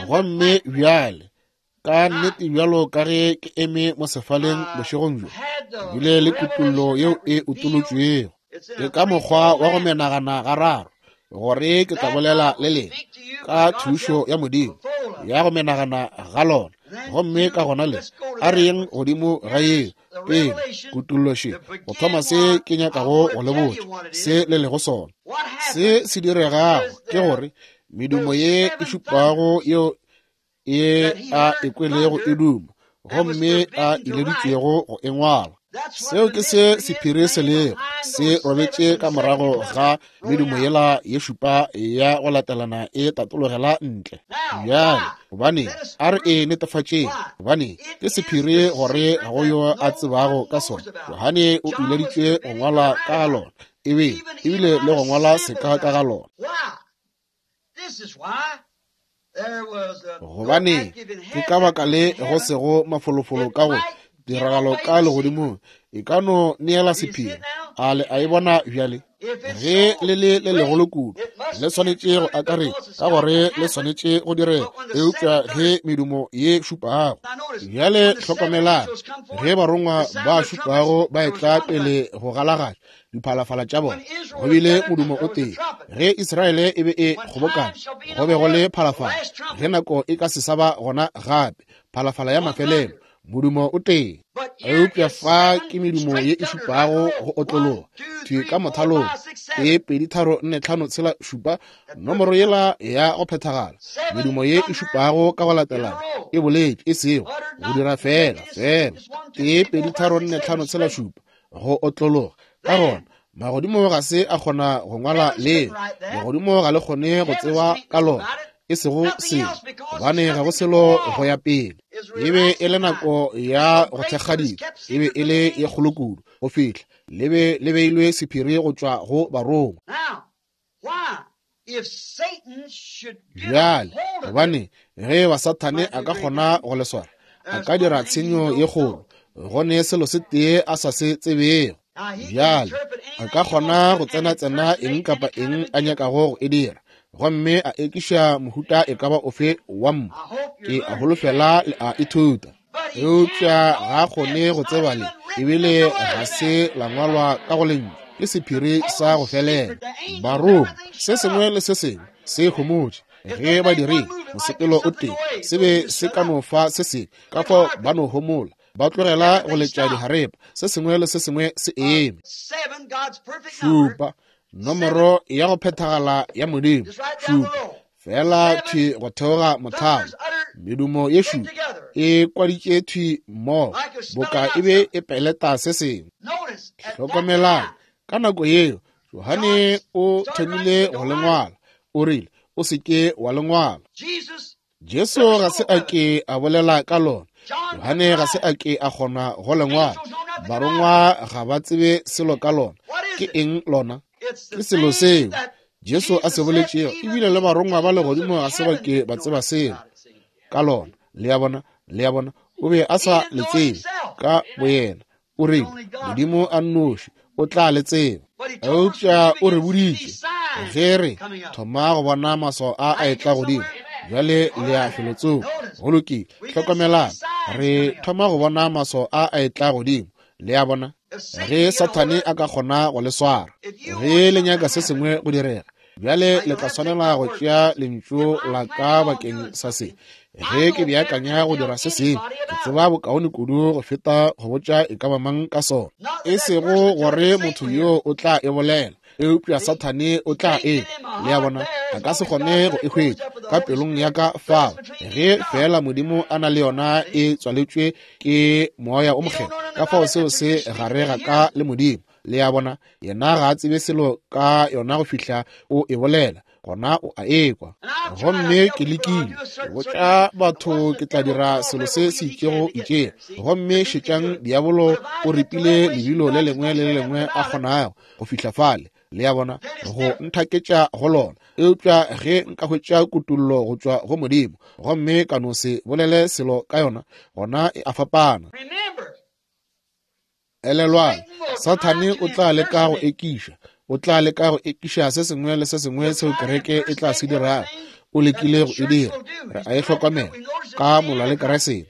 Gomme bjale ka nnete bjalo ka ge ke eme mo sefaleng bošegong bjo, bile le kutollo yeo e utolotšwego. Ke ka mokgwa wa go menagana gararo gore ke tla bolela le lena ka thušo ya Modimo ya go menagana ga lona. Gomme ka gona le a re yeng godimo ga yeo pele kutollo še go thoma se ke nyakago go le botša se le lego sona. Se se diregago ke gore medumo ye e šupago yeo e a ekwelego e duma, gomme a ileditšwego go e ngwala. Seo ke se sephiri se lego, se robetše ka morago ga medumo yela ye šupa ya go latelana e tatologela ntle. Bjale, gobane a re e netefatšeng, gobane ke sephiri gore ga go yo a tsebago ka sona. Johane o ileditšwe go ngwala ka lona, ebe ebile le go ngwala seka ka ga lona. Gobane ke ka baka le go sego mafolofolo ka go tiragalo ka legodimong e ka no neela sephiri. A le a e bona bjale? Ge le le le legolo kudu, le swanetše go akaretša ka gore le swanetše go direga, eupša ge medumo ye šupago. Bjale hlokomelang, ge barongwa ba šupago ba etla pele go galagatša diphalafala tša bona, go bile modumo o tee. Ge Israele e be e kgobokana, go be go le phalafala. Ge nako e ka se sa ba gona gape, phalafala ya mafelelo, Modumo o tee. Eupša fa ke medumo ye e šupago go otlologa thwi ka mothalong, tee, pedi, tharo, nne, tlhano, tshela, šupa, nomoro yela ya go phethagala. Medumo ye e šupago ka go latelana e boletše, e sego go dira fela fela tee, pedi, tharo, nne, tlhano, tshela, šupa go otlologa. Ka gona magodimo ga se a kgona go ngwala leo, legodimo ga le kgone go tseba ka lona, e sego selo, gobane ga go selo go ya pele. E be e le nako ya go thekgadika, e be e le ye kgolo kudu go fihla le be le beilwe sephiri go tšwa go barongwa. Bjale, gobane ge ba Sathane a ka kgona go le swara, a ka dira tshenyo ye kgolo, go ne selo se tee a sa se tsebego. Bjale, a ka kgona go tsena-tsena eng kapa eng a nyakago go e dira, gomme a ekiša mohuta e ka ba ofe wa mmu. Ke a holofela le a ithuta. Eupša ga a kgone go tseba le, ebile ga se la ngwalwa ka go lentšu, ke sephiri sa go felela. Barongwa, se sengwe le se sengwe se homotše ge ba dirile mosepelo o tee, se be se ka no fa se sengwe, ka fao ba no homola, ba tlogela go letša diharepa, se sengwe le se sengwe se eme. Šupa, nomoro ya go phethagala ya Modimo, šupa, fela thwi go theoga mothalo. Medumo ye šupa e kwaditše thwi mmogo, boka e be e peleta se sengwe. Hlokomelang, ka nako yeo Johane o thomile go le ngwala, o rile, o se ke wa le ngwala. Jesu ga se a ke a bolela ka lona, Johane ga se a ke a kgona go le ngwala, barongwa ga ba tsebe selo ka lona. Ke eng lona? Ke selo seo Jesu a se boletšego, ebile le barongwa ba legodimo ga se ba ke ba tseba selo ka lona. Le a bona, le a bona, o be a sa le tsebe ka boyena. O rile, Modimo a nnoši o tla le tseba. Eupša o re boditše ge re thoma go bona maswao a a etla godimo. Bjale le ya felotsoko. Go lokile, hlokomelang, re thoma go bona maswao a a etla godimo. Le a bona, ge Sathane a ka kgona go le swara, ge le nyaka se sengwe go direga, bjale le tla swanela go tšea lentšu la ka bakeng sa se. Ge ke beakanya go dira se sengwe, ke tseba bokaone kudu go feta go botša e ka ba mang ka sona. E sego gore motho yo o tla e bolela, eupša Sathane o tla e. Le a bona, a ka se kgone go e hwetša ka pelong ya ka fao, ge fela Modimo a na le yona e tswaletšwe ke Moya o Mokgethwa. Ka fao seo se gare ga ka le Modimo. Le a bona, yena ga a tsebe selo ka yona go fihla o e bolela, gona o a ekwa. Gomme ke lekile botša batho ke tla dira selo se se itšego itšego, gomme šetšang diabolo o ripile lebilo le lengwe le le lengwe a kgonago go fihla fale. Le a bona, go nthaketša go lona. Eupša ge nka hwetša kutullo go tšwa go Modimo, gomme ka no se bolele selo ka yona, gona e a fapana. Elelwang, Sathane o tla leka go ekiša, o tla leka go ekiša se sengwe le se sengwe seo kereke e tla se dirago. O lekile go e dira, re a e hlokomela ka molwa le Keresete.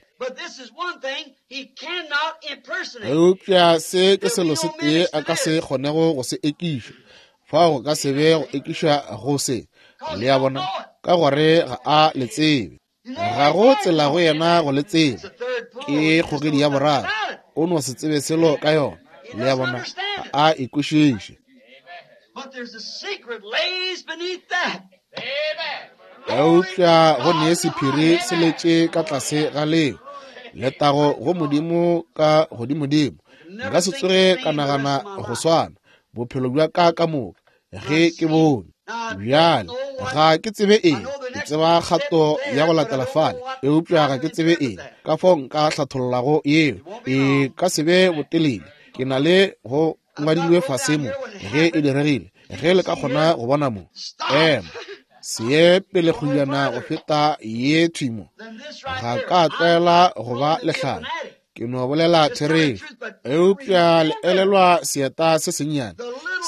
Eupša se ke selo se tee a ka se kgonego go se ekiša, fao go ka se be go ekiša go se. Le a bona, ka gore ga a le tsebe, ga go tsela go yena go le tseba. Ke kgogedi ya boraro, o no se tsebe selo ka yona. Le a bona, ga a e kwešiše. Eupša go ne sephiri se letše ka tlase ga leo. Letago go Modimo ka godimodimo. Nka se tsoge ka nagana go swana bophelo bja ka ka moka ge ke bone. Bjale ga ke tsebe eng, ke tseba kgato ya go latela fale, eupša ga ke tsebe eng ka fao nka hlathollago yeo. E ka se be botelele, ke na le go ngwadilwe fase mo ge e diregile, ge le ka kgona go bona mo. Ema se ye pele kgojana go feta ye thwi mo. Ga ka tlwaela go ba lehlale, ke no bolela therešo. Eupša le elelwa seeta se sennyane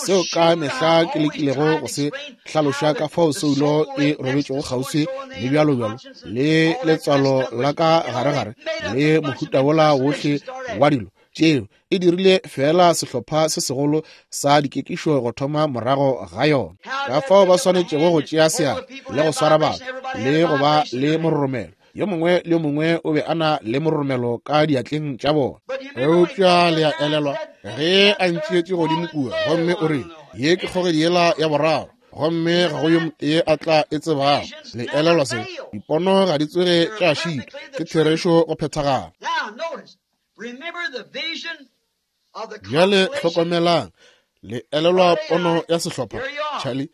seo ka mehla ke lekilego go se hlaloša ka fao soulo e robetšego kgauswi le bjalo bjalo le letswalo la ka garegare le mohuta wola wohle wa dilo tšeo, e dirile fela sehlopha se segolo sa dikekišo go thoma morago ga yona. Ka fao ba swanetšego go tšea seatla le go swara batho le go ba le mororomelo Yo mongwe le yo mongwe o be a na le mororomelo ka diatleng tša bona. Eupša le a elelwa ge a ntšeetše godimo kua, gomme o rile, ye ke kgogedi yela ya boraro, gomme ga go yo motee a tla e tsebago. Le elelwa se? Dipono ga di tsoge tša šitwa, ke therešo go phethagala. Bjale hlokomelang, le elelwa pono ya sehlopha. Charlie,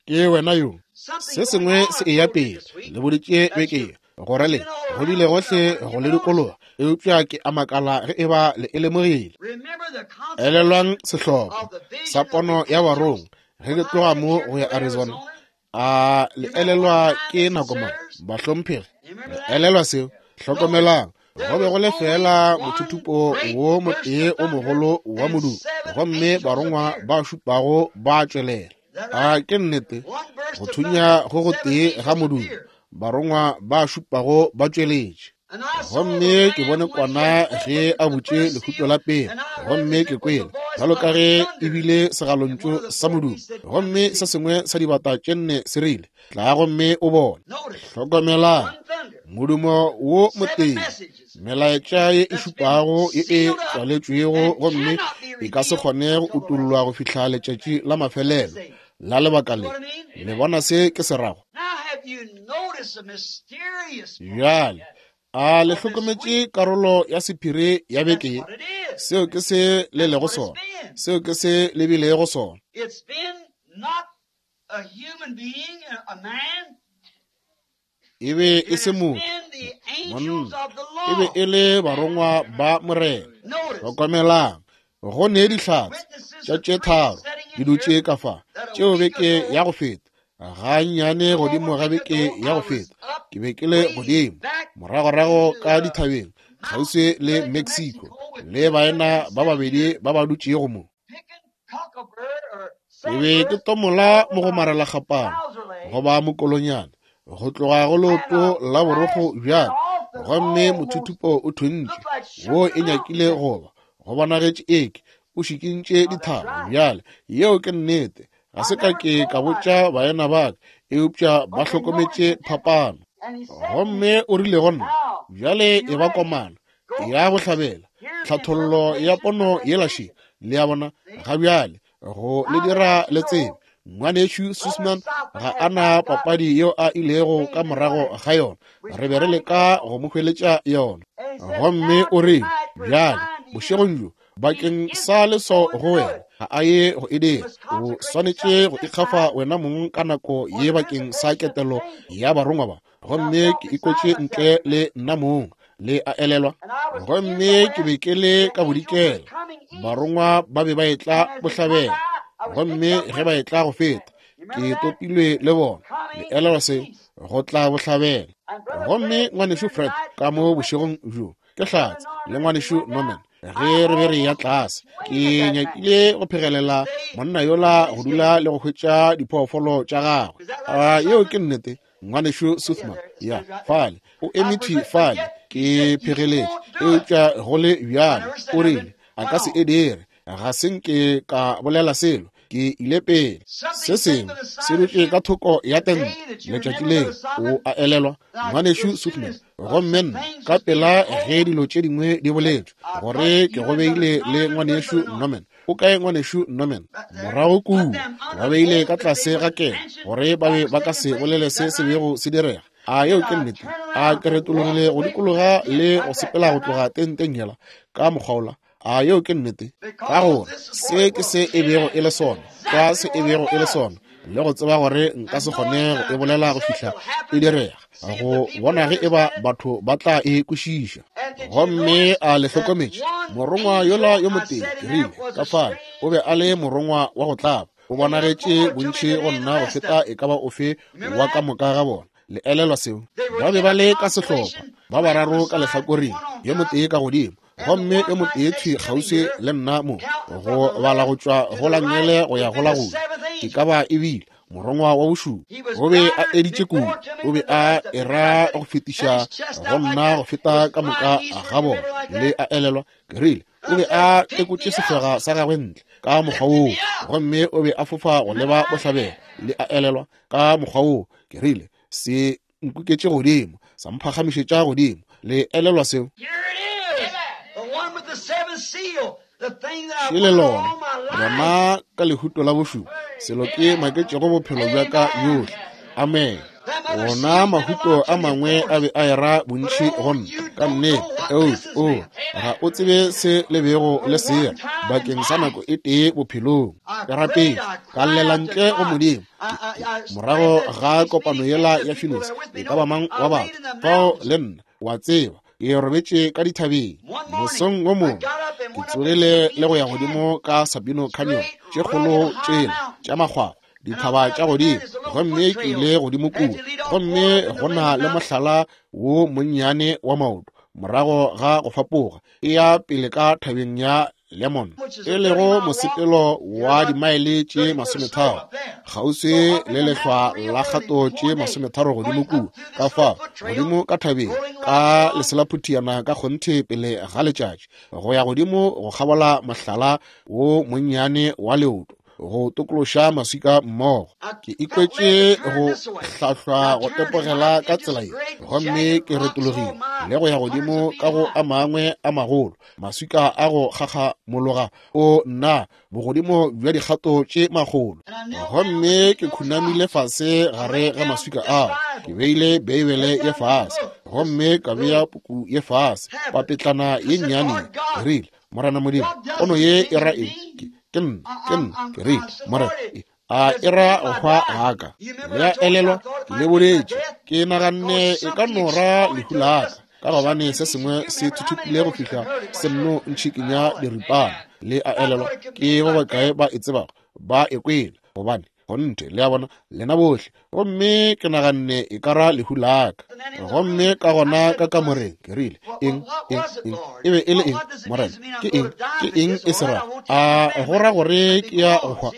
ke wena yo. Se sengwe se eya pele, le boditše beke gore le go bile gohle go le dikologa, eupša ke a makala ge e ba le e lemogile. Elelwang sehlopha sa pono ya barongwa ge ke tloga mo go ya Arizona. A le elelwa ke nako mang, bahlomphegi? Le elelwa seo? Hlokomelang, go be go le fela mothuthupo wo motee o mogolo wa modumo, gomme barongwa ba šupago ba tšwelela. A ke nnete, go thunya go go tee ga modumo, barongwa ba šupago ba tšweletše. Gomme ke bone kwana ge a butše lehuto la pele, gomme ke kwele bjalo ka ge e bile segalontšu sa modumo, gomme se sengwe sa dibata tše nne se rile, tla gomme o bone. Hlokomelang, modumo wo motee, melaetša ye e šupago ye e tswaletšwego, gomme e ka se kgone go utollwa go fihla letšatši la mafelelo la lebaka le. Le bona se ke se rago? Bjale a le hlokometše karolo ya sephiri ya beke ye? Seo ke se le lego sona, seo ke se le bilego sona. E be e se motho, monna, e be e le barongwa ba Morena. Hlokomelang, go ne dihlatse tša tše tharo di dutše ka fa, tšeo beke ya go feta, gannyane godimo ga beke ya go feta, ke be ke le godimo moragorago ka dithabeng kgauswi le Mexico, le baena ba babedi ba ba dutšego mo. Ke be ke tomola mogomarelakgapana goba mokolonyana go tloga go leoto la borokgo bjalo, gomme mothuthupo o thuntše wo e nyakile goba go bonagetše eke o šikintše dithaba. Bjale yeo ke nnete, ga se ka ke ka botša baena ba ka, eupša ba hlokometše phapano. Gomme o rile go nna, bjale e ba komana ya bohlabela, tlhathollo ya pono yela še. Le a bona ga bjale go le dira le tsebe, ngwanešu Sussman ga a na papadi yeo a ilego ka morago ga yona, re be re leka go mo hweletša yona. Gomme o rile, bjale bošegong bjo bakeng sa leswao go wena, ga a ye go e dira, o swanetše go ikgafa wena mong ka nako ye bakeng sa ketelo ya barongwa ba. Gomme ke ikwetše ntle le nna mong, le a elelwa. Gomme ke be ke le ka bodikela, barongwa ba be ba etla bohlabela, gomme ge ba etla go feta, ke topilwe le bona. Le elelwa se, go tla bohlabela. Gomme ngwanešu Fred ka mo bošegong bjo ke hlatse, le ngwanešu Norman, ge re be re ya tlase, ke nyakile go phegelela monna yola go dula le go hwetša diphoofolo tša gagwe. A yeo ke nnete, ngwanešu Suthman? Ya, fale o eme thwi fale, ke phegeletše, eupša go le bjalo o rile a ka se e dire. Ga se nke ka bolela selo, ke ile pele. Se sengwe se dutše ka thoko ya tente letšatši leo, o a elelwa, ngwanešu Suthman. Gomme nna ka pela ge dilo tše dingwe di boletšwe, gore ke go beile le ngwanešu Norman. O kae ngwanešu Norman? Morago kua, ba beile ka tlase ga kelo, gore ba be ba ka se bolele se se bego se direga. A yeo ke nnete? A ke retologile go dikologa le go sepela go tloga tenteng yela ka mokgwa. A yeo ke nnete? Ka gore se ke se e bego e le sona, ka se e bego e le sona, le go tseba gore nka se kgone go e bolela go fihla e direga, go bona ge e ba batho ba tla e kwešiša. Gomme a le hlokometše, morongwa yola yo motee, ke rile ka fale, o be a le morongwa wa go tlaba, o bonagetše bontši go nna go feta e ka ba ofe wa ka moka ga bona. Le elelwa seo? Ba be ba le ka sehlopha, ba bararo ka lehlakoreng, yo motee ka godimo, gomme yo motee thwi kgauswi le nna mo, go bala go tšwa go la nngele go ya go la go ja. E ka ba e bile morongwa wa bošupa, o be a editše kudu, o be a era go fetiša go nna go feta ka moka ga bona. Le a elelwa, ke rile o be a tekotše sefega sa gagwe ntle ka mokgwa woo, gomme o be a fofa go leba bohlabela. Le a elelwa, ka mokgwa woo, ke rile se nkuketše godimo, sa mphagamišetša godimo. Le elelwa seo? Šele lona, lona ka lehuto la bošupa, selo ke maketšego bophelo bja ka bjohle. Amen. Wona mahuto a mangwe a be a era bontši go nna ka nnete, eupša o ga o tsebe se le bego le sera bakeng sa nako e tee bophelong. Ke rapetše, ka llela ntle go Modimo morago ga kopano yela ya Phoenix, e ka ba mang wa batho fao le nna, wa tseba, ke robetše ka dithabeng. Mosong wo mongwe ke tsogile le go ya godimo ka Sabino Canyon, tše kgolo tšela tša makgwakgwa, dithaba tša godimo, gomme ke ile godimo kua, gomme go na le mohlala wo monnyane wa maoto morago ga go fapoga e ya pele ka thabeng ya Lemon, e lego mosepelo wa dimaele tše masometharo kgauswi le lehlwa la kgato tše masometharo godimo kua. Ka fao godimo ka thabeng ka leselaphutiana ka kgonthe pele ga letšatši go ya godimo go kgabola mohlala wo monnyane wa leoto go tokološa maswika mmogo. Ke ikwetše go hlahlwa go tepogela ka tsela ye, gomme ke retologile le go ya godimo ka go a mangwe a magolo maswika a go kgakgamologa o nna bogodimo bja dikgato tše makgolo, gomme ke khunamile fase gare ga maswika ao. Ke beile Beibele ye fase, gomme ka bea puku ye fase, papetlana ye nnyane. Ke rile, Morena Modimo, pono ye e ra eng? Ke nna, ke nna, ke rile, Morena, a e ra go hwa ga ka? Le a elelwa, ke le boletše, ke naganne e ka no ra lehu la ka, ka gobane se sengwe se thuthupile go fihla se nno ntšhikinya diripana. Le a elelwa, ke ba bakae ba e tsebago, ba e kwele, gobane kgonthe, le a bona, lena bohle. Gomme ke naganne e ka ra lehu la ka. Gomme ka gona ka kamoreng ke rile, eng, eng, eng, e be e le eng, Morena? Ke eng, ke eng e se ra? A go ra gore ke ya go hwa?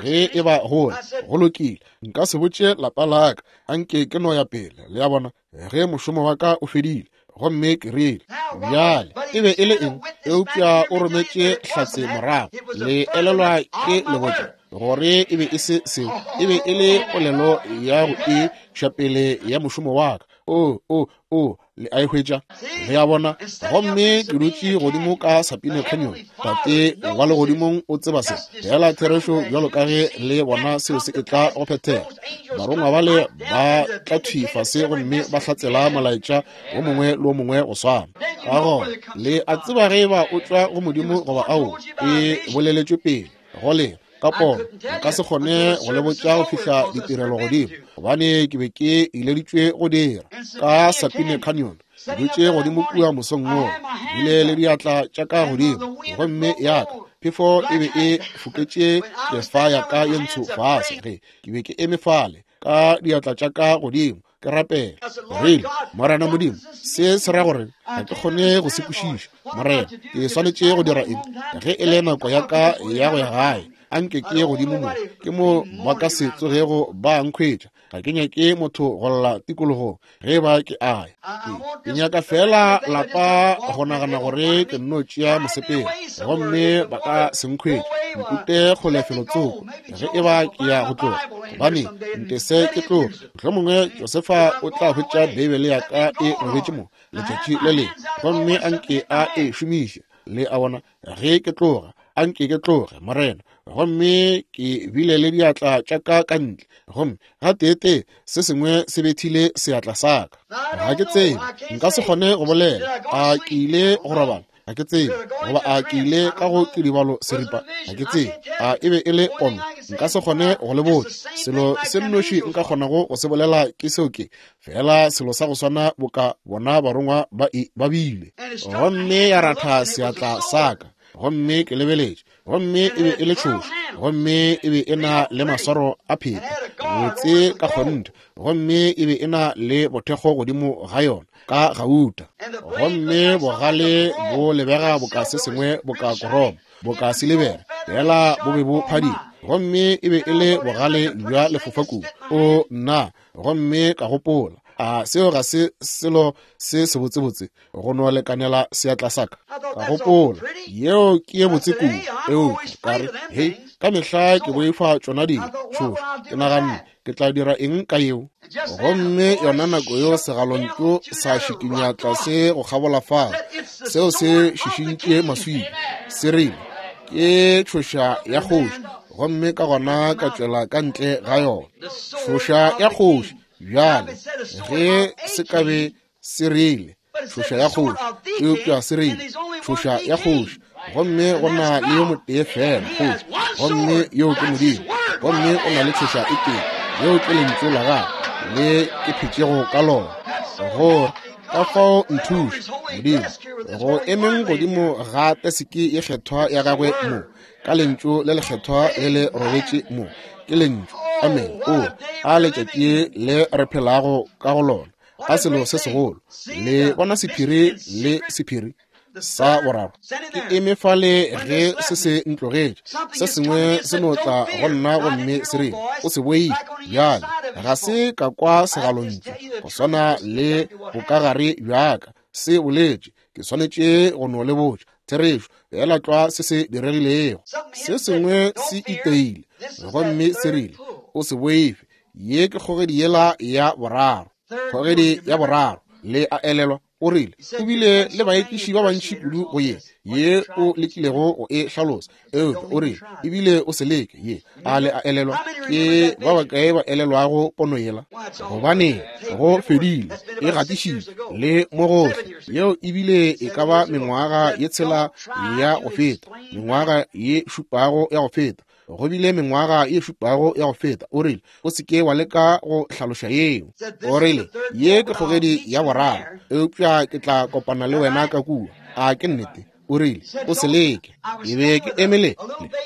Ge e ba gole, go lokile, nka se botše lapa la ka, anke ke no ya pele. Le a bona, ge mošomo wa ka o fedile. Gomme ke rile, bjale e be e le eng? Eupša o rometše hlatse morago. Le elelwa ke le botša gore e be e se seo, e be e le polelo ya go iša pele ya mošomo wa ka. O, o, o, le a e hwetša? Le a bona? Gomme ke dutše godimo ka Sabino Canyon. Tate wa legodimong o tseba se fela therešo bjalo ka ge le bona seo se etla go phethega. Barongwa bale ba tla thwi fase gomme ba hlatsela molaetša wo mongwe le wo mongwe go swana. Ka gona le a tseba ge eba o tšwa go Modimo goba ao, e boleletšwe pele go lena ka pono. Nka se kgone go le botša go fihla ditirelo godimo, gobane ke be ke ileditšwe go dira ka Sabino Canyon. Ke dutše godimo kua mosong woo, bile le diatla tša ka godimo, gomme ya ka phefo e be e foketše kefa ya ka ye ntsho fase ge ke be ke eme fale ka diatla tša ka godimo ke rapela. Rile, Morena Modimo, se se ra gore ga ke kgone go se kwešiša. Morena, ke swanetše go dira eng? Ge e le nako ya ka ya go ya gae, anke ke ye godimo mo, ke mo ba ka se tsogego ba nkhwetša. Ga ke nyake motho go lla tikologong ge ba ke aya. Ke nyaka fela lapa go nagana gore ke nno tšea mosepelo, gomme ba ka se nkhwetše. Nkute kgole felotsoko ge e ba ke ya go tloga, gobane ntese ke tloge. Mohlomongwe Josefa o tla hwetša Beibele ya ka e robetše mo letšatši le lengwe, gomme anke a e šomiše. Le a bona, ge ke tloga, anke ke tloge, Morena. Gomme ke bile le diatla tša ka ka ntle, gomme gateetee se sengwe se bethile seatla sa ka. Ga ke tsebe, nka se kgone go bolela. A ke ile go robala? Ga ke tsebe. Goba a ke ile ka go kidibalo seripa? Ga ke tsebe. A e be e le pono? Nka se kgone go le botša. Selo se nnoši nka kgonago go se bolela ke seo ke fela selo sa go swana boka bona barongwa ba e ba bile. Gomme ya ratha seatla sa ka, gomme ke lebeletše, gomme e be e le tšhošo, gomme e be e na le maswaro a pheta botse ka kgonthe, gomme e be e na le bothekgo godimo ga yona ka gauta, gomme bogale bo lebega boka se sengwe boka koromo, boka silibere, fela bo be bo phadima, gomme e be e le bogale bja lefofakubu. O nna, gomme ka gopola, a seo ga se selo se sebotsebotse go no lekanela seatla sa ka? Ka gopola, yeo ke ye botse kudu. Eupša ka re, hei, ka mehla ke boifa tšona dilo tšhošo. Ke naganne Ke tla dira eng ka yeo? Gomme yona nako yeo segalontšu sa šikinya tlase go kgabola fao, seo se šišintše maswika, se rile, ke tšhoša ya kgoši. Gomme ka gona ka tšwela ka ntle ga yona. Tšhoša ya kgoši. Bjale, ge se ka be se rile tšhoša ya kgoši, eupša se rile tšhoša ya kgoši, gomme go na le yo motee fela kgoši, gomme yo ke Modimo, gomme o na le tšhoša e tee, yeo ke lentšu la gagwe le ke phetšego ka lona. Gore ka fao nthuše Modimo go emeng godimo ga teseke ye kgethwa ya gagwe mo, ka lentšu le lekgethwa le le robetše mo, ke lentšu. Amen. O a letšatši le re phelago ka go lona, a selo se segolo. Le bona sephiri le sephiri sa boraro. Ke eme fale ge se se ntlogetše, se sengwe se no tla go nna gomme se rile, o se boife. Bjale ga se ka kwa segalontšu go swana le bokagare bjaka se boletše. Ke swanetše go no le botša therešo fela tlwa se se diregilego. Se sengwe se iteile gomme se rile, o se boife, ye ke kgogedi yela ya boraro. Kgogedi ya boraro, le a elelwa? O rile o bile le baekiši ba bantši kudu go ye ye o lekilego go e hlalosa, eupša o rile ebile o se leke ye. A le a elelwa? Ke ba bakae ba elelwago pono yela? Gobane go fedile, e gatišitšwe le mo gohle. Yeo ebile e ka ba mengwaga ye tshela ya go feta, mengwaga ye šupago ya go feta. Go bile mengwaga ye šupago ya go feta. O rile o se ke wa leka go hlaloša yeo. O rile ye ke kgogedi ya boraro, eupša ke tla kopana le wena ka kua. A ke nnete? O rile o se leke. Ke be ke emele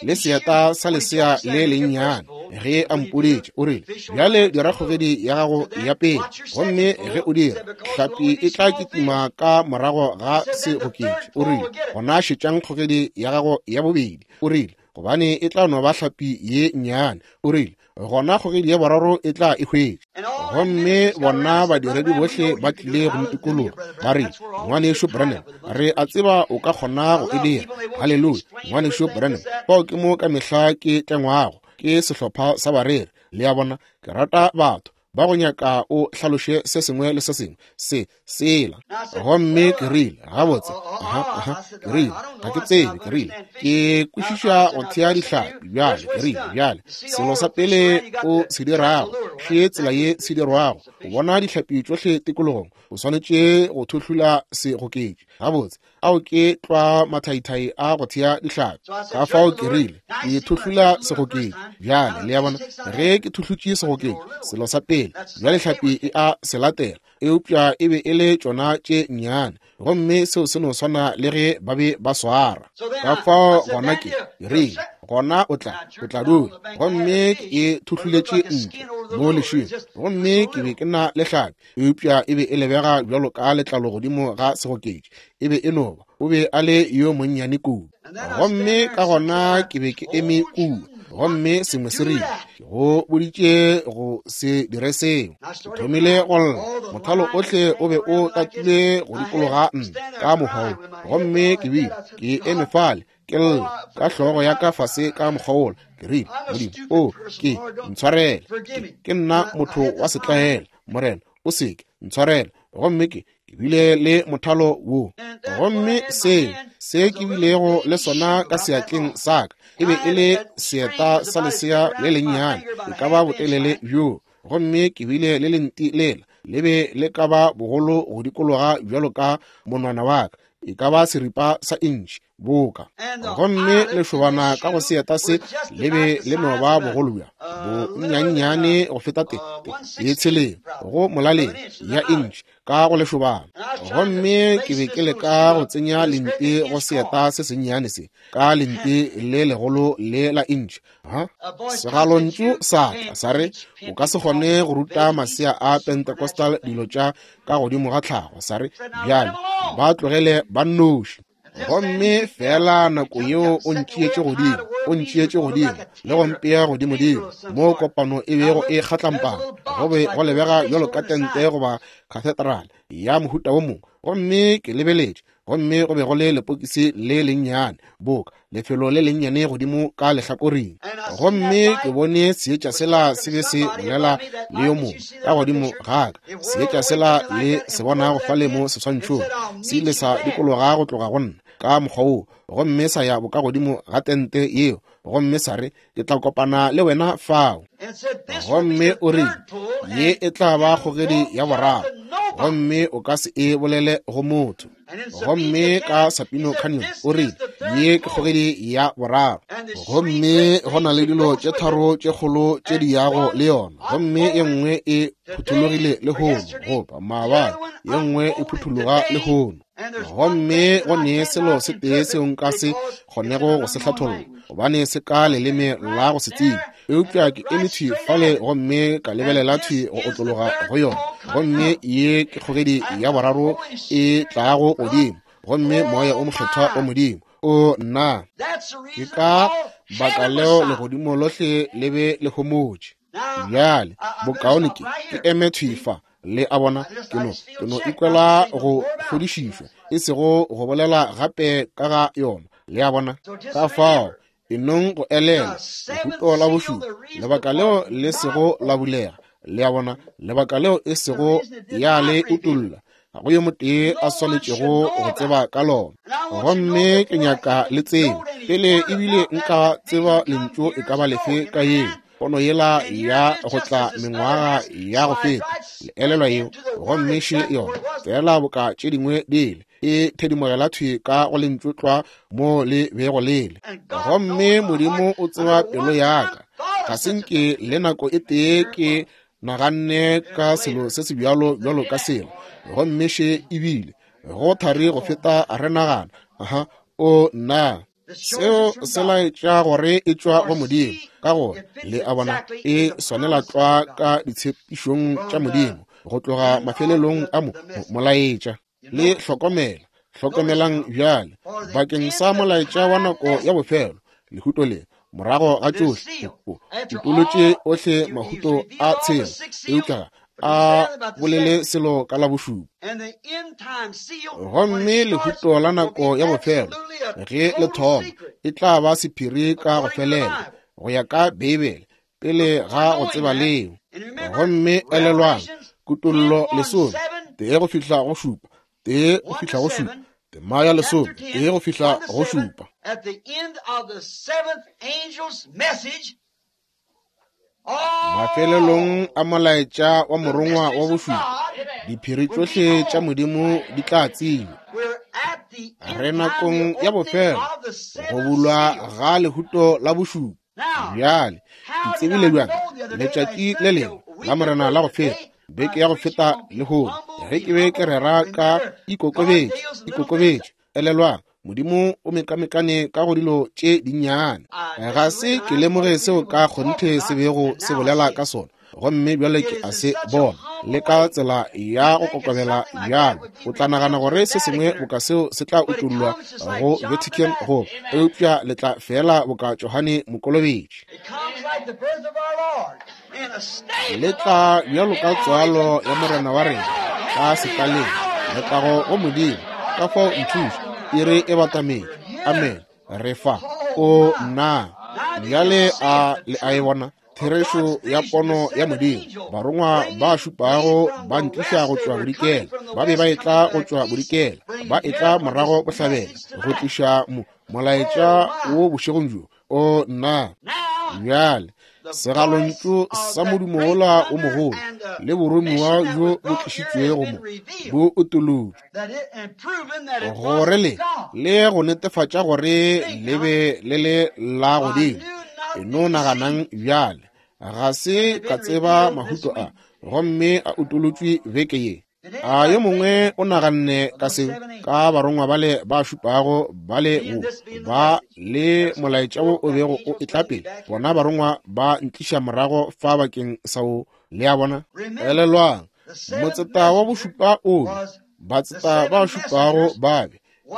le seeta sa lesea le lennyane ge a mpoditše. O rile bjale dira kgogedi ya gago ya pele, gomme ge o dira, hlapi e tla kitima ka morago ga segoketši. O rile gona šetšang kgogedi ya gago ya bobedi. O rile gobane e tla no ba hlapi ye nnyane. O rile gona kgogedi ya boraro e tla e hwetša. Gomme bona badiredi bohle ba tlile go ntikologa, ba rile, ngwanešu Branham, re a tseba o ka kgona go e dira. Haleluya, ngwanešu Branham. Fao ke mo ka mehla ke tlengwago ke sehlopha sa bareri. Le a bona, ke rata batho ba go nyaka o hlaloše se sengwe le se sengwe se sela. Gomme ke rile gabotse, aha, aha, ke rile ga ke tsebe, ke rile ke kwešiša go thea dihlapi bjale. Ke rile bjale selo sa pele o se dirago ke tsela ye se dirwago. O bona dihlapi tšohle tikologong, o swanetše go thuhlula segoketši. Gabotse, ao ke tlwa mathaithai a go thea dihlapi. Ka fao ke rile ke thuhlula segoketši bjale. Le a bona, ge ke thuhlutše segoketši, selo sa pele bjale hlapi e a se latela, eupša e be e le tšona tše nnyane, gomme seo se no swana le ge ba be ba swara. Ka fao gona ke rile gona o tla o tla dula. Gomme ke thuhluletše ntle mo lešweng, gomme ke be ke na le hlapi, eupša e be e lebega bjalo ka letlalo godimo ga segoketši. E be e no ba, o be a le yo monnyane kudu. Gomme ka gona ke be ke eme kua, gomme sengwe se rile, ke go boditše go se dire seo. Ke thomile go lla, mothalo ohle o be o tatile go dikologa nna ka mokgwa wo. Gomme ke bile ke eme fale ke lla ka hlogo ya ka fase ka mokgwa wola. Ke rile, Modimo, o ke ntshwarele, ke nna motho wa setlaela, Morena, o se ke ntshwarele. Gomme ke ke bile le mothalo wo, gomme se se ke bilego le sona ka seatleng sa ka e be e le seeta sa lesea le lennyane, e ka ba botelele bjo. Gomme ke bile le lenti lela, le be le ka ba bogolo go dikologa bjalo ka monwana wa ka, e ka ba seripa sa intšhi boka. Gomme lešobana ka go seeta se le be le no ba bogolo bja bonnyane go feta te ye tsheleng go molaleng ya intšhi ka go lešobana. Gomme ke be ke leka go tsenya lenti go seeta se sennyane se ka lenti le legolo le la intšhi. Ha segalontšu sa tla sa re, o ka se kgone go ruta masea a Pentecostal dilo tša ka godimo ga tlhago. Sa re bjale ba tlogele ba nnoši. Gomme fela nako yeo o ntšeetše godimo, o ntšeetše godimo le go mpea godimodimo mo kopano e bego e kgatlampana. Go be go lebega bjalo ka tente goba cathedral ya mohuta wo mongwe. Gomme ke lebeletše, Gomme go be go le lepokisi le lennyane, boka lefelo le lennyane godimo ka lehlakoreng. Gomme ke bone seetša sela se be se bolela le yo mongwe ka godimo ga ka. Seetša sela le se bonago fale mo seswantšhong se ile sa dikologa go tloga go nna ka mokgwa woo, gomme sa ya bokagodimo ga tente yeo, gomme sa re, ke tla kopana le wena fao. Gomme o rile, ye e tla ba kgogedi ya boraro, gomme o ka se e bolele go motho. Gomme ka Sapino Canyon o rile, ye ke kgogedi ya boraro, gomme go na le dilo tše tharo tše kgolo tše di yago le yona, gomme ye nngwe e phuthologile lehono, goba maabane, ye nngwe e phuthologa lehono. Gomme go ne selo se tee seo nka se kgonego go se hlatholla, gobane se ka leleme la go se tsebe. Eupša ke eme thwi fale gomme ka lebelela thwi go otlologa go yona, gomme ye ke kgogedi ya boraro e tlago godimo, gomme moya o mokgethwa o Modimo o nna. Ke ka baka leo legodimo lohle le be le homotše. Bjale bokaone ke ke eme thwi fa. Le a bona, ke no ke no ikwela go fodišišwa, e sego go bolela gape ka ga yona. Le a bona, ka fao e nong go elela lehuto la bošupa, lebaka leo le sego la bulega. Le a bona, lebaka leo e sego ya le utolla, ga go yo motee a swanetšego go tseba ka lona. Gomme ke nyaka le tsebe pele ebile nka tseba lentšu e ka ba lefe ka yeo pono yela ya go tla mengwaga ya go feta, le elelwa yeo. Gomme še yona fela boka tše dingwe dile e thedimogela thwi ka go lentšu tlwa mo le bego lele. Gomme Modimo o tseba pelo ya ka. Ga se nke le nako e tee ke naganne ka selo se se bjalo bjalo ka selo. Gomme še ebile go thari go feta re nagana. Aha, o nna. Seo se laetša gore e tšwa go Modimo, ka gore le a bona e swanela tlwa ka ditshepišong tša Modimo go tloga mafelelong a mo molaetša. Le hlokomela, hlokomelang bjale bakeng sa molaetša wa nako ya bofelo, lehuto le morago ga tšohle o utolotše ohle mahuto a tshela, eupša a bolele selo ka la bošupa. Gomme lehuto la nako ya bofelo ge le thoma e tla ba sephiri ka go felela go ya ka Beibele pele ga go tseba leo. Gomme elelwang, Kutollo lesome tee go fihla go šupa, tee go fihla go šupa, tema ya lesome tee go fihla go šupa. Mafelelong a molaetša wa morongwa wa bošupa, diphiri tšohle tša Modimo di tla tsebja. Re nakong ya bofelo, go bulwa ga lehuto la bošupa. Bjale ke tsebile bjang letšatši le lengwe la Morena la go feta, beke ya go feta lehono, ge ke be ke rera ka ikokobetše, ikokobetše. Elelwang, Modimo o mekamekane ka go dilo tše dinnyane. Ga se ke lemoge seo ka kgonthe se bego se bolela ka sona, gomme bjale ke a se bona le ka tsela ya go kokobela bjalo. O tla nagana gore se sengwe boka seo se tla utollwa go Vatican go, eupša le tla fela boka Johane Mokolobetši. Le tla bjalo ka tswalo ya Morena wa rena ka sekaleng, letago go Modimo. Ka fao nthuše, iri e batametše. Amen. Re fa. O nna. Bjale a le a e bona therešo ya pono ya Modimo. Barongwa ba šupago ba ntliša go tšwa bodikela, ba be ba etla go tšwa bodikela, ba etla morago bohlabela go tliša mo molaetša wo bošegong bjo. O nna. Bjale segalontšu sa modumo wola o mogolo le boromiwa bjo bo tlišitšwego mo bo utolotšwe, gore le le go netefatša gore le be le le la godimo. E no naganang bjale, ga se ka tseba mahuto a, gomme a utolotšwe beke ye. A yo mongwe o naganne ka seo, ka barongwa bale ba šupago bale wo ba le molaetša wo o bego o etla pele, bona barongwa ba ntliša morago fa bakeng sa wo. Le a bona? Elelwang, motseta wa bošupa o be, batseta ba šupago ba be,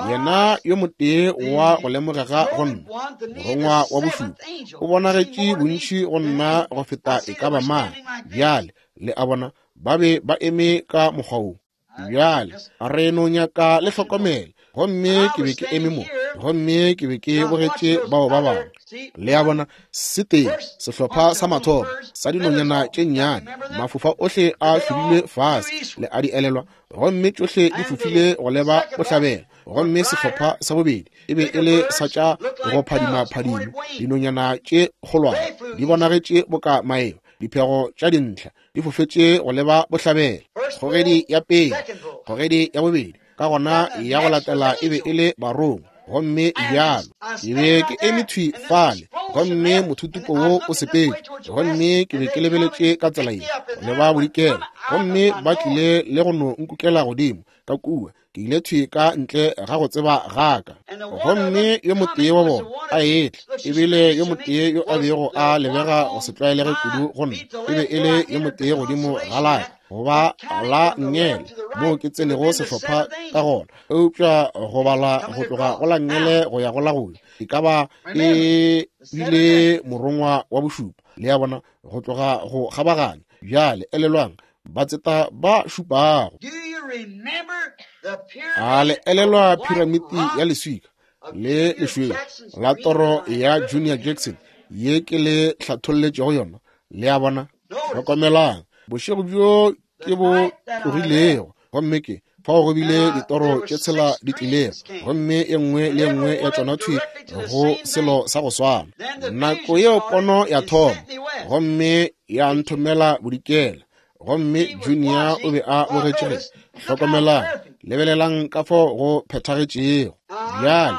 yena yo motee wa go lemogega go nna, morongwa wa bošupa, o bonagetše bontši go nna go feta e ka ba mang. Bjale le a bona, ba be ba eme ka mokgwa wo. Bjale re no nyaka le hlokomele Gomme ke be ke eme mo, gomme ke be ke bogetše bao ba bangwe. Le a bona, setee, sehlopha sa mathomo sa dinonyana tše nnyane, mafofa ohle a hlodilwe fase, le a di elelwa, gomme tšohle di fofile go leba bohlabela. Gomme sehlopha sa bobedi e be e le sa tša go phadima-phadimo, dinonyana tše kgolwane di bonagetše boka maeba, diphego tša dintlha di fofetše go leba bohlabela. Kgogedi ya pele, kgogedi ya bobedi, ka gona ya go latela e be e le barongwa. Gomme bjalo ke be ke eme thwi fale, gomme mothutupo wo o sepetše, gomme ke be ke lebeletše ka tsela ye go leba bodikela, gomme ba tlile le go no nkukela godimo ka kua. Ke ile thwi ka ntle ga go tseba gaka. Gomme yo motee wa bona a etla, ebile yo motee yo a bego a lebega go se tlwaelege kudu go nna, e be e le yo motee godimo ga laka goba la nngele moo ke tsenego sehlopha ka gona, eupša go bala go tloga go la nngele go ya go la go e ka ba e bile morongwa wa bošupa. Le a bona, go tloga go kgabaganya. Bjale elelwang, batseta ba šupago. A le elelwa piramiti ya leswika le lešweu la toro ya Junior Jackson ye ke le hlatholletšego yona? Le a bona, hlokomelang bošego bjo ke bo tlogilego, gomme ke fao go bile ditoro tše tshela di tlilego, gomme e nngwe le e nngwe ya tšona thwi go selo sa go swana. Nako yeo pono ya thoma, gomme ya nthomela bodikela, gomme Junior o be a bogetše ge. Hlokomelang, lebelelang ka fao go phethagetšego. Bjale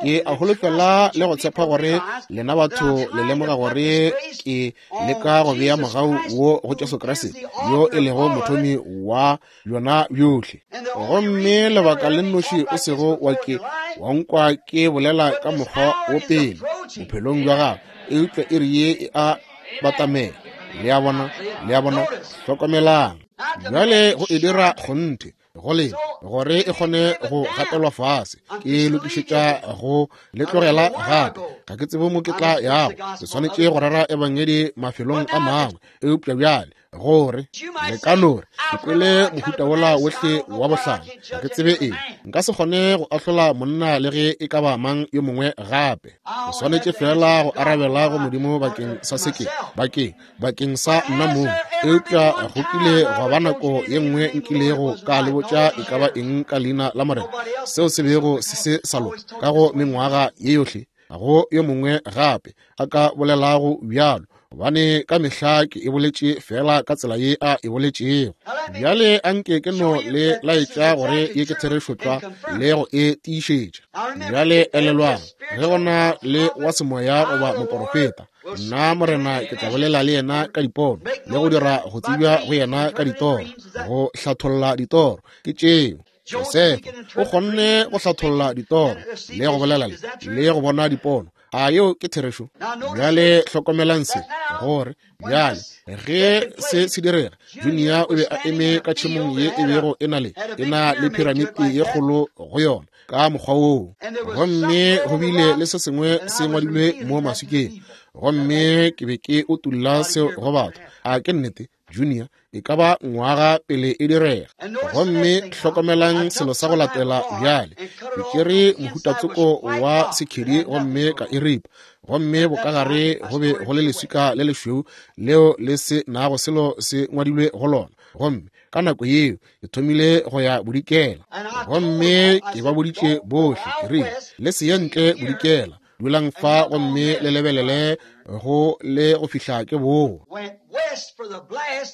ke a holofela le go tshepa gore lena batho le lemoga gore ke leka go bea mogau wo go Jesu Kriste yo e lego mothomi wa bjona bjohle. Gomme lebaka le nnoši o sego wa ke wa nkwa ke bolela ka mokgwa wo pele bophelong bja gago, eupša iri ye e a batamela. Le a bona, le a bona, hlokomelang. Bjale go e dira kgonthe go lena gore e kgone go gatelwa fase, ke lokišetša go le tlogela gape. Ga ke tsebe mo ke tla yago, ke swanetše go rera ebangedi mafelong a mangwe, eupša bjale gore le ka no re ke kwele mohuta wola wohle wa bohlale, ga ke tsebe eng, nka se kgone go ahlola monna le ge e ka ba mang yo mongwe gape. Ke swanetše fela go arabela go Modimo bakeng sa seke, bakeng bakeng sa nna mong. Eupša go kile gwa ba nako ye nngwe nkilego ka le botša e ka ba eng ka leina la Morena seo se bego se se sa loka ka go mengwaga ye yohle, ga go yo mongwe gape a ka bolelago bjalo, gobane ka mehla ke e boletše fela ka tsela ye a e boletšego. Bjale anke ke no le laetša gore ye ke therešo tlwa le go e tiišetša. Bjale elelwang, ge go na le wa semoya goba moporofeta, nna Morena ke tla bolela le yena ka dipono le go dira go tsebja go yena ka ditoro, go hlatholla ditoro. Ke tšeo Josefa o kgonne go hlatholla ditoro le go bolela le le go bona dipono. A yeo ke therešo? Bjale hlokomelang se, gore bjale ge se se direga, Junior o be a eme ka tšhemong ye e bego e na le e na le piramiti ye kgolo go yona ka mokgwa woo, gomme go bile le se sengwe se ngwadilwe mo maswikeng, gomme ke be ke utulla seo go batho. A ke nnete, Junior e ka ba ngwaga pele e direga. Gomme hlokomelang selo sa go latela bjale, ke tšere mohutatsoko wa sekhedi gomme ka e ripa, gomme bokagare go be go le leswika le lešweu leo le se nago selo se ngwadilwe go lona. Gomme ka nako yeo ke thomile go ya bodikela, gomme ke ba boditše bohle ke rile, le se ye ntle bodikela, dulang fa gomme le lebelele go le go fihla ke boa.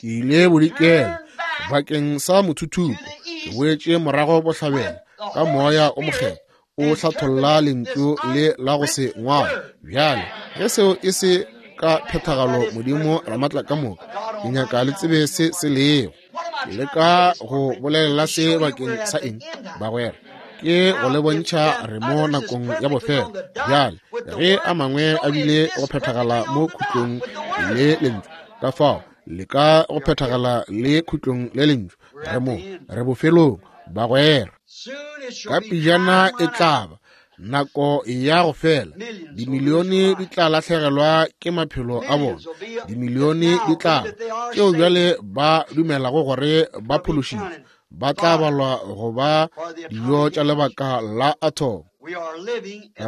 Ke ile bodikela bakeng sa mothuthupo, ke boetše morago bohlabela ka moya o mokgethwa o hlatholla lentšu le la go se ngwala. Bjale ge seo e se ka phethagalo Modimo Ramatla ka moka, ke nyaka le tsebe se se lego. Ke leka go bolelela se bakeng sa eng, bagwera? Ke go le bontšha re mo nakong ya bofelo. Bjale ge a mangwe a bile go phethagala mo khutlong le lentšu, ka fao le ka go phethagala le khutlong le lentšu, re mo re bofelong, bagwera. Ka pejana e tla ba nako ya go fela, dimilione di tla lahlegelwa ke maphelo a bona, dimilione di tla tšeo bjale ba dumelago gore ba phološitšwe, ba tla balwa go ba dijo tša lebaka la athomo.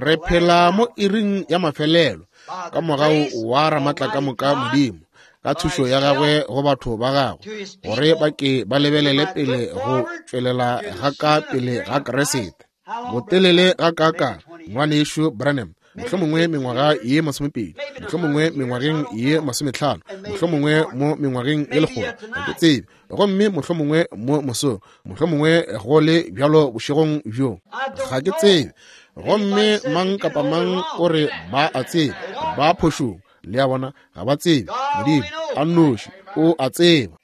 Re phela mo iring ya mafelelo ka mogau wa Ramatlakamoka Modimo, ka thušo ya gagwe go batho ba gagwe, gore ba ke ba lebelele pele go tšwelela ga ka pele ga Kriste. Botelele ga kaka, ngwanešu Branham, mohlomongwe mengwaga ye masomepedi, mohlomongwe mengwageng ye masometlhano, mohlomongwe mo mengwageng ye lekgolo, ga ke tsebe, gomme mohlomongwe mo mosong, mohlomongwe go le bjalo bošegong bjo, ga ke tsebe. Gomme mang kapa mang o re ba a tsebe, ba phošong, le a bona, ga ba tsebe. Modimo a nnoši o a tseba.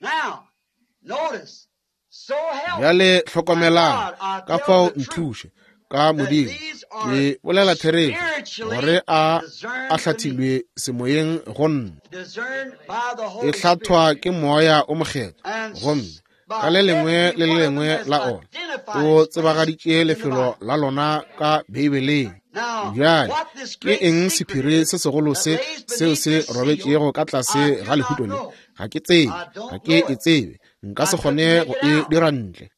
Bjale hlokomelang, ka fao nthuše ka Modimo, ke bolela therešo, gore a a hlathilwe semoyeng go nna, e hlathwa ke Moya o Mokgethwa, gomme ka le lengwe le le lengwe la ona o tsebagaditše lefelo la lona ka Beibeleng. Bjale ke eng sephiri se segolo se seo se robetšego ka tlase ga lehuto le? Ga ke tsebe, ga ke e tsebe, nka se kgone go e dira ntle,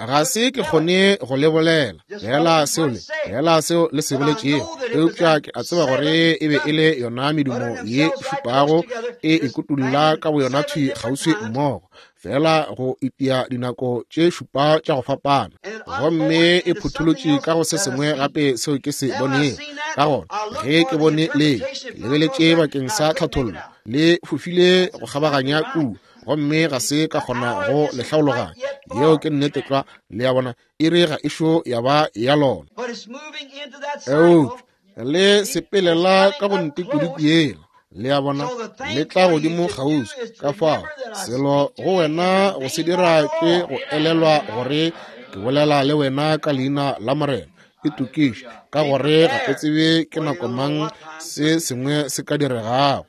ga se ke kgone go le bolela fela seo le fela seo le se boletšego, eupša ke a tseba gore e be e le yona medumo ye šupago e ikutulla ka boyona thwi kgauswi mmogo, fela go itia dinako tše šupa tša go fapana, gomme e phutholotše ka go se sengwe gape seo ke se bonego. Ka gona ge ke bone le, ke lebeletše bakeng sa tlhathollo, le fofile go kgabaganya kua, gomme ga se ka kgona go le hlaologanya. Yeo ke nnete tlwa, le a bona, iri ga ešo ya ba ya lona. Eupša le sepelela ka go ntikudiku yela, le a bona, le tla godimo kgauswi. Ka fao selo go wena go se dira ke go elelwa gore ke bolela le wena ka leina la Morena. E tokiše, ka gore ga o tsebe ke nako mang se sengwe se ka diregago.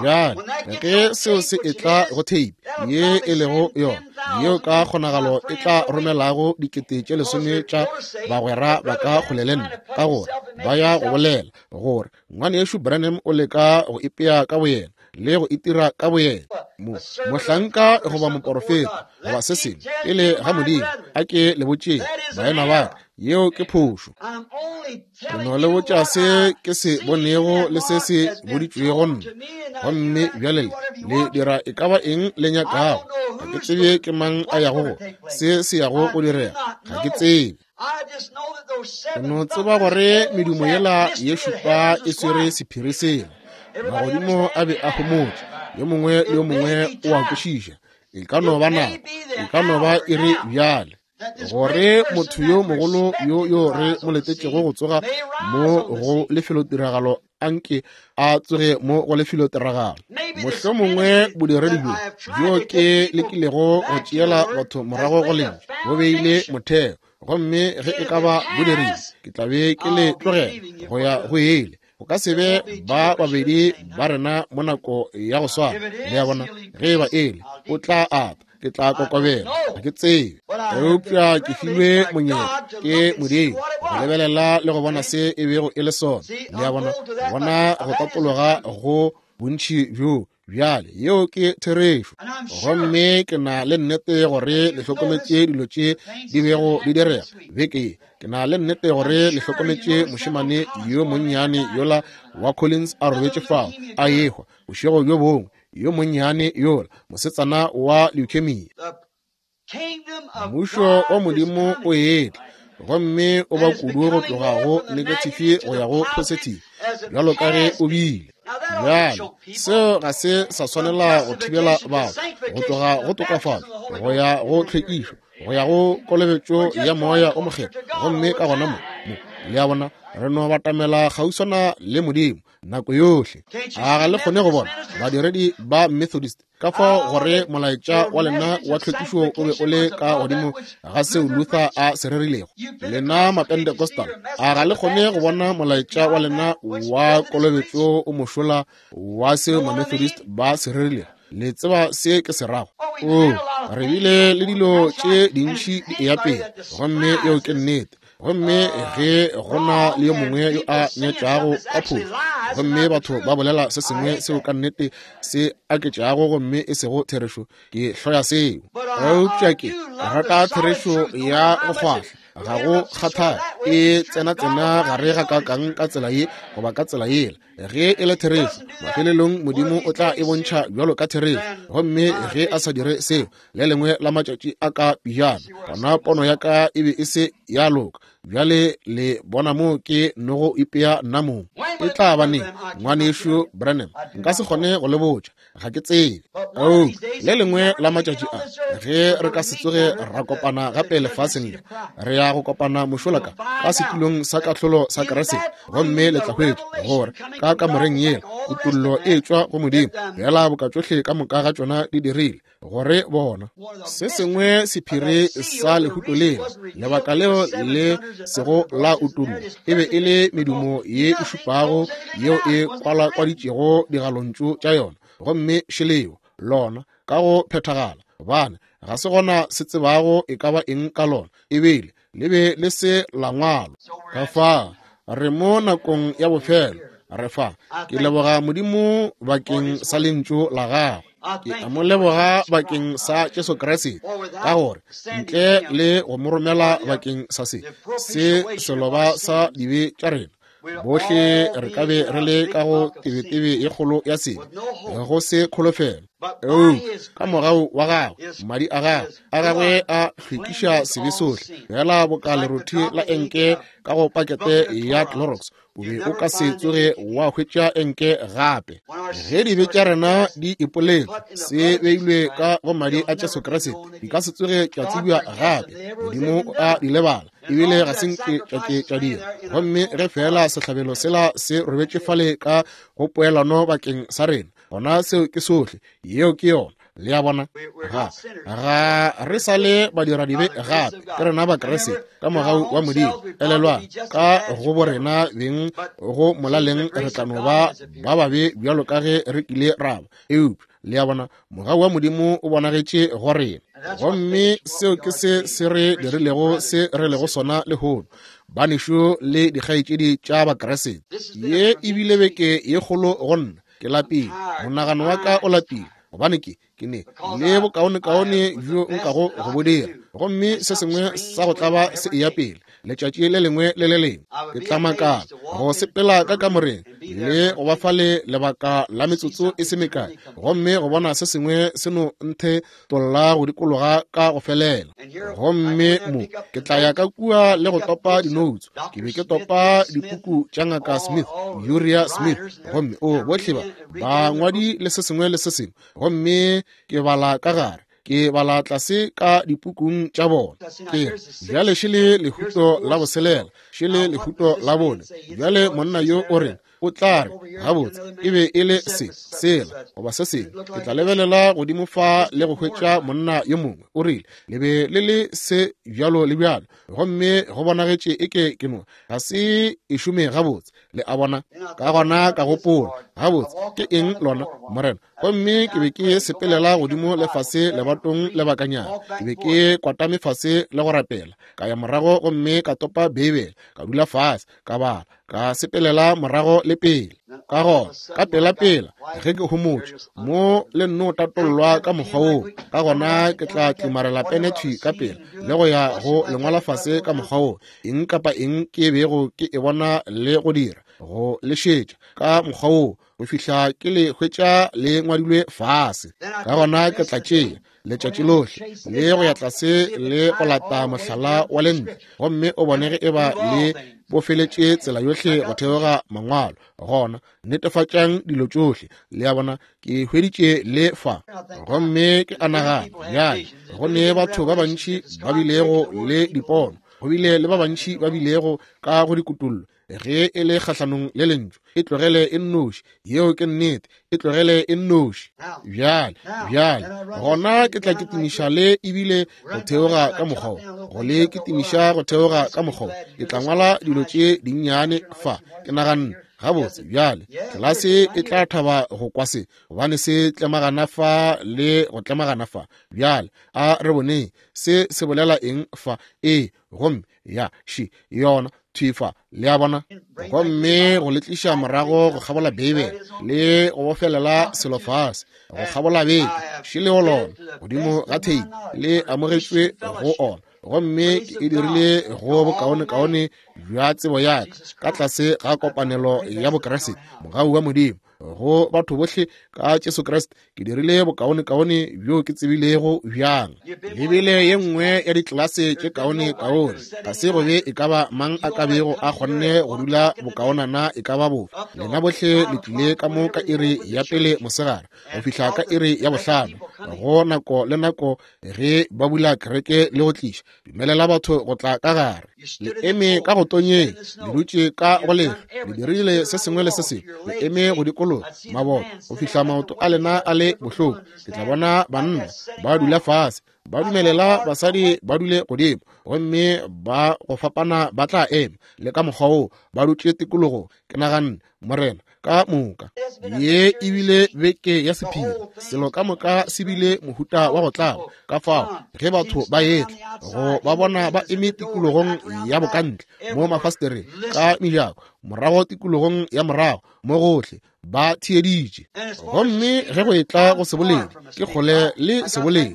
Bjale ge seo se etla go tape ye e lego yona, yeo ka kgonagalo e tla romelago dikete tše lesome tša bagwera ba ka kgole le nna, ka gore ba ya go bolela gore ngwanešu Branham o leka go ipea ka boyena le go itira ka boyena, mo mohlanka goba moporofeta goba se sengwe pele ga Modimo. A ke le botšeng baena ba ka, yeo ke phošo. Ke no le botša se ke se bonego le se se boditšwego nna, gomme bjale le dira e ka ba eng le nyakago. Ga ke tsebe ke mang a yago go se se yago go direga, ga ke tsebe. Ke no tseba gore medumo yela ye šupa e swere sephiri sela. Magodimo a be a homotše, yo mongwe le yo mongwe o a kwešiša. E ka no ba nako, e ka no ba iri bjale, gore motho yo mogolo yo yo re mo letetšego go tsoga mo go lefelotiragalo anke a tsoge mo go lefelotiragalo. Mohlomongwe bodiredi bjo bjo ke lekilego go tšeela batho morago go lentšu bo beile motheo, gomme ge e ka ba bodiredi ke tla be ke le tlogela go ya go ele. Go ka se be ba babedi ba rena mo nako ya go swana, le a bona. Ge e ba ele, o tla ata, ke tla kokobela, ga ke tsebe, eupša ke filwe monyetla ke Modimo go lebelela le go bona se e bego e le sona, le a bona, bona go tatologa go bontši bjo. Bjale yeo ke therešo, gomme ke na le nnete gore le hlokometše dilo tše di bego di direga beke ye. Ke na le nnete gore le hlokometše mošemane yo monnyane yola wa Collins a robetše fao a ehwa bošego bjo bongwe, yo monnyane yola mosetsana wa leukemia. Mmušo wa Modimo o etla, gomme o ba kudu go tloga go negative go ya go positive, bjalo ka ge o bile. Bjale seo ga se sa swanela go thibela batho go tloga go tokafatšo go ya go tlhwekišo go ya go kolobetšo ya Moya o Mokgethwa, gomme ka gona mo mo le a bona, re no batamela kgauswana le Modimo nako yohle. A ga le kgone go bona badiredi ba Methodist ka fao gore molaetša wa lena wa tlhwekišo o be o le ka godimo ga seo Luther a se rerilego? Lena Mapentecostal, a ga le kgone go bona molaetša wa lena wa kolobetšo o mošola wa seo Mamethodist ba se rerilego? Le tseba se ke se rago? O, re bile le dilo tše dintši di eya pele, gomme yeo ke nnete. Gomme ge go na le yo mongwe yo a nyatšago ka phošo, gomme batho ba bolela se sengwe seo ka nnete se aketšago gomme e sego therešo, ke hloya seo. Eupša ke rata therešo ya go kgwahla. Ga go kgathale e tsena-tsena gare ga kakang ka tsela ye goba ka tsela yela. Ge e le therešo, mafelelong Modimo o tla e bontšha bjalo ka therešo. Gomme ge a sa dire seo, le lengwe la matšatši a ka pejana, gona pono ya ka e be e se ya loka. Bjale le bona mo ke nogo ipea nna mong. E tla ba neng, ngwanešu Branham? Nka se kgone go le botša, ga ke tsebe. Oh, le lengwe la matšatši a, ge re ka se tsoge ra kopana gape lefaseng le, re ya go kopana mošola ka ka setulong sa kahlolo sa Kriste. Gomme le tla hwetša gore ka kamoreng yela kutollo e tšwa go Modimo, fela boka tšohle ka moka ga tšona di dirile gore bona se sengwe sephiri sa lehuto lela, lebaka leo le sego la utulla, e be e le medumo ye e šupago yeo e kwalakwaditšego digalontšu tša yona. Gomme šeleo lona ka go phethagala, gobane ga se gona se tsebago e ka ba eng ka lona, ebile le be le se la ngwalwa. Ka fa re mo nakong ya bofelo, re fa. Ke leboga Modimo bakeng sa lentšu la gagwe. Ke a mo leboga bakeng sa Jesu Kriste, ka gore ntle le go mo romela bakeng sa se se seloba sa dibe tša rena, bohle re ka be re le ka go tebetebe ye kgolo ya sebe, go se kholofelo. Eupša ka mogau wa gagwe, madi a gagwe a gagwe a hlwekiša sebe sohle, fela boka lerothi la enke ka go pakete ya Clorox, o be o ka se tsoge wa hwetša enke gape. Ge dibe tša rena di ipoletšwe, se beilwe ka go madi a Jesu Kriste, di ka se tsoge tša tsebja gape. Modimo o a di lebala, ebile ga se nke tša ke tša dira. Gomme ge fela sehlabelo sela se robetše fale ka go poelano bakeng sa rena, gona seo ke sohle. Yeo ke yona. Le a bona? Ga ga re sa le badiradibe gape, ke rena Bakriste ka mogau wa Modimo. Elelwang, ka go borena beng go molaleng re tla no ba ba babe bjalo ka ge re kile ra ba. Eupša le a bona, mogau wa Modimo o bonagetše go rena, gomme seo ke se se re dirilego se re lego sona lehono, banešu le dikgaetšedi tša Bakriste. Ye e bile beke ye kgolo go nna. Ke lapile, monagano wa ka o lapile, gobane ke ke ne le bokaonekaone bjo nkago go bo dira, gomme se sengwe sa go tlaba se eya pele letšatši le lengwe le le lengwe. Ke tla makala go sepela ka kamoreng le go ba fale lebaka la metsotso e se mekae, gomme go bona se sengwe se no nthe tolla go dikologa ka go felela. Gomme mo ke tla ya ka kua le go topa dinoutso. Ke be ke topa dipuku tša Ngaka Smith, Uriah Smith, gomme o bohle ba bangwadi le se sengwe le se sengwe, gomme ke bala ka gare, ke bala tlase ka dipukung tša bona. Ke bjale šele lehuto la boselela, šele lehuto la bone. Bjale monna yo o reng o tla re gabotse e be e le se sela goba se sengwe. Ke tla lebelela godimo fa le go hwetša monna yo mongwe o rile le be le le se bjalo le bjalo, gomme go bonagetše eke ke no ga se e šome gabotse. Le a bona? Ka gona ka gopola, gabotse ke eng lona, Morena? Gomme ke be ke sepelela godimo le fase lebatong lebakanyana. Ke be ke kwatame fase le go rapela. Ka ya morago gomme ka topa Beibele, ka dula fase, ka bala, ka sepelela morago le pele. Ka gona ka pela-pela ge ke homotše mo le nno tatollwa ka mokgwa woo, ka gona ke tla tlimarela pene thwi ka pela le go ya go lengwala fase ka mokgwa woo, eng kapa eng ke bego ke e bona le go dira, go le šetša ka mokgwa woo go fihla ke le hwetša le ngwadilwe fase. Ka gona ke tla tšea letšatši lohle le go ya tlase le go lata mohlala wa lentle, gomme o bone ge e ba le bofeletše tsela yohle go theoga mangwalo. Gona netefatšang dilo tšohle. Le a bona, ke hweditše le fa. Gomme ke a nagana bjale go ne batho ba bantši ba bilego le dipono, go bile le ba bantši ba bilego ka go dikutullo. Ge e le kgahlanong le lentšu, e tlogele e nnoši. Yeo ke nnete, e tlogele e nnoši. Bjale, bjale gona ke tla kitimiša le ebile go theoga ka mokgwa wo, go le kitimiša go theoga ka mokgwa wo. Ke tla ngwala dilo tše dinnyane fa. Ke naganne Gabotse bjale tlelase e tla thaba go kwa se, gobane se tlemagana fa le go tlemagana fa. Bjale a re boneng se se bolela eng fa. Ee, gomme ya še yona thwi fa, le a bona. Gomme go le tliša morago go kgabola Beibele le go bofelela selo fase go kgabola beke, še le go lona godimo ga theipi le amogetšwe go ona. Gomme ke e dirile go bokaonekaone bja tsebo ya ka ka tlase ga kopanelo ya Bokriste, mogau wa Modimo go batho bohle ka Jesu Kriste. Ke dirile bokaonekaone bjo ke tsebilego bjang. Le bile ye nngwe ya ditlelase tše kaonekaone. Ga se go be e ka ba mang a ka bego a kgonne go dula bokaonana e ka ba bofe. Lena bohle le tlile ka mo ka iri ya pele mosegare go fihla ka iri ya bohlano, go nako le nako ge ba bula kereke le go tliša dumelela batho go tla ka gare. Le eme ka go tonyeng, le dutše ka go lehlwa, le dirile se sengwe le se sengwe, le eme go dikologa maboto go fihla maoto a lena a le bohloko. Ke tla bona banna ba dula fase, ba dumelela basadi ba dule godimo, gomme ba go fapana ba tla ema le ka mokgwa woo ba dutše tikologong. Ke naganne, Morena, ka moka ye ebile beke ya sephiri, selo ka moka se bile mohuta wa go tlaba. Ka fao ge batho ba etla go ba bona ba eme tikologong ya bokantle mo mafastereng ka mejako, morago tikologong ya morago mo gohle ba theeditše. Gomme ge go etla go seboledi, ke kgole le seboledi.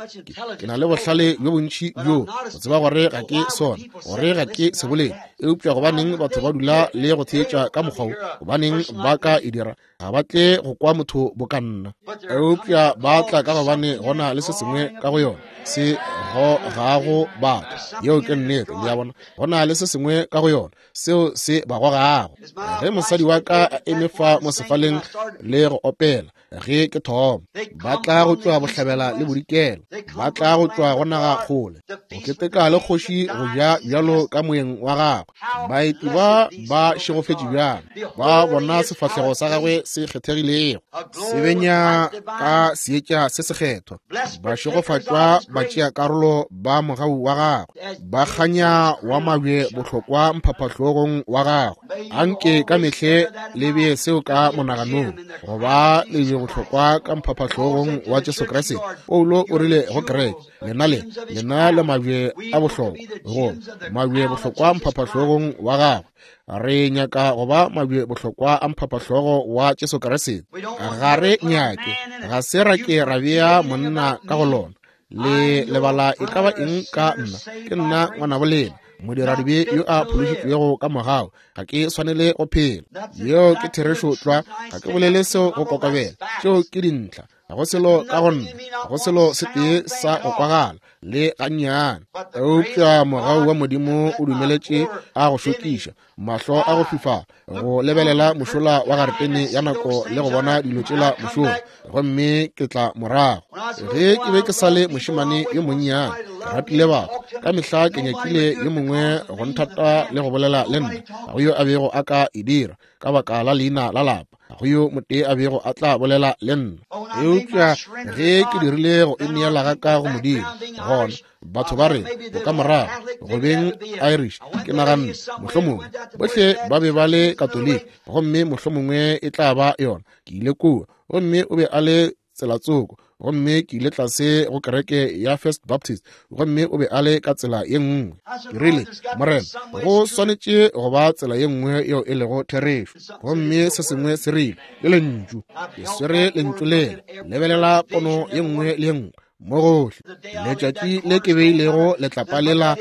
Ke na le bohlale bjo bontši bjo go tseba gore ga ke sona, gore ga ke seboledi. Eupša gobaneng batho ba dula le go theetša ka mokgwa wo? Gobaneng ba ka e dira? Ga ba tle go kwa motho boka nna, eupša ba tla ka gobane go na le se sengwe ka go yona se gogago batho. Yeo ke nnete, le a bona. Go na le se sengwe ka go yona seo se ba gogago. Ge mosadi wa ka a eme fa mo sefaleng le go opela ge ke thoma, ba tla go tšwa bohlabela le bodikela, ba tla go tšwa go naga kgole go keteka le kgoši go ja bjalo ka moyeng wa gagwe. Baeti ba ba šegofetše bjang, ba bona sefahlego sa gagwe se kgethegilego se benya ka seetša se sekgethwa. Ba šegofatšwa ba tšea karolo ba mogau wa gagwe, ba kganya wa mabje bohlokwa mphaphahlogong wa gagwe. Anke ka mehle le bee seo ka monaganong, go ba lebje bohlokwa ka mphaphahlogong wa Jesu Kriste. Paulo o rile go kereke, lena le lena le mabje a bohlokwa, go mabje bohlokwa mphaphahlogong wa gagwe. Re nyaka go ba mabje bohlokwa a mphapahlogo wa Jesu Kriste. Ga re nyake, ga se ra ke ra bea monna ka go lona. Le lebala e ka ba eng ka nna? Ke nna ngwanabo lena, modiradibe yo a phološitšwego ka mogau. Ga ke swanele go phela. Yeo ke therešo tlwa. Ga ke bolele seo go kokobela. Tšeo ke dintlha. Ga go selo ka go nna, ga go selo se tee sa go kwagala le gannyane. Eupša mogau wa Modimo o dumeletše a go šokiša mahlo a go fifala go lebelela mošola wa garetene ya nako le go bona dilo tšela mošola, gomme ke tla morago. Ge ke be ke sa le mošemane yo monnyane, ke ratile batho. Ka mehla ke nyakile yo mongwe go nthata le go bolela le nna. Ga go yo a bego a ka e dira ka baka la leina la lapa. Ga go yo motee a bego a tla bolela le nna. Eupša ge ke dirile go ineela ga ka go Modimo, gona batho ba re bo ka morago go beng Irish, ke naganne mohlomongwe bohle ba be ba le Katoliki, gomme mohlomongwe e tla ba yona. Ke ile kua, gomme o be a le tselatsoko, gomme ke ile tlase go kereke ya First Baptist, gomme o be a le ka tsela ye nngwe. Ke rile, Morena, go swanetše go ba tsela ye nngwe yeo e lego therešo. Gomme se sengwe se rile, ke lentšu. Ke swere lentšu lela, lebelela pono ye nngwe le ye nngwe mo gohle. Letšatši le ke beilego letlapa lela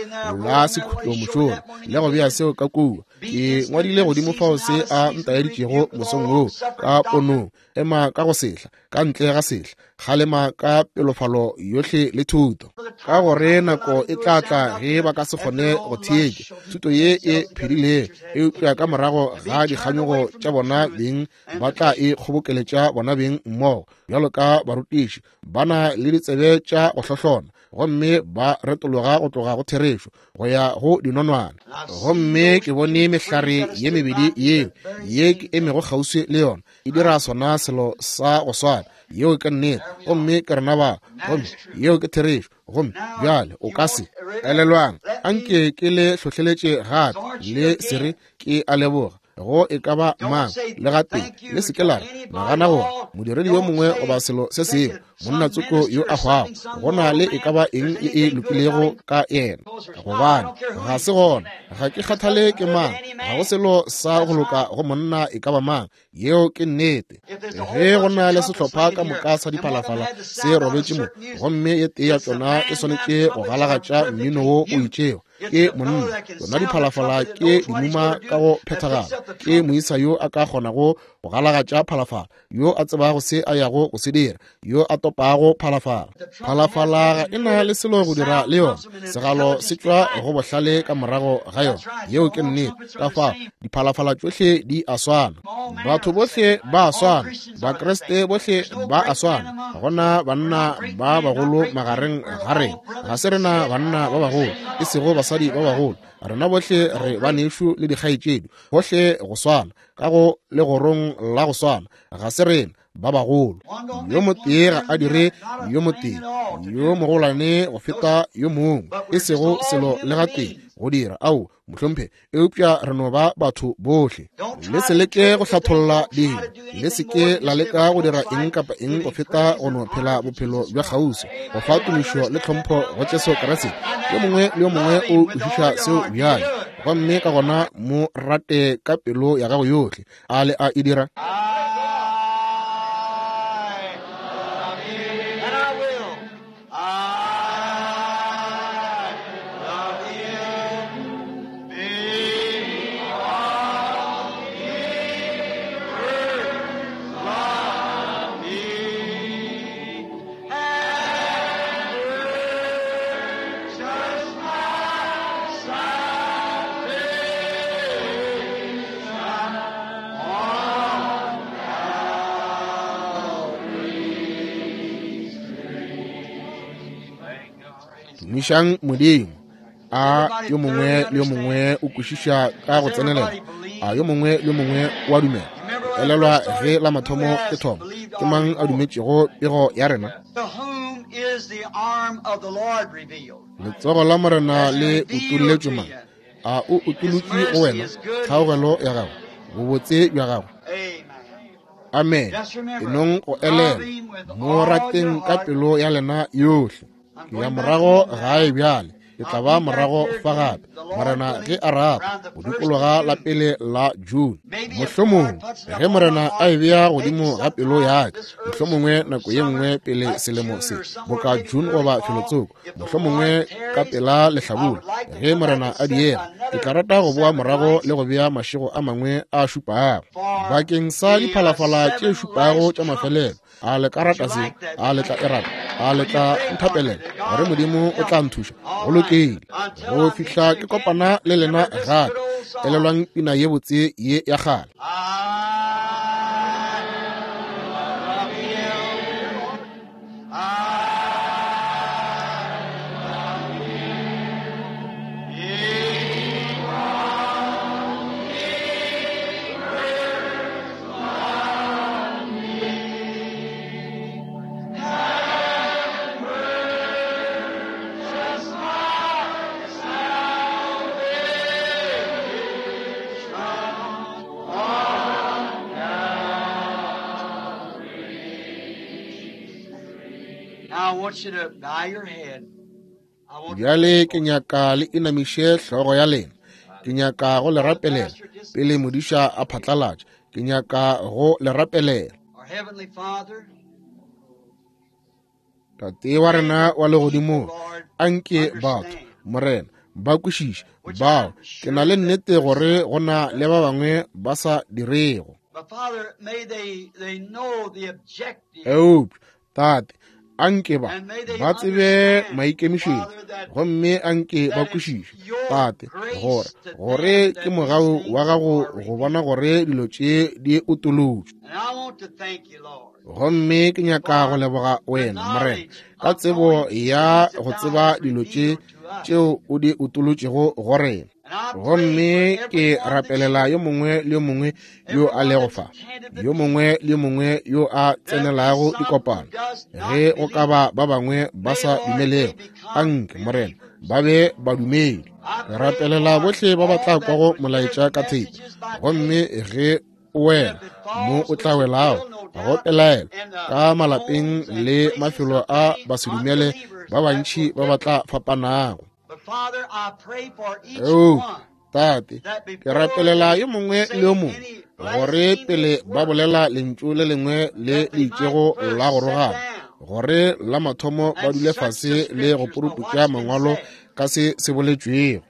la sekhutlo mošola le go bea seo ka kua, ke ngwadile godimo fao se a ntaeditšego mosong woo ka ponong. Ema ka go sehla, ka ntle ga sehla, kgalema ka pelofalo yohle le thuto, ka gore nako e tla tla ge ba ka se kgone go theetša thuto ye e phedilego, eupša ka morago ga dikganyogo tša bona beng ba tla e kgobokeletša bona beng mmogo bjalo ka barutiši ba na le ditsebe tša go hlohlona, gomme ba retologa go tloga go therešo go ya go dinonwane. Gomme ke bone mehlare ye mebedi yeo ye ke emego kgauswi le yona e dira sona selo sa go swana. Yeo ke nnete, gomme ke rena ba, gomme yeo ke therešo. Gomme bjale o ka se elelwang, anke ke le hlohleletše gape le se re ke a leboga. go e ka ba mang le gatee. Le se ke la re, nagana gore modiredi yo mongwe goba selo se sengwe, monna tsoko yo a hwago, go na le e ka ba eng e e lokilego ka yena, gobane ga se gona. Ga ke kgathale ke mang, ga go selo sa go loka go monna e ka ba mang. Yeo ke nnete. Ge go na le sehlopha ka moka sa diphalafala se robetše mo, gomme ye tee ya tšona e swanetše go galagatša mmino wo o itšego, ke monna. Tšona diphalafala ke dimuma ka go phethagala. Ke moisa yo a ka kgonago go galagatša phalafala, yo a tsebago se a yago go se dira, yo a topago phalafala. Phalafala ga e na le selo go dira le yona, segalo se tšwa go bohlale ka morago ga yona. Yeo ke nnete. Ka fao diphalafala tšohle di a swana, batho bohle ba a swana, Bakriste bohle ba a swana. Ga gona banna ba bagolo magareng ga rena, ga se rena banna ba bagolo, e sego basadi ba bagolo. Rena bohle re banešu le dikgaetšedi, bohle go swana, ka go legorong la go swana. Ga se rena ba bagolo. Yo motee ga a dire yo motee yo mogolwane go feta yo mongwe, e sego selo le gatee go dira. Ao, mohlomphe, eupša re no ba batho bohle. Le se leke go hlatholla dilo, le se ke la leka go dira eng kapa eng go feta go no phela bophelo bja kgauswi, go fa tumišo le tlhompho go Jesu Kriste. Yo mongwe le yo mongwe o kwešiša seo bjale, gomme ka gona mo rate ka pelo ya gago yohle. A le a e dira? Tumišang Modimo. A yo mongwe le yo mongwe o kwešiša ka go tsenelela? A yo mongwe le yo mongwe o a dumela? Elelwa ge la mathomo ke thoma, ke mang a dumetšego pego ya rena? Letsogo la Morena le utolletšwe mang? A o utolotše go wena kgaogelo ya gagwe, bobotse bja gagwe? Amen. Enong go elelwa, mo rateng ka pelo ya lena yohle. Ke ya morago gae bjale, ke tla ba morago fa gape, Morena ge a rata, go dikologa la pele la June. Mohlomongwe ge Morena a e bea godimo ga pelo ya ka, mohlomongwe nako ye nngwe pele selemo se, boka June goba felotsoko, mohlomongwe ka pela lehlabula, ge Morena a diega, ke tla rata go boa morago le go bea mašego a mangwe a šupago bakeng sa diphalafala tše šupago tša mafelelo. A le ka rata se? A le tla e rata? A le tla nthapelela gore Modimo o tla nthuša? Go lokile. Go fihla ke kopana le lena gape, elelwang pina ye botse ye ya kgale. Bjale ke nyaka le inamiše hlogo ya lena. Ke nyaka go le rapelela pele modiša a phatlalatša. Ke nyaka go le rapelela. Tate wa rena wa legodimong, anke batho, Morena, ba kwešiše bao ke na le nnete gore go na le ba bangwe ba sa dirego. Eupša Tate, anke ba ba tsebe maikemišetšo, gomme anke ba kwešiše, Tate, gore gore ke mogau wa gago go bona gore dilo tše di utolotšwe. Gomme ke nyaka go leboga wena, Morena, ka tsebo ya go tseba dilo tše tšeo o di utolotšego go rena. Gomme ke rapelela yo mongwe le yo mongwe yo a lego fa, yo mongwe le yo mongwe yo a tsenelago dikopano. Ge go ka ba ba bangwe ba sa dumelego, anke, Morena, ba be badumedi. Ke rapelela bohle ba ba tla kwago molaetša ka theipi, gomme ge o wela mo o tla welago, go pelaelo ka malapeng le mafelo a basedumele ba bantši ba ba tla fapanago. Oh, Tate, ke rapelela yo mongwe le yo mongwe gore pele ba bolela lentšu le lengwe le le itšego la go rogana, gore la mathomo ba dule fase le go puruputša mangwalo ka se se boletšwego.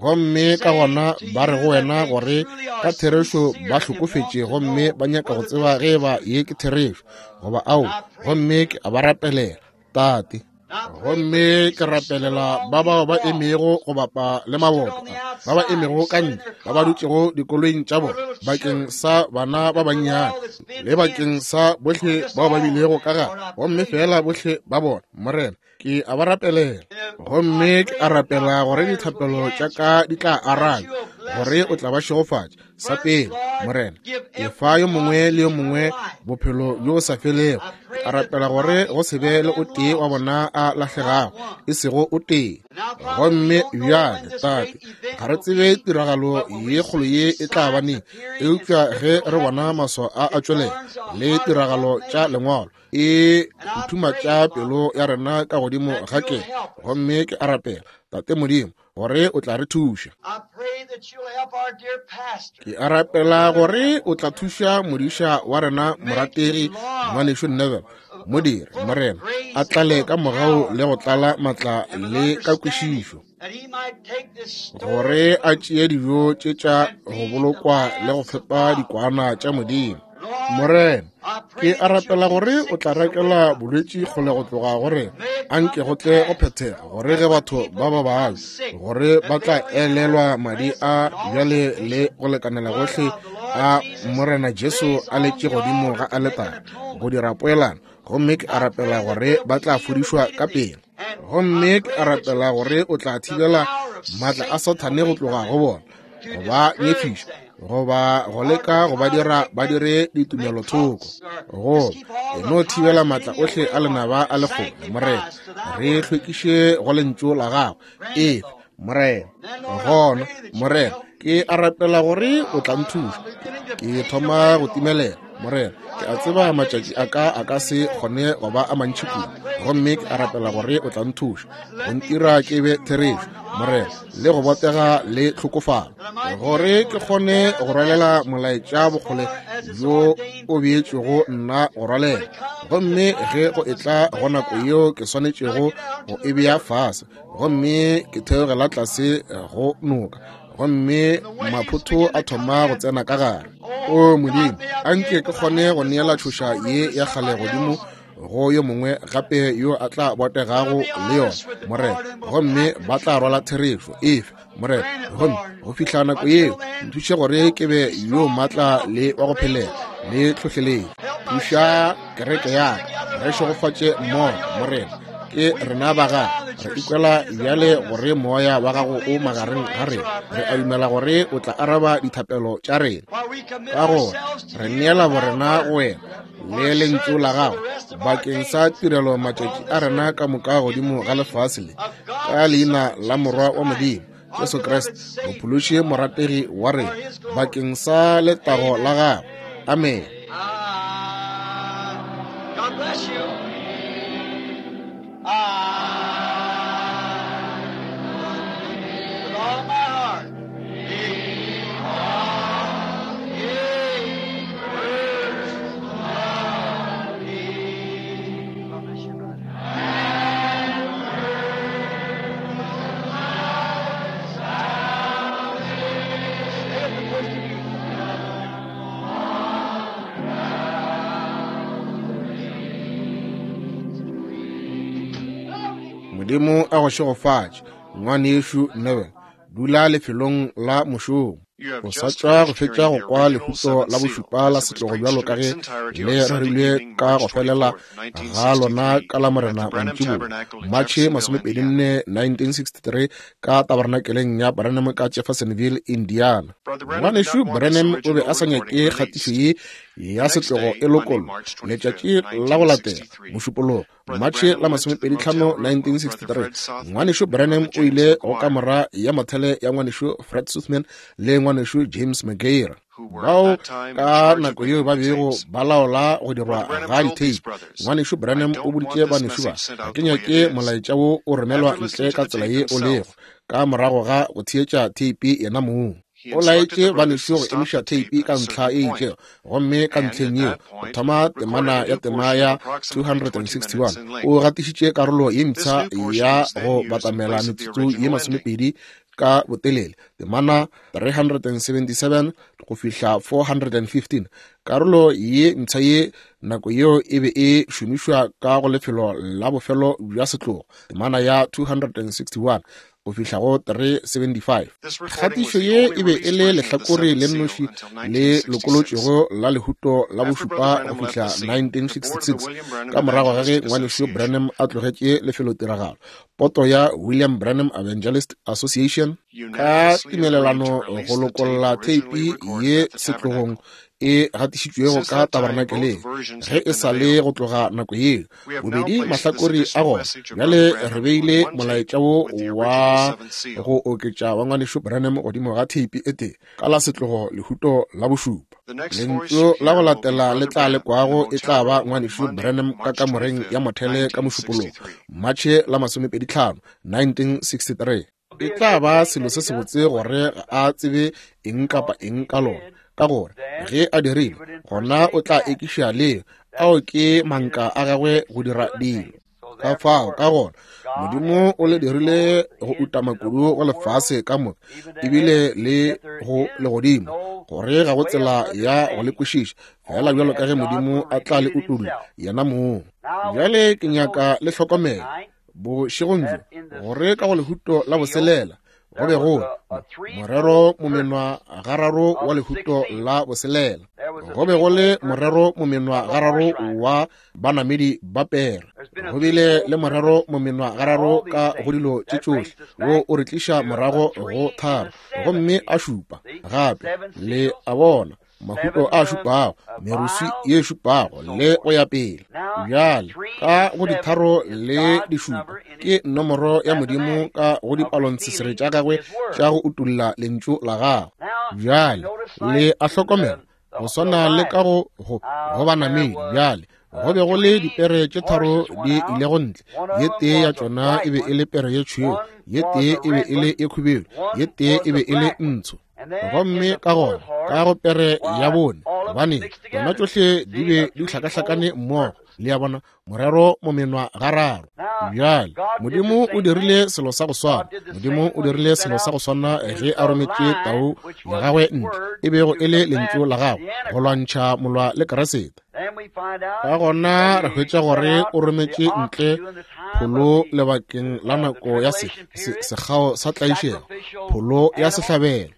Gomme ka gona ba re go wena gore ka therešo ba hlokofetše gomme ba nyaka go tseba ge ba ye ke therešo goba ao, gomme ke a ba rapelela, Tate. Gomme ke rapelela ba bao ba emego go bapa le maboto, ba ba emego ka ntle, ba ba dutšego dikoloing tša bona, bakeng sa bana ba bannyane le bakeng sa bohle bao ba bilego ka gare, gomme fela bohle ba bona, Morena, ke a ba rapelela. Gomme ke a rapela gore dithapelo tša ka di tla arabja, gore o tla ba šegofatša. Sa pele, Morena, ke fa yo mongwe le yo mongwe bophelo bjo sa felego. Ke a rapela gore go se be le o tee wa bona a lahlegago, e sego o tee. Gomme bjale, Tate, ga re tsebe tiragalo ye kgolo ye e tla ba neng, eupša ge re bona maswao a a tšwelela le tiragalo tša lengwalo, e phuthumatša pelo ya rena ka godimo ga kelo. Gomme ke a rapela, Tate Modimo, gore o tla re thuša. Ke a rapela gore o tla thuša modiša wa rena morategi ngwanešu Neville, modiri, Morena, a tlale ka mogau le go tlala matla le ka kwešišo, gore a tšee dijo tše tša go bolokwa le go fepa dikwana tša Modimo. Morena, ke a rapela gore o tla rakela bolwetši kgole go tloga gore a nke go tle go phethega, gore ge batho ba ba babja, gore ba tla elelwa madi a bjale le go lekanela gohle a Morena Jesu a letše godimo ga aletare go dira poelano. Gomme ke a rapela gore ba tla fodišwa ka pele. Gomme ke a rapela gore o tla thibela maatla a Sathane go tloga go bona, go ba nyefiša, goba go leka go ba dira ba dire ditumelothoko, go e no thibela maatla ohle a lenaba a lekgole. Morena, re hlwekiše go lentšu la gago. Efe, Morena. Gona, Morena, ke a rapela gore o tla nthuša. Ke thoma go timelela, Morena. Ke a tseba matšatši a ka a ka se kgone go ba a mantši kudu, gomme ke a rapela gore o tla nthuša go ntira ke be therešo, Morena, le go botega le tlhokofalo, gore ke kgone go rwalela molaetša bokgole bjo o beetšwego nna go rwalela. Gomme ge go etla go nako yeo ke swanetšego go e bea fase, gomme ke theogela tlase go noka, gomme maphotho a thoma go tsena ka gare. O Modimo, a nke ke kgone go neela tšhoša ye ya kgale godimo go yo mongwe gape yo a tla botegago le yona, Morena, gomme ba tla rwala therešo efe, Morena. Gomme go fihla nako yeo, nthuše gore ke be yo maatla le wa go phelela le tlhohleletšo. Thuša kereke ya ka, re šegofatše mmogo, Morena. Ke rena ba gago, re ikwela bjale gore moya wa gago o magareng ga rena. Re a dumela gore o tla araba dithapelo tša rena, ka gore re neela borena go wena le lentšu la gago bakeng sa tirelo matšatši a rena ka moka godimo ga lefase le, ka leina la Morwa wa Modimo Jesu Kriste, mophološi morategi wa rena, bakeng sa letago la gago. Amen. Modimo a go šegofatše, ngwanešu Neville. Dula lefelong la mošomo. O sa tšwa go fetša go kwa lehuto la bošupa la setlogo bjalo ka ge le rerilwe ka go felela ga lona ka la Morena mantšiboa, Matšhe masomepedi nne nineteen sixty-three, ka tabernakeleng ya Branham ka Jeffersonville, Indiana. Ngwanešu Branham o be a sa nyake kgatišo ye ya setlogo e lokollwa. Letšatši la go latela, Mošupologo, Matšhe la masomepedi tlhano nineteen sixty-three, Ngwanešu Branham o ile go kamora ya mothele ya Ngwanešu Fred Sothmann le Ngwanešu James McGair, bao ka nako yeo ba bego ba laola go dirwa ga ditheipi. Ngwanešu Branham o boditše banešu ba, ga ke nyake molaetša wo o romelwa ntle ka tsela ye o lego, ka morago ga go theetša theipi yena mong. O laetše banešu go emiša theipi ka ntlha e itšego, gomme ka ntlheng yeo go thoma temana ya tema ya two hundred sixty-one. O gatišitše karolo ye mpsha ya go batamela metsotso ye masomepedi ka botelele, temana three hundred seventy-seven go fihla four hundred fifteen. Karolo ye mpsha ye nako yeo e be e šomišwa ka go lefelo la bofelo bja setlogo, temana ya two hundred sixty-one go fihla go three seventy-five. Kgatišo ye e be e le lehlakore le nnoši le lokolotšwego la lehuto la bošupa go fihla nineteen sixty-six. Ka morago ga ge Ngwanešu Branham a tlogetše lefelotiragalo, poto ya William Branham Evangelist Association ka tumelelano go lokolla theipi ye setlogong e gatišitšwego ka tabernakeleng ge e sa le go tloga nako yeo. Bobedi mahlakore a gona bjale re beile molaetša wo wa go oketša wa Ngwanešu Branham godimo ga theipi e tee ka la setlogo lehuto la bošupa. Lentšu la go latela le tla lekwago e tla ba Ngwanešu Branham ka kamoreng ya mothele ka Mošupologo, Matšhe la masomepedi tlhano nineteen sixty-three. E tla ba selo se sebotse gore a tsebe eng kapa eng ka lona, ka gore ge a dirile, gona o tla ekiša leo ao ke manka a gagwe go dira dilo. Ka fao ka gona Modimo o le dirile go utama kudu go lefase ka moka, ebile le go legodimo, gore ga go tsela ya go le kwešiša, fela bjalo ka ge Modimo a tla le utolla yena mong. Bjale ke nyaka le hlokomele bošegong bjo gore ka go lehuto la boselela go be go morero momenwa gararo wa lehuto la boselela, go be go le morero momenwa gararo wa banamedi ba pere, go bile le morero momenwa gararo ka go dilo tše tšohle, wo o re tliša morago go tharo, gomme a šupa gape. Le a bona, mahuto a šupago, meruswi ye šupago, le go ya pele. Bjale ka go ditharo le dišupa ke nomoro ya Modimo ka go dipalontshesere tša gagwe tša go utolla lentšu la gagwe. Bjale le a hlokomela, go swana le ka go go go banamedi. Bjale go be go le dipere tše tharo di ilego ntle, ye tee ya tšona e be e le pere ye tšhweu, ye tee e be e le ye khubedu, ye tee e be e le ntsho. Gomme ka gona ka go pere ya bone, gobane tšona tšohle di be di hlakahlakane mmogo, le a bona, morero momenwa gararo. Bjale Modimo o dirile selo sa go swana. Modimo o dirile selo sa go swana ge a rometše tau ya gagwe ntle, e bego e le lentšu la gagwe, go lwantšha molwa le Keresete. Ka gona re hwetša gore o rometše ntle pholo lebakeng la nako ya se, se, sekgao sa tlaišego, pholo ya sehlabelo.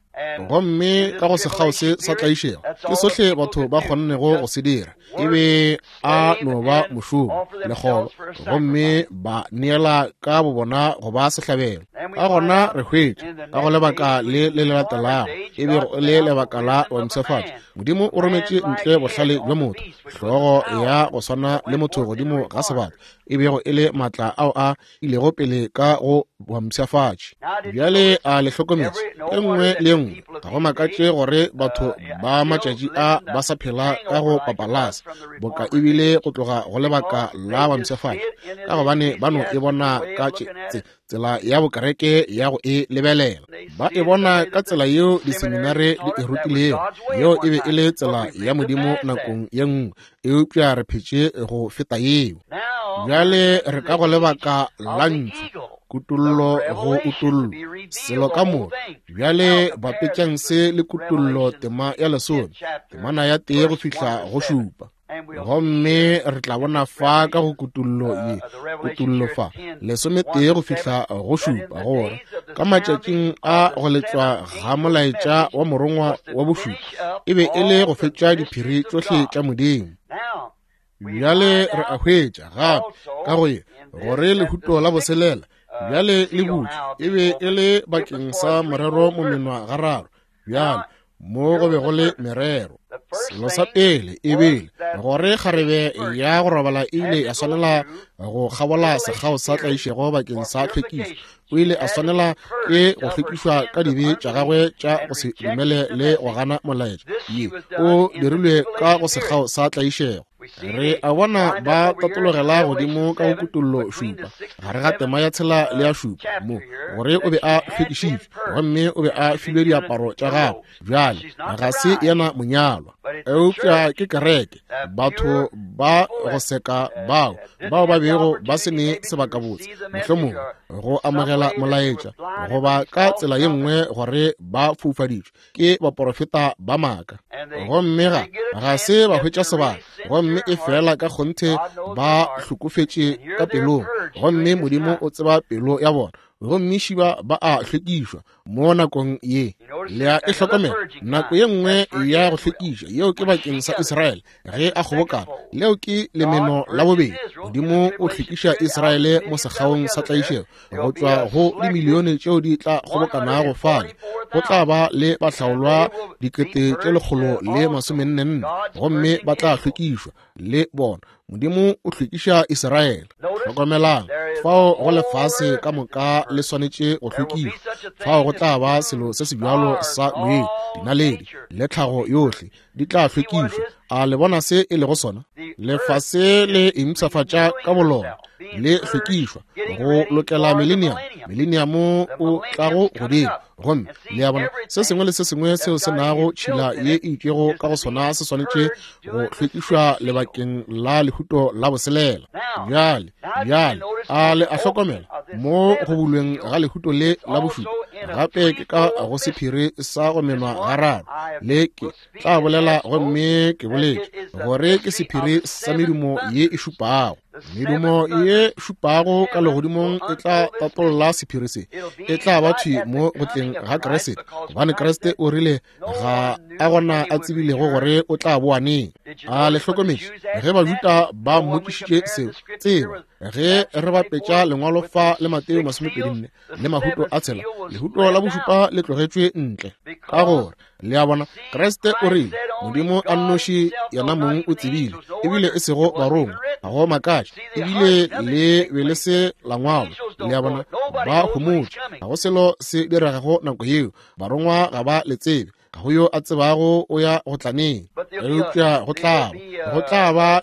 Gomme ka go sekgao se sa tlaišego ke sohle batho ba kgonnego go se dira, e be a no ba mošomo lekgoba, gomme ba neela ka bobona go ba sehlabelo. Ka gona re hwetša ka go lebaka le le le latelago, e bego le lebaka la bompshafatšo, Modimo o rometše ntle bohlale bja motho, hlogo ya go swana le motho godimo ga sebata, e bego e le maatla ao a ilego pele ka go bompshafatši. Bjale a le hlokometše e nngwe le e nngwe, ga go makatše gore batho ba matšatši a ba sa phela ka go papalasa boka ebile go tloga go lebaka la bompshafatši, ka gobane ba no e bona ka tsela ya bokereke ya go e lebelela. Ba e bona ka tsela yeo diseminare di e rutilego, yeo e be e le tsela ya Modimo nakong ye nngwe, eupša re phetše go feta yeo. Bjale re ka go lebaka la ntšhu, kutollo go utollo, selo ka moka. Bjale bapetšang se le kutollo tema ya lesome, temana ya tee go fihla go šupa. Gomme re tla bona fa ka go kutollo ye, kutollo fa lesometee go fihla go šupa, gore ka matšatšing a go letšwa ga molaetša wa morongwa wa bošupa e be e le go fetša diphiri tšohle tša Modimo. Bjale re a hwetša gape ka go ye gore lehuto la boselela bjale le butše e be e le bakeng sa morero momenwa gararo. Bjale Mo go be go le merero. Selo sa pele e bile gore kgarebe ya go robala e ile ya swanela go kgabola sekgao sa tlaišego bakeng sa tlhwekišo. O ile a swanela ke go hlwekišwa ka dibe tša gagwe tša go se dumele le go gana molaetša. Ye o dirilwe ka go sekgao sa tlaišego. Re a bona ba tatologela godimo ka go kutollo šupa gare ga tema ya tshela le ya šupa mo gore o be a hlwekišitšwe gomme o be a filwe diaparo tša gagwe. Bjale ga se yena monyalwa, eupša ke kereke, batho ba go seka bao bao ba bego ba se ne sebakabotse mohlomongwe go amogela molaetša goba ka tsela ye nngwe gore ba foufaditšwe ke baporofeta ba maaka, gomme ga ga se ba hwetša sebaka, gomme e fela ka kgonthe ba hlokofetše ka pelong, gomme Modimo o tseba pelo ya bona, gomme šiba ba a hlwekišwa mo nakong ye. Le a e hlokomela nako ye nngwe ya go hlwekiša yeo ke bakeng sa Israele ge a kgobokana. Leo ke lemeno la bobedi. Modimo o hlwekiša Israele mo sekgaong sa tlaišego go tšwa go dimilione tšeo di tla kgobokanago fale. Go tla ba le bahlaolwa dikete tše lekgolo le masomenne nne, gomme ba tla hlwekišwa le bona. Modimo o hlwekiša Israele. Hlokomelang, fao go lefase ka moka le swanetše go hlwekišwa. Fao go tla ba selo se se bjalo sa moyeng, dinaledi le tlhago yohle di tla hlwekišwa. A le bona se e lego sona? Lefase le impshafatša ka bolona, le hlwekišwa go lokela millennium. Millennium o tlago godimo, gomme le a bona se sengwe le se sengwe seo se nago tšhila ye e itšego ka go sona se swanetše go hlwekišwa lebakeng la lehuto la boselela. Bjale, bjale a le a hlokomela mo go bulweng ga lehuto le la bošupa, gape ke ka go sephiri sa go menwa gararo. Le ke tla bolela gomme ke boletše gore ke sephiri sa medumo ye e šupago. Medumo ye šupago ka legodimong e tla tatolla sephiri se. E tla ba thwi mo go tleng ga Kriste, gobane Kriste o rile ga a gona a tsebilego gore o tla boa neng. A le hlokometše ge Bajuda ba mmotšišitše seo? Tseba ge re bapetša lengwalo fa le Mateo masomepedi nne le mahuto a tshela, lehuto la bošupa le tlogetšwe ntle, ka gore le a bona Kriste o rile Modimo a nnoši yena mong o tsebile, ebile e sego barongwa. Ga go makatše, ebile le be le se la ngwalwa. Le a bona, ba homotše, ga go selo se diregago nako yeo, barongwa ga ba le tsebe, ga go yo a tsebago o ya go tlaneng. Eupša go tla ba go tla ba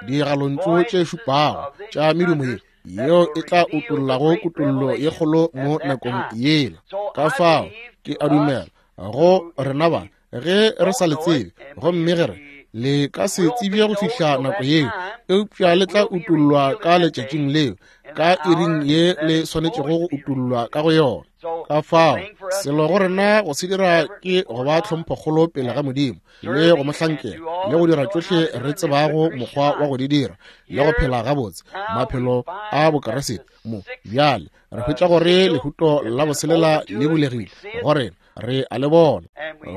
digalontšu tše šupago tša medumo ye yeo e tla utollago kutollo ye kgolo mo nakong yela. Ka fao ke a dumela go rena ba ge re sa le tsebe, gomme ge re le ka se tsebje go fihla nako yeo, eupša le tla utollwa ka letšatšing leo, ka iring ye le swanetšego go utollwa ka go yona. Ka fao selo go rena go se dira ke go ba tlhomphokgolo pele ga Modimo le go mo hlankela le go dira tšohle re tsebago mokgwa wa go di dira le go phela gabotse maphelo a Bokeresete. Mo bjale re hwetša gore lehuto la boselela le bulegile go rena, re a le bona,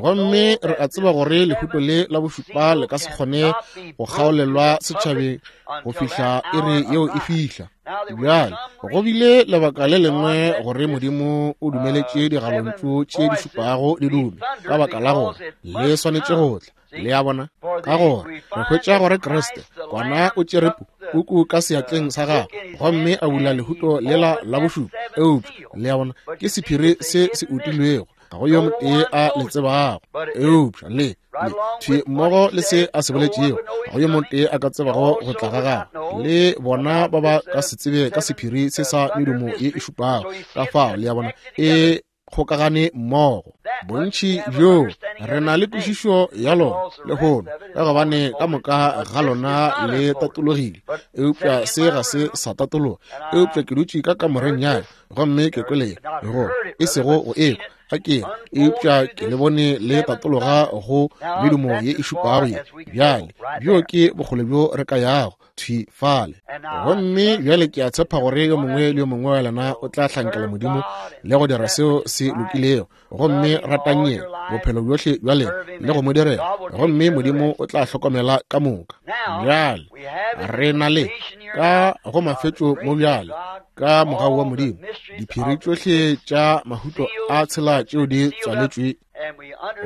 gomme re a tseba gore lehuto le la bošupa le ka se kgone go kgaolelwa setšhabeng go fihla iri yeo e fihla. Bjale go bile lebaka le lengwe gore Modimo o dumeletše digalontšu tše di šupago di dume, ka baka la gore le swanetše go tla. Le a bona, ka gore re hwetša gore Kriste kwana o tšere puku ka seatleng sa gagwe gomme a bula lehuto lela la bošupa. Eupša le a bona, ke sephiri se se utilwego, ga go yo motee a le tsebago. Eupša le le thwi mmogo le se a se boletšego, ga go yo motee a ka tsebago go tla ga gagwe, le bona ba ba ka se tsebe ka sephiri se sa medumo ye e šupago. Ka fao le a bona, e kgokagane mmogo. Bontši bjo re na le kwešišo ya lona lehono, ka gobane ka moka ga lona le tatologile, eupša se ga se sa tatologa. Eupša ke dutše ka kamoreng ya ka gomme ke kwele go e sego go ekwa ga ke, eupša ke le bone le tatologa go medumo ye e šupago ye. Bjale bjo ke bokgole bjo re ka yago thwi fale. Gomme bjale ke a tshepa gore yo mongwe le yo mongwe wa lena o tla hlankela Modimo le go dira seo se lokilego, gomme ratang yena bophelo bjohle bja lena le go mo direla, gomme Modimo o tla hlokomela ka moka. Bjale re na le ka go mafetšo mo bjale ka mogau wa Modimo diphiri tšohle tša mahuto a tshela tšeo di tswaletšwe.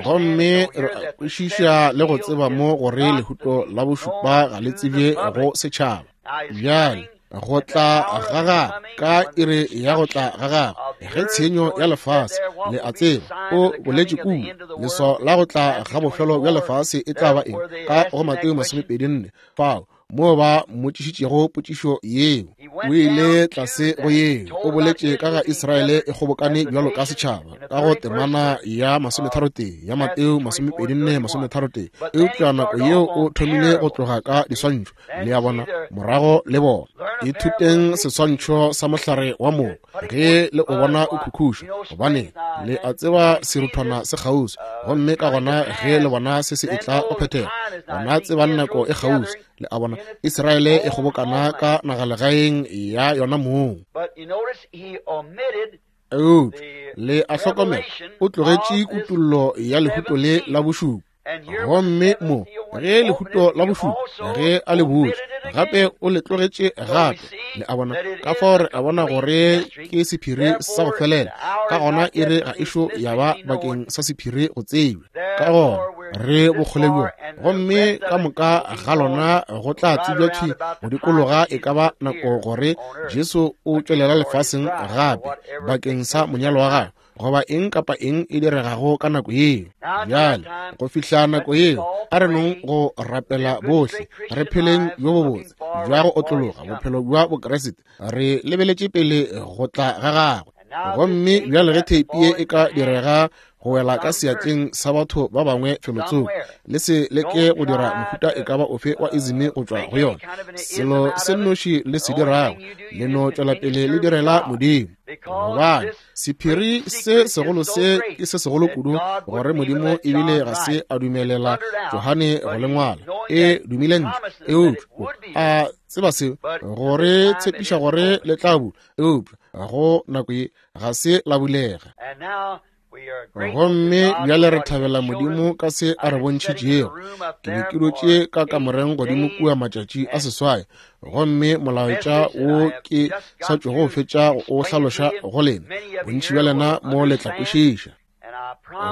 Gomme re a kwešiša le go tseba mo gore lehuto la bošupa ga le tsebje go setšhaba. Bjale go tla ga gagwe ka iri ya go tla ga gagwe, ge tshenyo ya lefase, le a tseba, o boletše kua, leswao la go tla ga bofelo bja lefase e tla ba eng? Ka go Mateo masomepedi nne, fao moo ba mmotšišitšego potšišo yeo, o ile tlase go yeo, o boletše ka ga Israele e kgobokane bjalo ka setšhaba, ka go temana ya masometharotee ya Mateo masomepedi nne masometharotee. Eupša nako yeo o thomile go tloga ka diswantšho, le a bona, morago le bona. Ithuteng seswantšho sa mohlare wa mogo ge le o bona o khukhuša, gobane le a tseba seruthwana se kgauswi, gomme ka gona ge le bona se se etla go phethega, gona tsebang nako e kgauswi. Le a bona, Israele e kgobokana ka nagalegaeng ya yona mong. Eupša le a hlokomela, o tlogetše kutollo ya lehuto le la bošupa. Gomme mo ge lehuto la bošupa ge a le butše gape, o le tlogetše gape. Le a bona, ka fao re a bona gore ke sephiri sa go felela. Ka gona iri ga ešo ya ba bakeng sa sephiri go tsebja. Ka gona re bokgole bjo, gomme ka moka ga lona go tla tsebja thwi go dikologa e ka ba nako gore Jesu o tšwelela lefaseng gape bakeng sa monyalo wa gagwe, goba eng kapa eng e diregago ka nako yeo. Bjale go fihla nako yeo, a re nong go rapela bohle, re pheleng bjo bobotse bja go otlologa bophelo bja Bokriste, re lebeletše pele go tla ga gagwe. Gomme bjale ge theipi ye e ka direga go wela ka seatleng sa batho ba bangwe felotsoko, le se leke go dira mohuta e ka ba ofe wa izimi go tšwa go yona. Selo se nnoši le se dirago, le no tšwela pele le direla Modimo. Gobane sephiri se segolo se ke se segolo kudu gore Modimo ebile ga se a dumelela Johane go le ngwala. E dumile ntle, eupša a tseba seo gore tshepiša gore le tla bula, eupša go nako ye ga se la bulega. Gomme bjale re thabela Modimo ka se a re bontšhitšego. Ke be ke dutše ka kamoreng godimo kua matšatši a seswai, gomme molaetša wo ke sa tšwago go fetša go o hlaloša go lena, bontši bja lena mo le tla kwešiša.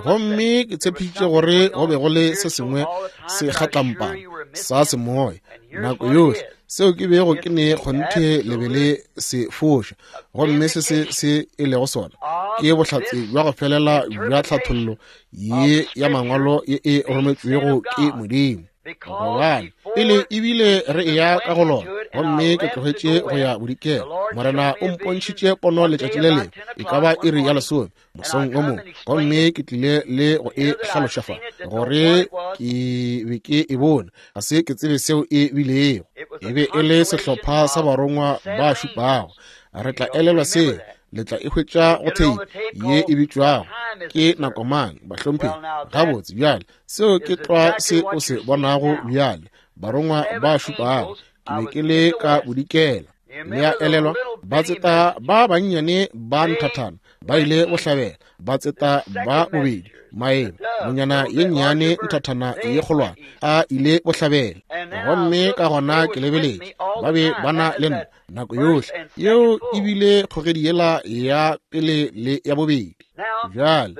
Gomme ke tshepišitše gore go be go le se sengwe se kgatlampana sa semoya nako yohle, seo ke bego ke ne kgonthe le be le se foša. Gomme se se se e lego sona ke bohlatse bja go felela bja tlhathollo ye ya mangwalo ye e rometšwego ke Modimo. Gobane pele ebile re eya ka go lona, gomme ke tlogetše go ya bodikela, Morena o mpontšhitše pono letšatši le lengwe, e ka ba iri ya lesome mosong o mongwe, gomme ke tlile le go e hlaloša fa gore ke be ke e bone, ga se ke tsebe seo e bilego. E be e le sehlopha sa barongwa ba šupago. Re tla elelwa seo, le tla e hwetša go theipi ye e bitšwago Ke Nako Mang, Bahlomphegi. Gabotse bjale, seo ke tlwa se o se bonago bjale, barongwa ba šupago. Ke be ke le ka bodikela. Le a elelwa, batseta ba bannyane ba nthathana ba ile bohlabela, batseta ba bobedi maemo, nonyana ye nnyane nthathana ye kgolwane a ile bohlabela. Gomme ka gona ke lebeletše, ba be ba na le nna nako yohle. Yeo ebile kgogedi yela ya pele le ya bobedi. Bjale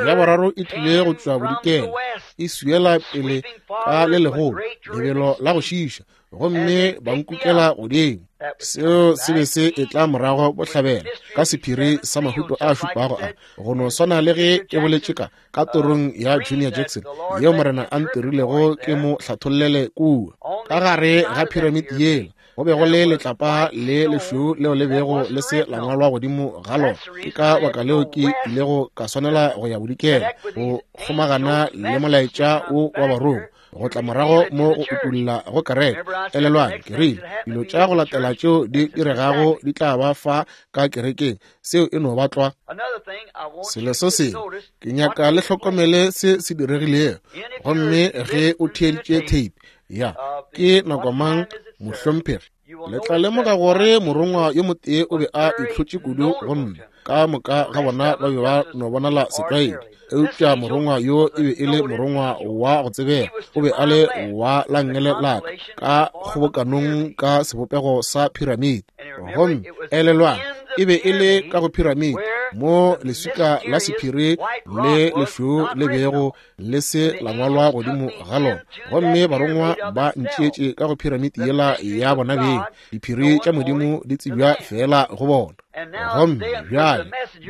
ya boraro e tlile go tšwa bodikela, e swiela pele ka le legolo lebelo la go šiša, gomme ba nkukela godimo. Seo se be se etla morago bohlabela ka sephiri sa mahuto a šupago a, go no swana le ge ke boletše ka ka torong ya Junior Jackson yeo Morena a ntirilego ke mo hlathollele kua. Ka gare ga piramidi yela go be go le letlapa le lešweu leo le bego le se la ngwalwa godimo ga lona. Ke ka baka leo ke ilego ka swanela go ya bodikela go kgomagana le molaetša wo wa barongwa, go tla morago mo go utulla go kereke. Elelwang, ke rile dilo tša go latela tšeo di diregago di tla ba fa ka kerekeng, seo e no ba tlwa. Selo se sengwe ke nyaka le hlokomele se se diregilego. Gomme ge o theeditše tape ya Ke Nako Mang, Mohlomphegi, le tla lemoga gore morongwa yo motee o be a itlhotše kudu go nna. Ka moka ga bona ba be ba no bonala setlwaedi, eupša morongwa yo e be e le morongwa wa go tsebega. O be a le wa la nngele la ka ka kgobokanong ka sebopego sa piramidi. Gomme elelwang, e be e le ka go piramidi mo leswika la sephiri le lešweu le bego le se la ngwalwa godimo ga lona. Gomme barongwa ba ntšeetše ka go phiramiti yela ya bona beng. Diphiri tša Modimo di tsebja fela go bona. Gomme bjale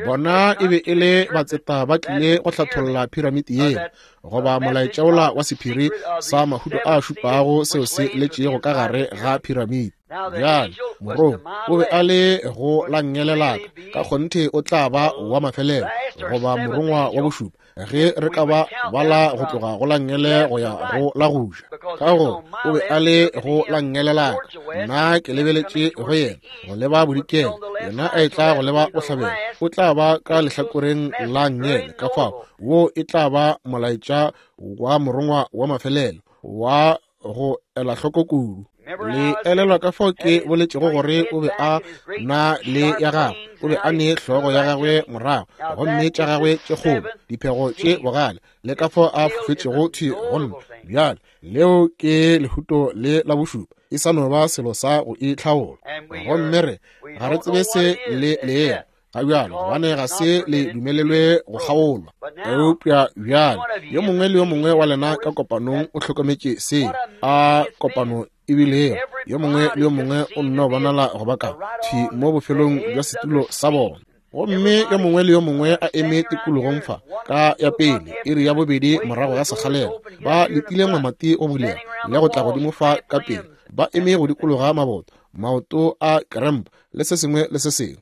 bona e be e le batseta ba tlile go hlatholla phiramiti yela, goba molaetša wola wa sephiri sa mahuto a šupago seo se letšego ka gare ga phiramiti. Bjale morongwa o be a le go la nngele la ka, ka kgonthe o tla ba wa mafelelo, goba morongwa wa bošupa, ge re ka ba bala go tloga go la nngele go ya go la go ja. Ka gore o be a le go la nngele la ka, nna ke lebeletše go yena go leba bodikela, yena a etla go leba bohlabela, o tla ba ka lehlakoreng la nngele. Ka fao wo e tla ba molaetša wa morongwa wa mafelelo wa go ela hloko kudu. Le elelwa ka fao ke boletšego gore o be a na le ya gagwe, o be a ne hlogo ya gagwe morago, gomme tša gagwe tše kgolo, diphego tše bogale, le ka fao a fofetšego thwi go nna. Bjale leo ke lehuto le la bošupa, e sa no ba selo sa go itlhaola. Gomme re ga re tsebe se le leela ga bjalo, gobane ga se le dumelelwe go kgaolwa. Eupša bjale yo mongwe le yo mongwe wa lena ka kopanong o hlokometše se a kopano ebilego. Yo mongwe le yo mongwe o nno bonala go ba ka thwi mo bofelong bja setulo sa bona. Gomme yo mongwe le yo mongwe a eme tikologong fa ka ya pele, iri ya bobedi morago ga sekgalela, ba letile mamati go bulega le go tla godimo fa ka pele, ba eme go dikologa maboto, maoto a kremp le se sengwe le se sengwe.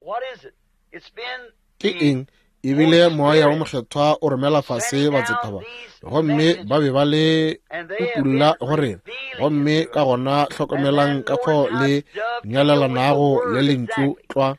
Ke eng? Ebile moya wa mokgethwa o romela fase batseta ba, gomme ba be ba le utulla go rena. Gomme ka gona hlokomelang ka fao le nyalelanago le lentšu tlwa.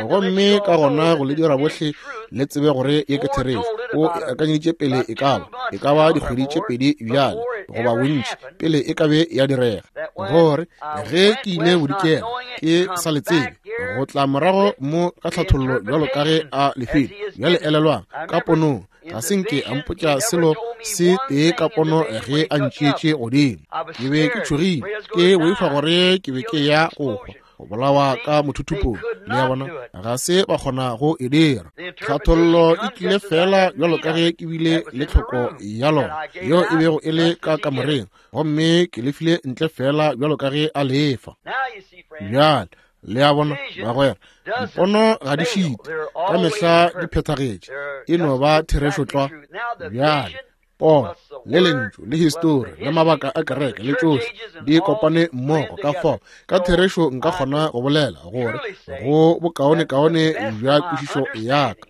Gomme ka gona go le dira bohle le tsebe gore ye ke therešo. O e akanyeditše pele e ka ba e ka ba dikgwedi tše pedi bjale goba bontši pele e ka be ya direga, gore ge ke ile bodikela ke sa le tsebe go tla morago mo ka tlhathollo bjalo ka ge a lefile. Bjale elelwang, ka ponong ga se nke a mpotša selo se tee ka pono ge a ntšeetše godimo. Ke be ke tšhogile, ke boifa gore ke be ke ya go hwa, go bolawa ka mothuthupong. Le ya bona, ga se ba kgona go e dira. Tlhathollo e tlile fela bjalo ka ge ke bile le tlhoko ya lona, yeo e bego e le ka kamoreng, gomme ke le file ntle fela bjalo ka ge a lefa. Bjale le a bona bagwera, dipono ga di šite, ka mehla di phethagetše, e no ba therešo tlwa. Bjale pono le lentšu le histori le mabaka a kereke le tšohle di kopane mmogo. Ka fao ka therešo nka kgona go bolela gore go bokaonekaone bja kwešišo ya ka,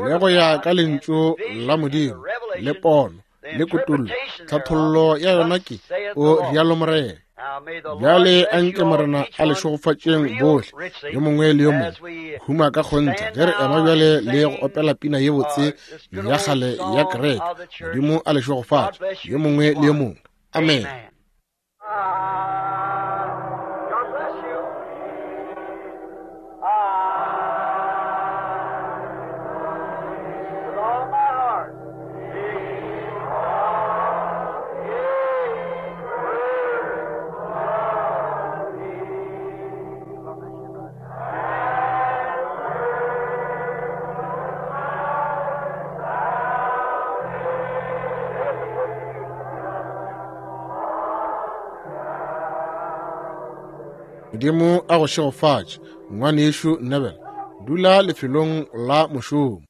le go ya ka lentšu la Modimo le pono le kutollo, tlhathollo ya yona ke o rialo Morena. Bjale a nke Morena a le šegofatšeng bohle, yo mongwe le yo mongwe, huma ka kgonthe ge re ema bjale le go opela pina ye botse ya kgale ya kereke. Modimo a le šegofatše yo mongwe le yo mongwe. Amen. Modimo a go šegofatše, ngwanešu Neville. Dula lefelong la mošomo.